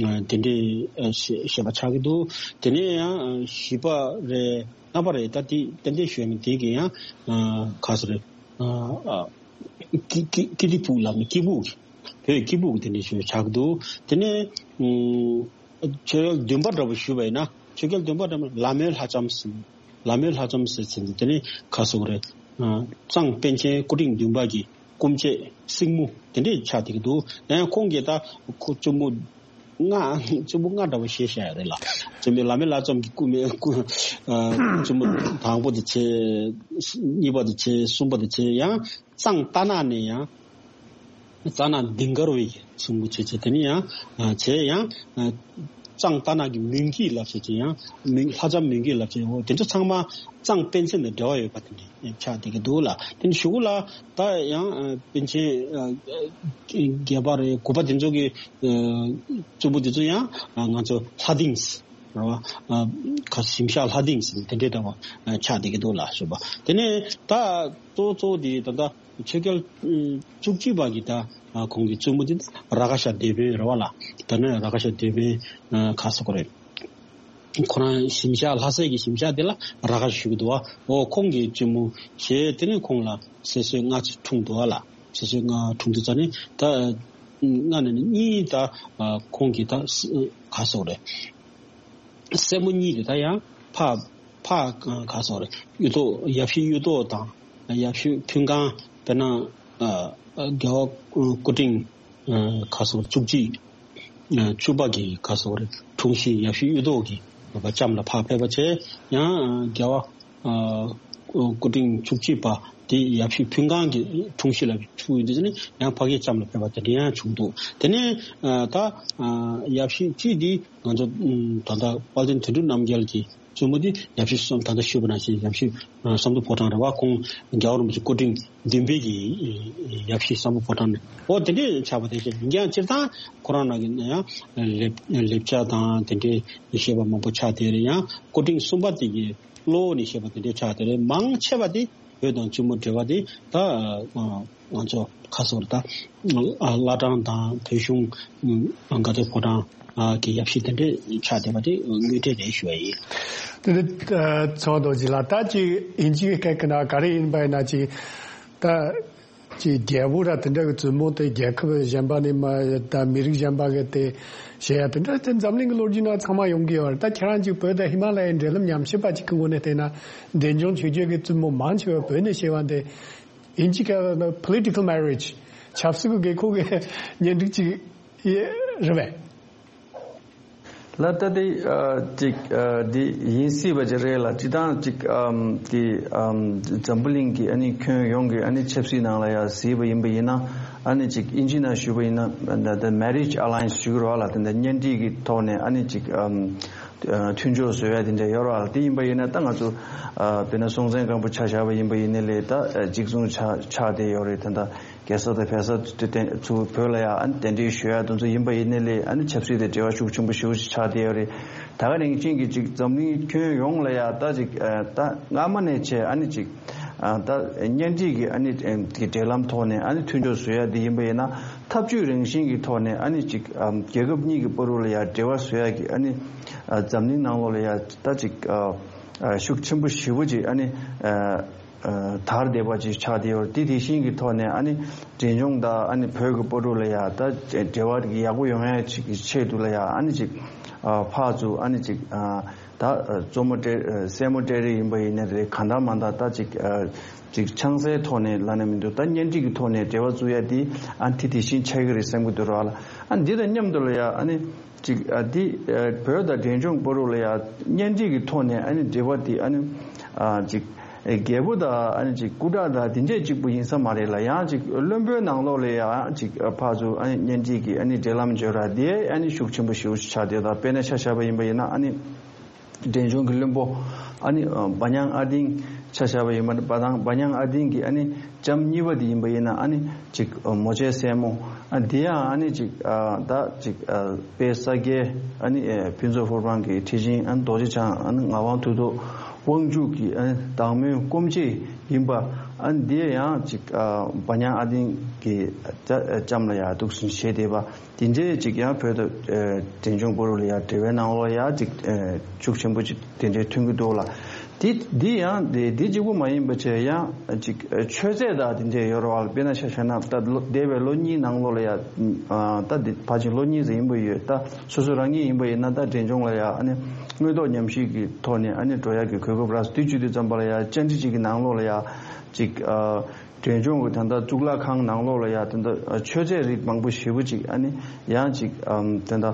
ཨ་དེ་འདྲའི་ཨ་བཤད་བཤད་པ་ཆགས་ཀྱི་འདུག་དེ་ནས་ཡང་ཨ་བཞི་པ་རེད། ལྔ་པ་རེད། ད་དེ་ཏན་ཏན་ཞུས་མིན་དེ་གི་ཡང་ཨ་ག་ཟེར་རེད། ཨ་ཨ་ཀི་ཀི་ཀི་ཏི་ཕུག་ལབ་ནས་སྐྱིད་ཕུག་གི་བོད་སྐྱིད་ཕུག་གི་དེ་འདྲའི་ཞུས་ཆགས་ཀྱི་འདུག་དེ་ནས་ཨུམ་ཆོས་རྒྱལ་བདུན་པ་འདྲ་བོ་ཞུས་པ་ཡིན་ན་ཆོས་རྒྱལ་བདུན་པ་འདྲ་བོ་ལ་མོའི་ལྷ་ལྕམ་ཟེར། ལ་མོའི་ལྷ་ལྕམ་ཟེར་ཚེ་འདི་དེ་ནས་ག་ཟེར་དགོས་རེད། ཨ་གཙང་པཎ་ཆེན་སྐུ་ཕྲེང་བདུན་པ་གི་སྐུ་མཆེད་སྲིང་མོ་དེ་འདྲས་ཆགས་བསྡད་ཀྱི་འདུག་ཡང་ཁོང་གིས་ད་ཁོ་བཙུན་མོ་ལྔ་བཙུན་མོ་ལྔ་འདྲ་བོ་བཞེས་བཞག་ཡོད་རེད་ལ། བཙུན་མོ་ལ་མོའི་ལྷ་ལྕམ་གྱི་སྐུ་མེ་སྐུ་ཨ་བཙུན་མོ་དང་པོ་དེ་བྱས། གཉིས་པ་དེ་བྱས། གསུམ་པ་དེ་བྱས། ཡང་གཙང་རྟ་ནག་ནས་ཡང་རྩ་ནག་ལྡིང་དཀར་བའི་གསུང་གི་བྱས་བྱས་དེ་ནས་ཡང་ཨ་བྱས་ཡང་ཨ་གཙང་རྟ་ནག་གི་མུན་སྐྱེས་ལབ་བྱས་བྱས་ཡང་མུན་ལྷ་ལྕམ་མུན་སྐྱེས་ལབ་བྱས། འོ་དེ་ཚོ་ཚང་མ་གཙང་པཎ་ཆེན་དང་འབྲེལ་བ་ཡོད་པ་དེ་འདྲ་ཆགས་བསྡད་ཀྱི་འདུག་ལ། དེ་ནས་གཞུག་གུ་ལ་ད་ཡང་ཨ་པཎ་ཆེན་ཨ་བརྒྱད་པ་རེད། དགུ་པ་དེ་ཚོ་གི་ཨ་བཙུན་མོ་དེ་ཚོ་ཡང་ཨ་ང་ཚོ་ལྷ་སྡིངས་རེད་བ། ཨ་ག་ཞིམ་ཤ་ལྷ་སྡིངས་ཟེར་དེ་འདྲའི་འདྲ་བ་ཨ་ཆགས་བསྡད་ཀྱི་འདུག་ལ་ཞུ་བ། དེ་ནས་ད་གཙོ་གཙོ་དེ་ད་ལྟ་ཆོས་རྒྱལ་ཨ་བཅུ་གཅིག་པ་གི་ད་ཨ་ཁོང་གི་བཙུན་མོ་དེ་ར་ཁ་ཤ་སྡེ་དཔོན་རེད་བ་ལ། ད་ནི་ར་ཁ་ཤ་སྡེ་དཔོན་ཨ་ག་ཟེར་དགོས་རེད། ཁོ་རང་ཞིམ་ཤ་ལྷ་སའི་གི་ཞིམ་ཤ་དེ་ལ་ར་ཁ་ཤ་ཞུ་གི་འདུག་བ། འོ་ཁོང་གི་བཙུན་མོ་བྱས། དེ་ནས་ཁོང་ལ་སྲིད་སྲོལ་ལྔ་ཅིག་འཁྲུངས་འདུག་བ་ལ། སྲིད་སྲོལ་ལྔ་འཁྲུངས་དུས་ཙ་ནས་ད་ལྔ་ནས་ནི་གཉིས་ད་ཁོང་གི་ད་ག་ཟེར་དགོས་རེད། སྲས་མོ་གཉིས་དེ་ད་ཡང་ཕ་ཕ་ག་ཟེར་དགོས་རེད། གཡུ་ཐོག་ཡབ་གཞིས་གཡུ་ཐོག་དང་ཡབ་གཞིས་ཕུན་ཁང་། དཔེར་ན་ཨ་ཨ་རྒྱལ་བ་སྐུ་ཕྲེང་ཨ་ག་ཟེར་དགོས་རེད། བཅུ་གཅིག་ཨ་བཅུ་པ་གི་ག་ཟེར་དགོས་རེད། འཁྲུངས་གཞིས་ཡབ་གཞིས་གཡུ་ཐོག་གི་བ་ལྕམ་ལ་ཕར་ཕེབས་པ་བྱས། ཡང་ཨ་རྒྱལ་བ་ཨ་སྐུ་ཕྲེང་བཅུ་གཅིག་པ་དེ་ཡབ་གཞིས་ཕུན་ཁང་གི་འཁྲུངས་གཞིས་ལ་ཕྱུག་ཡོད་དུས་ནི་ཡང་ཕ་གིའི་ལྕམ་ལ་ཕེབས་པ་དེ་འདྲ་ཡང་བྱུང་འདུག་དེ་ནས་ཨ་ད་ཨ་ཡབ་གཞིས་གཅིག་དེ་ང་ཚོ་ཨ་ད་ལྟ་དཔལ་ལྡན་དོན་གྲུབ་རྣམ་རྒྱལ་གྱི་བཙུན་མོ་དེ་ཡབ་གཞིས་གསུམ། ད་ལྟ་ཞུས་པ་ནང་བཞིན་ཡབ་གཞིས་ཨ་བསམ་གྲུབ་ཕོ་བྲང་རེད་བ། ཁོང་རྒྱལ་བ་རིན་པོ་ཆེ་སྐུ་ཕྲེང་བདུན་པའི་གི་ཡབ་གཞིས་བསམ་གྲུབ་ཕོ་བྲང་ནས། འོ་དེ་འདྲའི་ཆགས་པ་དེ་བཞིན་ཡིན་ཀྱང་སྤྱིར་བཏང་ཁོ་རང་ནང་གི་ཡང་ལེབ་ལེབ་ཆ་དང་དེ་འདྲའི་བཤད་པ་མང་པོ་ཆགས་བསྡད་རེད། ཡང་སྐུ་ཕྲེང་གསུམ་པ་དེ་གི་གློ་བོ་ནས་བཤད་པ་དེ་འདྲའི་ཆགས་བསྡད་རེད། མང་ཆེ་བ་དེ་བོད་དང་གཅུང་མོ་འབྲེལ་བ་དེ་ད་ང་ཚོ་ཁ་སོར་ད་བླ་བྲང་དང་བོད་གཞུང་དགའ་ལྡན་ཕོ་བྲང་གི་ཡབ་གཞིས་དེ་འདྲའི་ཆགས་བསྡད་པ་དེ་དངོས་འབྲེལ་རེད་ཞུ་བ་ཡིན། དེ་ནི་ཚོགས་འདུ་ཅིག་ལ་ད་ཅིག་ཡིན་གཅིག་སྐད་ཀྱི་ནང་ག་རེ་ཡིན་པ་ཡིན་ན་ཅིག་ད་ཅིག་རྒྱལ་པོ་ར་དེ་འདྲ་གི་བཙུན་མོ་དེ་རྒྱལ་ཁབ་གཞན་པ་ནས་མ་ད་མི་རིགས་གཞན་པ་གི་དེ་བྱེད་ཡ་དེ་འདྲ་དེ་འཛམ་གླིང་གི་ལོ་རྒྱུས་ནང་ཚང་མ་ཡོང་གི་ཡོད་རེད། ད་ཁྱེད་རང་ཅིག་བོད་དང་ཧི་མ་ལ་ཡའི་འབྲེལ་ལམ་ཉམས་ཞིབ་པ་ཅིག་གི་ངོས་ནས་བལྟས་ན་འབྲས་ལྗོངས་ཆོས་རྒྱལ་གྱི་བཙུན་མོ་མང་ཆེ་བ་བོད་ནས་བྱེད་པ་འདི་ཡིན་གཅིག་ག་political marriage ཆབ་སྲིད་ཀྱི་དགོས་མཁོ་གི་གཉེན་སྒྲིག་ཅིག་རེད་པས། ལ་ད་དེ་ཅིག་འདི་ཡིན་སྲིད་པ་ཅིག་རེད་ལ། སྤྱི་བཏང་ཅིག་འདི་འཛམ་བུ་གླིང་གི་ཨ་ནི་ཁྱོན་ཡོངས་ཀྱི་ཨ་ནི་ཆབ་སྲིད་ནང་ལ་ཡང་གཟིགས་པ་ཡིན་པ་ཡིན་ན། ཨ་ནི་ཅིག་ཨིན་ཇི་ནང་ཞུས་པ་ཡིན་ན་the marriage alliance ཞུ་གི་རེད་བ་ལ། དེ་འདྲ་གཉེན་སྒྲིག་གི་ཐོག་ནས་ཨ་ནི་ཅིག་མཐུན་ཕྱོགས་བཟོ་ཡ་དེ་འདྲ་ཡོད་རེད་བ་ལ། དེ་ཡིན་པ་ཡིན་ན་ད་ང་ཚོ་དཔེར་ན་སྲོང་བཙན་སྒམ་པོ་ཆ་བཞག་པ་ཡིན་པ་ཡིན་ནའི་ལས་ད་གཅིག་མཚུངས་ཆགས་ཆགས་བསྡད་ཡོད་རེད། དེ་འདྲ་རྒྱལ་ས་དང་བལ་ས་དེ་དེ་ཚུར་བོད་ལ་ཡ་ཨ་ནི་གདན་འདྲེན་ཞུ་ཡ་དེ་ཚོ་ཡིན་པ་ཡིན་ནའི་ལས་ཨ་ནི་ཆབ་སྲིད་དང་འབྲེལ་བ་ཤུགས་ཆེན་པོ་ཞེ་པོ་ཅིག་ཆགས་བསྡད་ཡོད་རེད། ད་ག་ནང་བཞིན་གྱི་ཅིག་འཛམ་གླིང་ཁྱོན་ཡོངས་ལ་ཡ་ད་ཅིག་ད་སྔ་མ་ནས་བྱས་ཨ་ནི་ཅིག་ད་གཉེན་སྒྲིག་གི་ཨ་ནི་གི་འབྲེལ་ལམ་ཐོག་ནས་ཨ་ནི་མཐུན་སྦྱོར་བཟོ་ཡ་དེ་ཡིན་པ་ཡིན་ན། འཐབ་ཇུས་རང་བཞིན་གྱི་ཐོག་ནས་ཨ་ནི་ཅིག་རྒྱལ་ཁབ་གཉིས་ཀྱི་བར་དུ་ལ་ཡ་འབྲེལ་བ་བཟོ་ཡ་གི་ཨ་ནི་འཛམ་གླིང་ནང་ལོགས་ལ་ཡ་ད་ཅིག་ཤུགས་ཆེན་པོ་ཞེ་པོ་ཅིག་ཨ་ནི། དར་བསྡད་པ་ཅིག་ཆགས་བསྡད་ཡོད་རེད། དེ་དེ་བཞིན་གྱི་ཐོག་ནས་ཨ་ནི་འབྲས་ལྗོངས་དང་ཨ་ནི་བོད་ཀྱི་བར་དུ་ལ་ཡ་ད་འབྲེལ་བ་ཡག་པོ་ཡོང་ཡ་ཅིག་གི་ཆེད་དུ་ལ་ཡ་ཨ་ནི་ཅིག་ཕར་ཚུར་ཨ་ནི་ཅིག་ད་གཙོ་མོ་སྤྲད་སྲས་མོ་སྤྲད་རེས་ཡིན་པ་ཡིན་ན་རེད། གང་ལྟར་མ་ལྟར་ད་ཅིག་ཅིག་ཆང་སའི་ཐོག་ནས་ལབ་ན་མི་འདུག་ད་གཉེན་སྒྲིག་གི་ཐོག་ནས་འབྲེལ་བ་བཙུགས་ཡ་དེ་ཨ་ནི་དེ་དེ་བཞིན་ཆགས་ཀྱི་རེད་བསམ་གྱི་འདུག་ར་ལ། ཨ་ནི་འདི་དང་མཉམ་དུ་ལ་ཡ་ཨ་ནི། ཅིག་ཨ་འདི་ཨ་བོད་དང་འབྲས་ལྗོངས་བར་དུ་ལ་ཡང་གཉེན་སྒྲིག་གི་ཐོག་ནས་ཨ་ནི་འབྲེལ་བ་དེ་ཨ་ནི་ཨ་ཅིག་ཨེ་རྒྱལ་པོ་དང་ཨ་ནི་ཅིག་སྐུ་དྲག་དང་དེ་འདྲས་གཅིག་པུ་ཡིན་ས་མ་རེད་ལ། ཡང་ཅིག་བློན་པོའི་ནང་ལོགས་ལ་ཡང་ཅིག་ཕར་ཚུར་ཨ་ནི་གཉེན་སྒྲིག་གི་ཨ་ནི་འབྲེལ་ལམ་བརྗོད་ར་དེ་ཨ་ནི་ཤུགས་ཆེན་པོ་ཞེ་པོ་ཅིག་ཆགས་བསྡད། ད་དཔེར་ན་ཆ་བཞག་པ་ཡིན་པ་ཡིན་ན་ཨ་ནི། འབྲས་ལྗོངས་ཀྱི་བློན་པོ་ཨ་ནི་ཨ་བ་ཉང་ཨ་ཏིང་ཆ་བཞག་པ་ཡིན་པ་བ་དང་བ་ཉང་ཨ་ཏིང་གི་ཨ་ནི་ལྕམ་གཉིས་པ་དེ་ཡིན་པ་ཡིན་ན་ཨ་ནི་ཅིག་ཨ་མོ་ཆེ་སྲས་མོ་ཨ་དེ་ཡང་ཨ་ནི་ཅིག་ཨ་ད་ཅིག་ཨ་དཔལ་ས་སྐྱའི་ཨ་ནི་ཨ་ཕུན་ཚོགས་ཕུར་བུ་གི་ཁྲི་ཆེན་ཨ་ནི་རྡོ་རྗེ་འཆང་ཨ་ནི་ངག་དབང་མཐུ་སྟོབས་དབང་ཕྱུག་གི་ཨ་ནི་བདག་མོའི་སྐུ་མཆེད་ཡིན་པ་ཨ་ནི་དེ་ཡང་ཅིག་ཨ་བ་ཉང་ཨ་ཏིང་གི་ལྕམ་ལ་ཡང་འདུག་སེ་བྱས་བསྡད་པ། དེ་འདྲའི་ཅིག་ཡང་བོད་དང་ཨ་འབྲས་ལྗོངས་བར་ལ་ཡང་འབྲེལ་བའི་ནང་ལོགས་ཡང་ཅིག་ཨ་ཤུགས་ཆེན་པོ་ཅིག་དེ་འདྲའི་ཐོན་གྱི་འདུག་ལ། དེ་འདི་ཡང་དེ་འདི་གཅིག་པུ་མ་ཡིན་པ་བྱས་ཡང་ཅིག་ཨ་མཆོད་རྫས་དང་དེ་འདྲའི་ཡོད་རེད་བ། དཔེར་ན་ཆ་བཞག་ན་ད་ལོ་འདས་པའི་ལོ་གཉིས་ནང་ལོགས་ལ་ཡང་ཨ་ད་འདི་ཕལ་ཆེར་ལོ་གཉིས་ཙམ་ཡིན་པ་ཡོད། ད་སོ་སོ་རང་ཉིད་ཡིན་པ་ཡིན་ན་ད་འབྲས་ལྗོངས་ལ་ཡང་ཨ་ནི་དངོས་ཐོག་ཉམས་ཞིབ་ཀྱི་ཐོག་ནས་ཨ་ནི་འགྲོ་ཡག་གི་གོ་སྐབས་རག་སོང་། དེ་བྱེད་དུས་ཙམ་པ་ལ་ཡང་བཅར་འདྲི་ཅིག་གི་ནང་ལོགས་ལ་ཡང་ཅིག་ཨ། འབྲས་ལྗོངས་ཀྱི་ད་ལྟ་གཙུག་ལག་ཁང་ནང་ལོགས་ལ་ཡང་ད་ལྟ་མཆོད་རྫས་རིགས་མང་པོ་ཞེ་པོ་ཅིག་ཨ་ནི་ཡང་ཅིག་ཨམ་ད་ལྟ་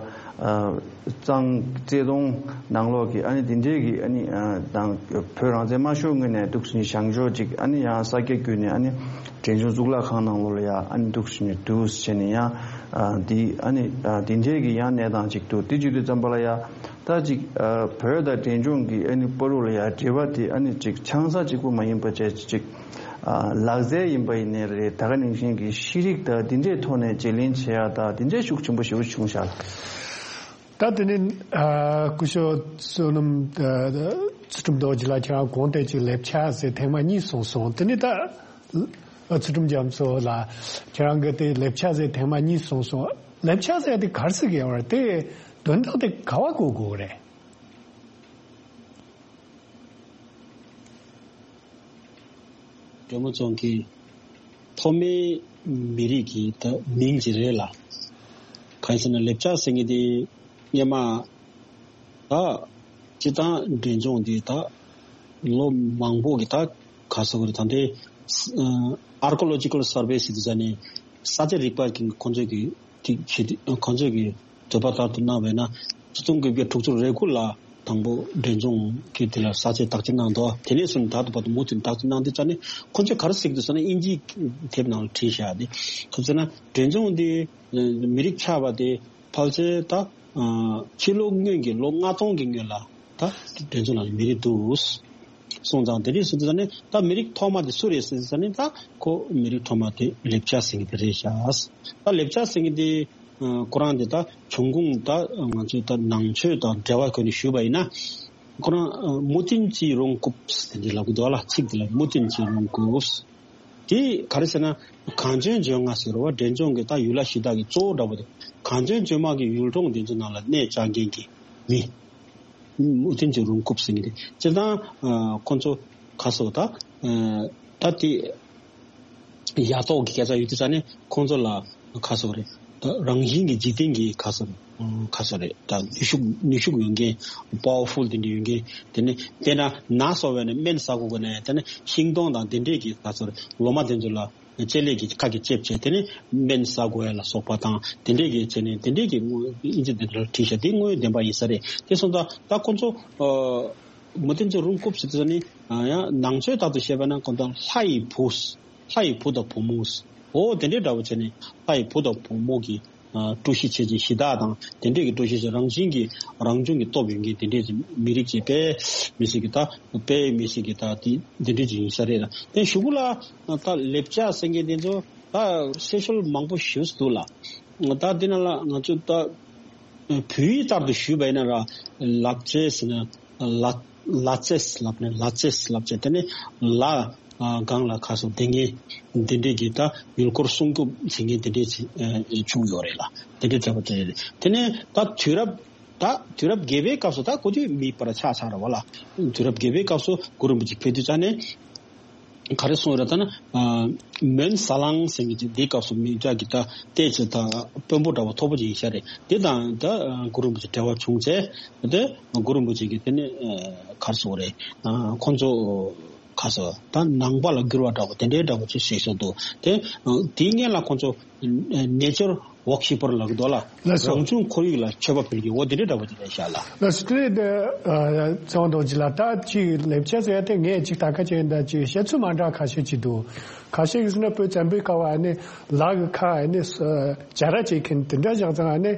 ཨ་གཙང་བརྩེ་དུང་ནང་ལོགས་ཀྱི་ཨ་ནི་དེ་འདྲའི་གི་ཨ་ནི་ཨ་དང་བོད་རང་བཙན་མ་ཤོར་སྔོན་ནས་འདུག་སེ་བཞེངས་ཆོག་ཅིག་ཨ་ནི་ཡང་ས་སྐྱ་བརྒྱུད་ནས་ཨ་ནི་འབྲས་ལྗོངས་གཙུག་ལག་ཁང་ནང་ལོགས་ལ་ཡང་ཨ་ནི་འདུག་སེ་འདུག་སེ་བྱས་ནས་ཡང་ཨ་འདི་ཨ་ནི་ཨ་དེ་འདྲའི་གི་ཡང་གནས་སྟངས་ཅིག་འདུག་དེ་བྱེད་དུས་ཙམ་པ་ལ་ཡང་ད་ཅིག་ཨ་བོད་དང་འབྲས་ལྗོངས་ཀྱི་ཨ་ནི་བར་དུ་ལ་ཡང་འབྲེལ་བ་དེ་ཨ་ནི་ཅིག་ཆང་ས་གཅིག་པུ་མ་ཡིན་པ་བྱས་ཅིག་ཨ་ལག་རྩལ་ཡིན་པ་ཡིན་ནའི་རེད། ད་ག་ནང་བཞིན་གྱི་ཤེས་རིག་དང་འདི་འདྲའི་ཐོག་ནས་བརྗེ་ལེན་བྱེད་ཡག་དང་འདི་འདྲའི་ཤུགས་ཆེན་པོ་ཞེ་པོ་བྱུང་ཤག་ད་དེ་ནི་ཨ་སྐུ་ཞབས་བསོད་ནམས་ཨ་ཚུལ་ཁྲིམས་རྡོ་རྗེ་ལགས་ཁྱེད་རང་གོང་དེ་ཅིག་ལེབ་ཆ་ཟེར་ཐེངས་མ་གཉིས་གསུངས་སོང་། དེ་ནི་ད་ཨ་ཚུལ་ཁྲིམས་རྒྱ་མཚོ་ལགས་ཁྱེད་རང་གིས་དེ་ལེབ་ཆ་ཟེར་ཐེངས་མ་གཉིས་གསུངས་སོང་། ལེབ་ཆ་ཟེར་དེ་ག་རེ་ཟེར་གི་ཡོད་རེད། དེ་དོན་དག་དེ་ག་བ་གོ་དགོས་རེད། སྒྲོལ་མ་ཚང་གི་ཐོག་མའི་མི་རིགས་ཀྱི་ད་མིང་ཅིག་རེད་ལ། གང་ཡིན་ཟེར་ན་ལེབ་ཆ་ཟེར་མཁན་དེ་སྔོན་མ་ད་སྤྱིར་བཏང་འབྲས་ལྗོངས་འདི་ད་ལོ་མང་པོ་གི་ད་ག་ཟེར་དགོས་རེད། ད་ལྟའི་Archaeological Survey ཟེར་དུས་ཙ་ནས་ས་ཆ་རིག་པ་གི་ཁོང་ཚོས་ཀྱི་ཐིག་ཁྱེད་ཁོང་ཚོས་ཀྱི་འདོད་པ་ལྟར་དུ་གནང་བས་ན་ཆིག་སྟོང་དགུ་བརྒྱ་དྲུག་ཅུ་རེ་དགུ་ལ་དང་པོ་འབྲས་ལྗོངས་ཀྱི་དེ་ལ་ས་ཆའི་བརྟག་དཔྱད་གནང་འདུག་དེ་ནས་བཟུང་ད་ལྟ་བར་དུ་མུ་མཐུད་བརྟག་དཔྱད་གནང་དུས་ཙ་ནས་ཁོང་ཚོས་ག་རེ་གཟིགས་འདུག་ཟེར་ན་དབྱིན་ཇིའི་དེབ་ནང་ལ་བྲིས་བཞག་དེ་ག་ཟེར་ན་འབྲས་ལྗོངས་འདི་མི་རིགས་ཆགས་པ་དེ་ཕལ་ཆེར་ད་ཕྱི་ལོ་སྔོན་གྱི་ལོ་ལྔ་སྟོང་གི་སྔོན་ལ་ད་འབྲས་ལྗོངས་ལ་མི་རིགས་འདུག་སོང་ཙང་དེ་འདྲས་སོང་ཙང་ནི་ད་མི་རིགས་ཐོག་མ་དེ་སུ་རེད་ཟེར་ཙང་ནི་ད་ཁོ་མི་རིགས་ཐོག་མ་དེ་ལེབ་ཆ་ཟེར་མཁན་དེ་རེད་ཤག་ད་ལེབ་ཆ་ཟེར་མཁན་དེ་ཁོ་རང་དེ་ད་བྱུང་ཁུངས་ད་ང་ཚོས་ད་ནང་ཆོས་དང་འབྲེལ་བ་བཀོད་ནས་ཞུས་པ་ཡིན་ན་ཁོ་རང་མུ་ཏིན་ཅི་རུང་ཀུབ་དེ་འདྲས་ལབ་ཀྱི་འདུག་ལ། ཚིག་དེ་ལ་མུ་ཏིན་ཅི་རུང་ཀུབ། དེ་ག་རེ་ཟེར་ན་གངས་ལྗོངས་ལྗོན་ལྔ་ཟེར་བ་འབྲས་ལྗོངས་ཀྱི་ད་ཡུལ་ལྷ་གཞི་བདག་གི་གཙོ་བོ་འདྲ་པོ་དེ་གངས་ལྗོངས་ལྗོན་མ་གི་ཡུལ་གྲོང་དེ་ཚོ་ནང་ལ་གནས་བཅགས་མཁན་གྱི་མི། མུ་ཏིན་ཅི་རུང་ཀུབ་ཟེར་མཁན་དེ་སྤྱིར་བཏང་ཁོ་ཚོ་ག་ཟེར་ད་ད་དེ་ཡ་ཏོག་གི་སྐད་ཆ་ཡོད་དུས་ཙ་ནས་ཁོ་ཚོ་ལ་ག་ཟེར་རེད། ད་རང་བཞིན་གྱི་འཇིག་རྟེན་གྱི་ག་ཟེར་ག་ཟེར་རེད། ད་ནུས་ཤུགས་ནུས་ཤུགས་ཡོད་མཁན་པ་ཝར་ཕུལ་དེ་འདྲ་ཡོད་མཁན་དེ་ནས་དཔེར་ན་ན་སོ་བས་ནས་སྨན་ཟ་དགོས་དགོས་ནས་དེ་ནས་ཤིང་སྡོང་དང་དེ་འདྲས་ཀྱི་ག་ཟེར་ལོ་མ་དེ་ཚོ་ལ། ལྕེ་ལེ་གི་ཁ་གི་ལྕེབ་བྱས་དེ་ནས་སྨན་ཟ་དགོས་ཡ་ལ་སོགས་པ་དང་དེ་འདྲས་ཀྱི་བྱས་ནས་དེ་འདྲས་ཀྱི་དངོས་ཨིན་ཇི་དེ་འདྲ་བྲིས་ཤག་དེ་དངོས་ཡོད་བདེན་པ་ཡིན་ས་རེད། དེ་སོང་ཙང་ད་ཁོ་ཚོ་མུ་ཏིན་ཅི་རུང་ཀུབ་ཟེར་དུས་ནི་ཡང་ནང་ཆོས་ལྟར་དུ་བཤད་པ་ན་ཁོ་ཚོ་ལྷ་ཡི་བུ་ལྷ་ཡི་བུ་དང་བུ་མོ་འོ་དེ་འདྲས་འདྲ་བོ་བྱས་ནས་ལྷ་ཡི་བུ་དང་བུ་མོ་གི་སྤྲོ་གཞི་བྱེད་ཅིང་གཞི་བདག་དང་དེ་འདྲས་ཀྱི་སྤྲོ་གཞི་བྱེད་རང་བཞིན་གྱི་རང་བྱུང་གི་སྟོབས་ཡོད་མཁན་དེ་འདྲས་ཀྱི་མི་རིགས་ཀྱི་དཔེ་མི་སྲིད་ཀྱི་ད་དཔེ་མི་སྲིད་ཀྱི་ད་དེ་དེ་འདྲས་ཀྱི་ཡིན་ས་རེད་ལ། དེ་གཞུག་གུ་ལ་ད་ལེབ་ཆ་ཟེར་མཁན་དེ་ཚོ་ད་སེ་ཤལ་མང་པོ་ཞིག་འདུག་ལ། ད་དེ་ནང་ལ་ང་ཚོ་ད་བོད་ཡིག་ལྟར་དུ་ཞུས་པ་ཡིན་ན་ར་ལབ་ཆས་ཟེར་ན། ལ་ལ་ཙེས་ལབ་ནས་ལ་ཙེས་ལབ་བྱས་དེ་ནས་ལ་སྒང་ལ་ཁ་སོ་དེ་ངས་འདི་འདྲས་ཀྱི་ད་ཡུལ་སྐོར་སྲུང་སྐྱོབ་བྱེད་མཁན་དེ་འདྲས་བྱུང་ཡོད་རེད་ལ། དེ་འདྲས་བྱས་པ་དེ་རེད། དེ་ནས་ད་དུས་རབས་ད་དུས་རབས་བརྒྱད་པའི་སྐབས་སུ་ད་གོ་དུས་མི་པར་ཆགས་ཚར་བ་ལ། དུས་རབས་བརྒྱད་པའི་སྐབས་སུ་གུ་རུ་རིན་པོ་ཆེ་ཕེབས་དུས་ཙ་ནས་ག་རེ་གསུངས་ཡོད་རེད་ད་ན། མོན་ཟ་ལང་ཟེར་མཁན་ཅིག་འདིའི་སྐབས་སུ་མི་སྐྱ་གི་ད་ལྟས་ཚེ་ད་དཔོན་པོ་འདྲ་བ་མཐོ་པོ་ཅིག་ཡིན་ཤག་རེད། དེ་དང་ད་གུ་རུ་རིན་པོ་ཆེ་འབྲེལ་བ་བྱུང་ཚེ་དེ་གུ་རུ་རིན་པོ་ཆེ་གིས་དེ་ནི་ག་རེ་ཟེར་དགོས་རེད། ཁོང་ཚོ་ག་རེ་ཟེར་ད་ནང་པ་ལ་བསྒྱུར་བ་འདྲ་བོ་དེ་འདྲའི་འདྲ་བོ་ཅིག་བྱས་སོང་འདུག་དེ་དེའི་སྔོན་ལ་ཁོང་ཚོ་ ནེ་ཅར་ཝོར་ཤིབ་པར་ལབ་ཀྱི་འདུག་ལ། ལགས་སོ། རང་བྱུང་ཁོར་ཡུག་ལ་མཆོད་པ་ཕུལ་གྱི་འོ་དེ་འདྲའི་འདྲ་པོ་དེ་རེད་ཤག་ལ། ལགས་སོ། དེ་ནས་དེ་ཚེ་དབང་རྡོ་རྗེ་ལགས། ད་ཅིག་ལེབ་ཆ་ཟེར་ཡ་དེ་ངས་ཅིག་ད་ག་ཅིག་ད་ཅིག་བཤད་ཚུལ་མ་འདྲ་ཁ་ཤས་ཅིག་འདུག། ཁ་ཤས་ཀྱིས་ཟེར་ན་བོད་བཙན་པོའི་སྐབས་ཨ་ནི་ལ་གི་ཁ་ཨ་ནི་ཇ་ར་བྱེད་མཁན་དེ་འདྲ་བཞག་ཙང་ཨ་ནི་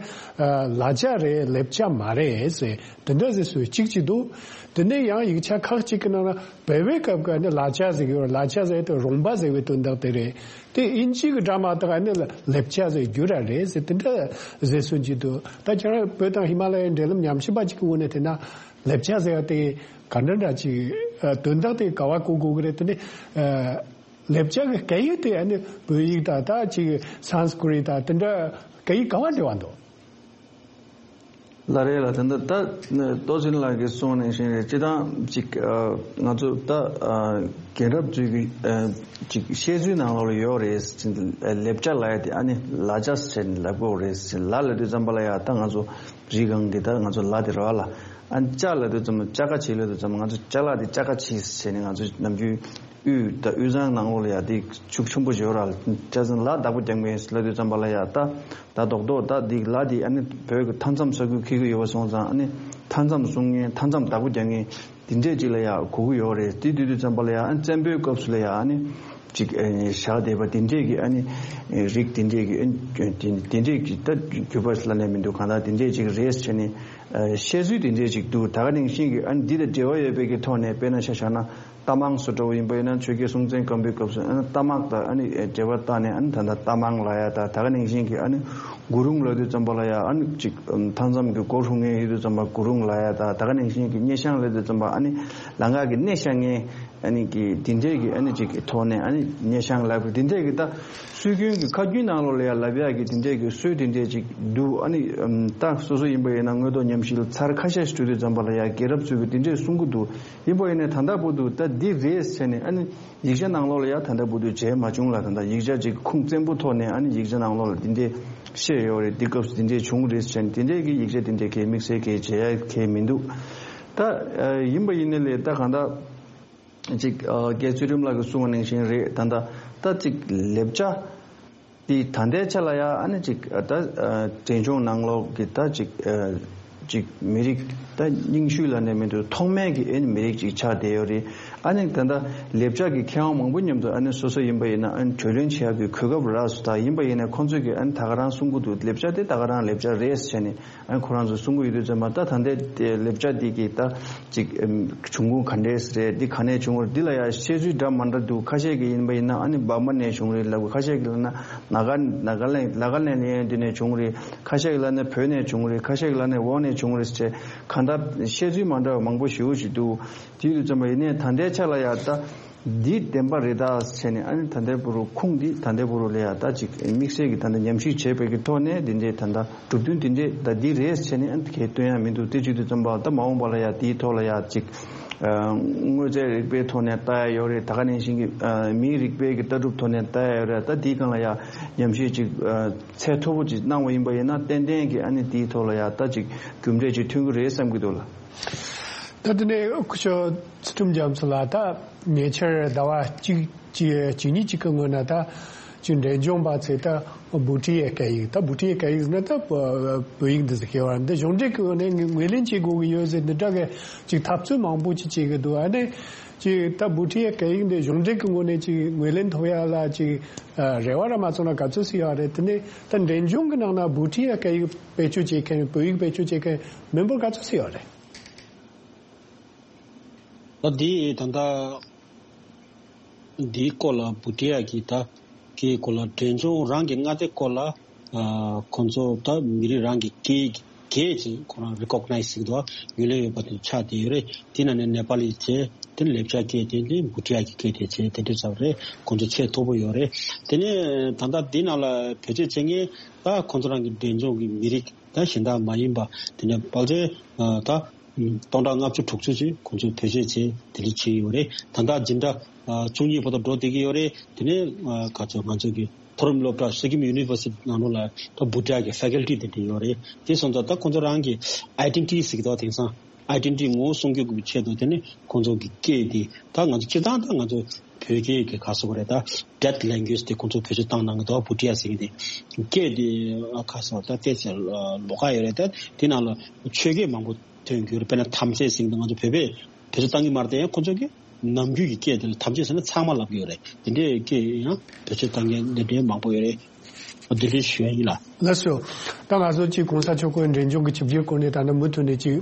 ལ་ཆ་རེད་ལེབ་ཆ་མ་རེད་ཟེར་དེ་འདྲ་ཟེར་སྲོལ་གཅིག་ཅིག་འདུག། དེ་ནས་ཡང་ཡིག་ཆ་ཁག་ཅིག་གི་ནང་ན་བོད་པའི་སྐབས་ཀྱི་ཨ་ནི་ལ་ཆ་ཟེར་གྱི་ཡོད་རེད། ལ་ཆ་ཟེར་དེ་རོང་པ་ཟེར་བའི་དོན་དག་དེ་རེད། དེ་ཨིན་ཇི་གི་སྒྲ་མ་གཏོགས་ཨ་ནི་ལེབ་ཆ་ཟེར་རྒྱུ་ར་རེད་ཟེར་དེ་འདྲ་ཟེར་སྲོལ་ཅིག་འདུག། ད་ཁྱེད་རང་བོད་དང་ཧི་མ་ལ་ཡའི་འབྲེལ་ལམ་ཉམས་ཞིབ་པ་ཅིག་གི་ངོས་ནས་བལྟས་ན་ལེབ་ཆ་ཟེར་བ་དེ་ག་འདྲ་འདྲ་ཅིག་དོན་དག་དེ་ག་བ་གོ་དགོས་ཀྱི་རེད། དེ་ནི་ལེབ་ཆ་གི་སྐད་ཡིག་དེ་ཨ་ནི་བོད་ཡིག་དང་ད་ཅིག་སན་སྐྲིད་དང་དེ་འདྲ་སྐད་ཡིག་ག་བ་འབྲེལ་བ་འདུག། ལགས་རེད་ལགས། དེ་འདྲ་ད་ཏོ་ཅིན་ལགས་ཀྱིས་གསུངས་ནང་བཞིན་རེད། སྤྱིར་བཏང་ཅིག་ང་ཚོ་ད་རྒན་རབས་ཚོའི་གི་ཅིག་བཤད་ཚུལ་ནང་ལོགས་ལ་ཡོད་རེད། ལེབ་ཆ་ལབ་ཡ་དེ་ཨ་ནི་ལ་ཆ་ཟེར་ནས་ལབ་དགོས་རེད། ལ་ལབ་དུས་ཙམ་པ་ལ་ཡ་ད་ང་ཚོ་རི་སྒང་གི་ད་ང་ཚོ་ལ་དེ་རེད་བ་ལ། ཨ་ནི་ཅ་ལབ་དུས་ཙམ་པ་ཅ་ཀ་བྱེད་ལབ་དུས་ཙམ་པ་ང་ཚོ་ཅ་ལག་དེ་ཅ་ཀ་བྱེད་ཟེར་ནས་ང་ཚོ་ནམ་རྒྱུན་དབུས་ད་དབུས་གཙང་ནང་ལོགས་ལ་ཡ་དེ་ཤུགས་ཆེན་པོ་ཡོད་ར། ཅ་ཟེར་ལ་བདག་པོ་རྒྱག་མཁན་ལབ་དུས་ཙམ་པ་ལ་ཡ་ད་ད་རྡོག་རྡོག་ད་འདི་ལ་འདི་ཨ་ནི་བོད་ཀྱི་མཐའ་མཚམས་ས་ཁུལ་འཁེལ་གྱི་ཡོད་པ་སོང་ཙང་ཨ་ནི་མཐའ་མཚམས་སྲུང་མཁན་མཐའ་མཚམས་བདག་པོ་རྒྱག་མཁན་འདི་འདྲས་ཅིག་ལ་ཡ་གོ་གི་ཡོད་རེད། དེ་དུས་དུས་ཙམ་པ་ལ་ཡ་ཨ་ནི་བཙན་པོའི་སྐབས་སུ་ལ་ཡ་ཨ་ནི་ཅིག་ཨ་ནི་བཞག་བསྡད་པ་འདི་འདྲས་ཀྱི་ཨ་ནི་རིགས་འདི་འདྲས་ཀྱི་ཨ་ནི་འདི་འདྲས་ཀྱི་ད་རྒྱུད་པ་ལ་ནས་མི་འདུག། གང་ལྟར་འདི་འདྲས་ཅིག་རེད་ཟེར་ནས་བཤད་ཚུལ་འདི་འདྲས་ཅིག་འདུག། ད་ག་ནང་བཞིན་གྱི་ཨ་ནི་འདི་དང་འབྲེལ་བ་ཡོད་པའི་གི་ཐོག་ནས་དཔེར་ན་ཆ་བཞག་ན། རྟ་མང་སུ་འདྲ་བོ་ཡིན་པ་ཡིན་ན་ཆོས་རྒྱལ་སྲོང་བཙན་སྒམ་པོའི་སྐབས་སུ་ཨ་ནི་རྟ་དམག་དང་ཨ་ནི་འབྲེལ་བ་བཏགས་ནས་ཨ་ནི་ད་ལྟ་རྟ་མང་ལབ་ཡ་ད་ད་ག་ནང་བཞིན་གྱི་ཨ་ནི་གུ་རུང་ལབ་དུས་ཙམ་པ་ལ་ཡ་ཨ་ནི་ཅིག་མཐའ་མཚམས་ཀྱི་སྒོ་སྲུང་མཁན་ཡོད་དུས་ཙམ་པ་གུ་རུང་ལབ་ཡ་ད་ད་ག་ནང་བཞིན་གྱི་སྙེ་ཤང་ལབ་དུས་ཙམ་པ་ཨ་ནི་ལམ་ཁ་གི་སྣེ་ཤ་མཁན་ཨ་ནི་གི་དེ་འདྲས་ཀྱི་ཨ་ནི་ཅིག་གི་ཐོག་ནས་ཨ་ནི་སྙེ་ཤང་ལབ་དེ་འདྲས་ཀྱི་ད་སྲོལ་རྒྱུན་གྱི་ཁ་རྒྱུན་ནང་ལོགས་ལ་ཡ་ལབ་ཡ་གི་དེ་འདྲས་ཀྱི་སྲོལ་དེ་འདྲས་ཅིག་འདུག། ཨ་ནི་ད་སོ་སོ་ཡིན་པ་ཡིན་ན་དངོས་ཐོག་ཉམས་ཞིབ་ལ་ཚར་ཁ་ཤས་ཤིག་འགྲོ་དུས་ཙམ་པ་ལ་ཡ་རྒྱལ་རབས་ཚོས་གི་དེ་འདྲས་གསུང་གི་འདུག། ཡིན་པ་ཡིན་ནའི་ད་ལྟ་བར་དུ་ད་འདི་རེད་ཟེར་ནས་ཨ་ནི་ཡིག་ཆ་ནང་ལོགས་ལ་ཡ་ད་ལྟ་བར་དུ་མཇལ་མ་བྱུང་ལ། ད་ལྟ་ཡིག་ཆ་ཅིག་ཁུངས་བཙན་པོ་ཐོག་ནས་ཨ་ནི་ཡིག་ཆ་ནང་ལོགས་ལ་འདི་འདྲས་བཤད་ཡོད་རེད། འདི་སྐབས་སུ་འདི་འདྲས་བྱུང་རེད་ཟེར་ནས་འདི་འདྲས་ཀྱི་ཡིག་ཆ་འདི་འདྲས་གས་དམིགས་བསལ་གས་མཇལ་ཡ་གས་མི་འདུག། ད་ཡིན་པ་ཡིན་ནའི་ལས་ད་གང་ལྟར་ཅིག་རྒྱལ་ཚུལ་ཁྲིམས་ལགས་ཀྱིས་གསུངས་པ་ནང་བཞིན་རེད། ད་ལྟ་ད་ཅིག་ལེབ་ཆ། དེ་ད་ལྟའི་ཆ་ལ་ཡ་ཨ་ནི་ཅིག་ད་འབྲས་ལྗོངས་ནང་ལོགས་ཀྱི་ད་ཅིག་ཅིག་མི་རིགས་ད་རྙིང་ཤོས་ལ་ནས་མི་འདུག། ཐོག་མའི་གི་ཨ་ནི་མི་རིགས་ཅིག་ཆགས་བསྡད་ཡོད་རེད། ཨ་ནི་ད་ལྟ་ལེབ་ཆ་གི་མཁས་དབང་མང་པོ་མཉམ་དུ་ཨ་ནི་སོ་སོ་ཡིན་པ་ཡིན་ན་ཨ་ནི་གྲོས་གླེང་བྱེད་ཡག་གི་གོ་སྐབས་རག་སོང་། ད་ཡིན་པ་ཡིན་ན་ཁོང་ཚོས་གི་ཨ་ནི་ད་ག་རང་གསུང་གི་འདུག། ལེབ་ཆ་དེ་ད་ག་རང་ལེབ་ཆ་རེད་ཟེར་ནས། ཨ་ཁོ་རང་ཚོས་གསུང་གི་ཡོད་དུས་ཙམ་པ་ད་ད་ལྟའི་ལེབ་ཆ་འདི་གི་ད་ཅིག་བྱུང་ཁུངས་ག་འདྲས་རེད། འདི་ག་ནས་བྱུང་བ་རེད། འདི་ལ་ཡང་བཤད་ཚུལ་འདྲ་མ་འདྲ་འདུག། ཁ་ཤས་ཀྱི་ཡིན་པ་ཡིན་ན་ཨ་ནི་འབར་མ་ནས་བྱུང་རེད་ལབ། ཁ་ཤས་ཀྱི་ལབ་ན་ནཱ་ག་ནཱ་ག་ལེན་ནཱ་ག་ལེན་ནས་འདི་ནས་བྱུང་རེད། ཁ་ཤས་ཀྱི་ལབ་ན་བོད་ནས་བྱུང་རེད། ཁ་ཤས་ཀྱི་ལབ་ན་འོག་ནས་བྱུང་རེད་ཟེར་གང་ལྟར་བཤད་ཚུལ་མ་འདྲ་བ་མང་པོ་ཞེ་པོ་ཞིག་འདུག། དེ་ཡོད་དུས་ཙམ་པ་ཡིན་ནའི་ད་ལྟའི་ཆ་ལ་ཡང་ད། འདི་བདེན་པ་རེད་ད་བྱས་ནས་ཨ་ནི་ད་ལྟའི་བར་དུ་ཁུངས་འདི་ད་ལྟའི་བར་དུ་ལ་ཡ་ད་ཅིག་དམིགས་བསལ་གྱི་ད་ལྟ་ཉམས་ཞིབ་བྱས་པའི་གི་ཐོག་ནས་འདི་འདྲའི་ད་ལྟ་གྲུབ་དོན་འདི་འདྲའི་ད་འདི་རེད་བྱས་ནས་ཨ་ནི་གས་སྟོན་ཡ་མི་འདུག། དེ་བྱེད་དུས་ཙམ་པ་ད་མ་འོངས་པ་ལ་ཡ་དེའི་ཐོག་ལ་ཡ་ཅིག་དངོས་རྫས་རིག་པའི་ཐོག་ནས་ལྟ་ཡ་ཡོད་རེད། ད་ག་ནང་བཞིན་གྱི་མིའི་རིག་པའི་གི་ལྟ་གྲུབ་ཐོག་ནས་ལྟ་ཡ་ཡོད་རེད། ད་དེའི་སྒང་ལ་ཡ་ཉམས་ཞིབ་ཅིག་ཚད་མཐོ་པོ་ཅིག་གནང་བ་ཡིན་པ་ཡིན་ན་ཏན་ཏན་གྱི་ཨ་ནི་དེའི་ཐོག་ལ་ཡ་ད་ཅིག་རྒྱུ་འབྲས་ཅིག་ཐོན་གི་རེད་བསམ་གི་འདུག་ལ། ད་དེ་ནས་སྐུ་ཞབས་ཚུལ་ཁྲིམས་རྒྱ་མཚོ་ལགས། ད་ཉེ་ཆར་ཟླ་བ་གཅིག་གཅིག་གཅིག་གཉིས་གཅིག་གི་སྔོན་ན་ད་ཅིག་འབྲས་ལྗོངས་པ་ཚོས་ད་བྷུ་ཊི་ཡའི་སྐད་ཡིག་ད་བྷུ་ཊི་ཡའི་སྐད་ཡིག་ཟེར་ན་ད་བོད་ཡིག་འདི་ཟེར་གི་ཡོད་རེད། འདི་གཞུང་འབྲེལ་གྱི་ངོས་ནས་ངོས་ལེན་བྱེད་དགོས་ཀྱི་ཡོད་ཟེར་འདི་འདྲ་གི་ཅིག་འཐབ་རྩོད་མང་པོ་ཅིག་བྱེད་ཀྱི་འདུག། ཨ་ནི་ཅིག་ད་བྷུ་ཊི་ཡའི་སྐད་ཡིག་འདི་གཞུང་འབྲེལ་གྱི་ངོས་ནས་ཅིག་ངོས་ལེན་ཐོབ་ཡ་ལ་ཅིག་རེ་བ་ར་མ་བྱུང་ན་ག་ཚོད་ཅིག་ཡོད་རེད། དེ་ནས་ད་འབྲས་ལྗོངས་ཀྱི་ནང་ན་བྷུ་ཊི་ཡའི་སྐད་ཡིག་བེད་སྤྱོད་བྱེད་མཁན་བོད་ཡིག་བེད་སྤྱོད་བྱེད་མཁན་མི་འབོར་ག་ཚོད་ཅིག་ཡོད་རེད། ད་འདི་ད་ལྟ་འདིའི་སྐོར་ལ་བྷུ་ཊི་ཡ་གི་ད་སྐད་སྐོར་ལ་འབྲས་ལྗོངས་རང་གི་མངའ་སྡེ་སྐོར་ལ་ཨ་ཁོང་ཚོ་ད་མི་རིགས་རང་གི་སྐད་སྐད་ཅིག་ཁོ་རང་རི་ཀོག་ནའི་ཛི་ཟེར་གི་འདུག་ཨ། ངོས་ལེན་ཡོད་པ་དེ་ཆགས་བསྡད་ཡོད་རེད། དེ་ནང་ནས་ནེ་པ་ལི་བྱས། དེ་ནས་ལེབ་ཆ་སྐད་བྱས། དེ་ནས་བྷུ་ཊི་ཡ་གི་སྐད་དེ་བྱས། དེ་འདྲ་ཚོ་རེད། ཁོང་ཚོ་ཚད་མཐོ་པོ་ཡོད་རེད། དེ་ནས་ད་ལྟ་འདི་ནང་ལ་བེད་སྤྱོད་བྱེད་མཁན་ད་ཁོང་ཚོ་རང་གི་འབྲས་ལྗོངས་ཀྱི་མི་རིགས་ད་གཞན་དག་མ་ཡིན་པ་དེ་ནས་ཕལ་ཆེར་ད། སྟོང་ཕྲག་ལྔ་བཅུ་དྲུག་ཅུ་ཅིག་ཁོང་ཚོས་བེད་སྤྱོད་བྱས་དེ་འདྲ་བྱས་ཡོད་རེད། ད་ལྟ་འཛིན་གྲྭ་བཅུ་གཉིས་བར་དུ་འགྲོ་བསྡད་ཀྱི་ཡོད་རེད། དེ་ནས་ག་ཚོད་ང་ཚོ་གི་མཐོ་རིམ་སློབ་གྲྭ་སི་ཀིམ་ཡུ་ནི་ཝར་སི་ཊི་ནང་ལོགས་ལ་ད་བྷུ་ཊི་ཡ་གི་ཕེ་ཀལ་ཊི་དེ་འདྲ་ཡོད་རེད། དེ་སོང་ཙང་ད་ཁོང་ཚོ་རང་གི་ཨའི་ཌེན་ཊི་ཊི་ཟེར་གི་འདུག། དེང་སང་ ཨའི་ཌེན་ཊི་ཊི་ངོ་བོ་སྲུང་སྐྱོབ་ཀྱི་ཆེད་དུ་དེ་ནི་ཁོང་ཚོ་གི་སྐད་དེ་ད་ང་ཚོ་སྤྱིར་བཏང་ད་ང་ཚོ་བོད་སྐད་ཀྱི་ག་ཟེར་དགོས་རེད། ད་ཌེཌ་ལེང་གུ་ཨེཇ་དེ་ཁོང་ཚོ་བེད་སྤྱོད་བཏང་གནང་གི་འདུག་བྷུ་ཊི་ཡ་ཟེར་མཁན་དེ། སྐད་དེ་ཨ་ག་ཟེར་ད་ཏོག་ཙམ་ལོགས་ཀ་ཡོད་རེད། ད་དེ་ནང་ལ་ཆོས་སྐད་མང་པོ་ཐོན་གྱི་ཡོད་རེད། དཔེར་ན་ཐམས་ཅད་ཟེར་མཁན་དེ་ང་ཚོ་བོད་པས་བེད་སྤྱོད་བཏང་གི་མ་རེད། དེ་ཡང་ཁོང་ཚོ་གི་ནམ་རྒྱུན་གྱི་སྐད་དེ་ལ་ཐམས་ཅད་ཟེར་ན་ཚང་མ་ལབ་ཀྱི་ཡོད་རེད། དེ་འདྲའི་སྐད་ཡང་བེད་སྤྱོད་བཏང་མཁན་འདི་འདྲའི་མང་པོ་ཡོད་རེད། བདེ་ལེགས་ཞུ་ཡ་ཡིན་ལགས། ལགས་སོ། ད་ང་ཚོ་གཅིག་གོང་ས་མཆོག་གི་འབྲས་ལྗོངས་ཀྱི་ཆིབས་བསྒྱུར་སྐོར་ནས་ད་ནི་མུ་མཐུད་ནས་གཅིག་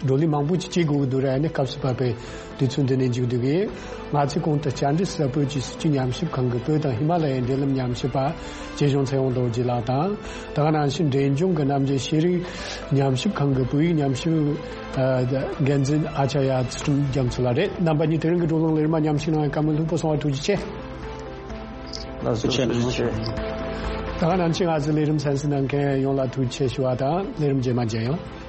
བགྲོ་གླེང་མང་པོ་ཅིག་བྱེད་དགོས་ཀྱི་འདུག་ར། ཨ་ནི་སྐབས་སུ་བབས་པའི་དུས་ཚོད་འདི་ནས་མཇུག་བསྡུ་གི་ཡིན། ང་ཚོའི་གོང་དུ་བཅར་འདྲི་ཟུར་པ་བོད་ཀྱི་སྲིད་བྱུས་ཉམས་ཞིབ་ཁང་གི་བོད་དང་ཧི་མ་ལ་ཡའི་འབྲེལ་ལམ་ཉམས་ཞིབ་པ་རྗེ་གཞུང་ཚེ་དབང་རྡོ་རྗེ་ལགས་དང་། ད་ག་ནང་བཞིན་འབྲས་ལྗོངས་ཀྱི་རྣམ་རྒྱལ་ཤེས་རིག་ཉམས་ཞིབ་ཁང་གི་བོད་ཡིག་ཉམས་ཞིབ་འགན་འཛིན་ཨ་ཅཱརྱ་ཚུལ་ཁྲིམས་རྒྱ་མཚོ་ལགས་རེད། རྣམ་པ་གཉིས་དེ་རིང་གི་བགྲོ་གླེང་ལེགས་མ་ཉམས་ཞིབ་གནང་བའི་བཀའ་མོལ་ལྷུག་པོ་གསུང་བ་ཐུགས་རྗེ་ཆེ། ལགས་སོ། ཐུགས་རྗེ་ཆེ། ད་ག་ནང་བཞིན་ང་ཚོའི་ལས་རིམ་གསན་གཟིགས་གནང་མཁན་ཡོངས་ལ་ཐུགས་རྗེ་ཆེ་ཞུ་བ་དང་། ལས་རིམ་རྗེས་མ་མཇལ་ཡོང་།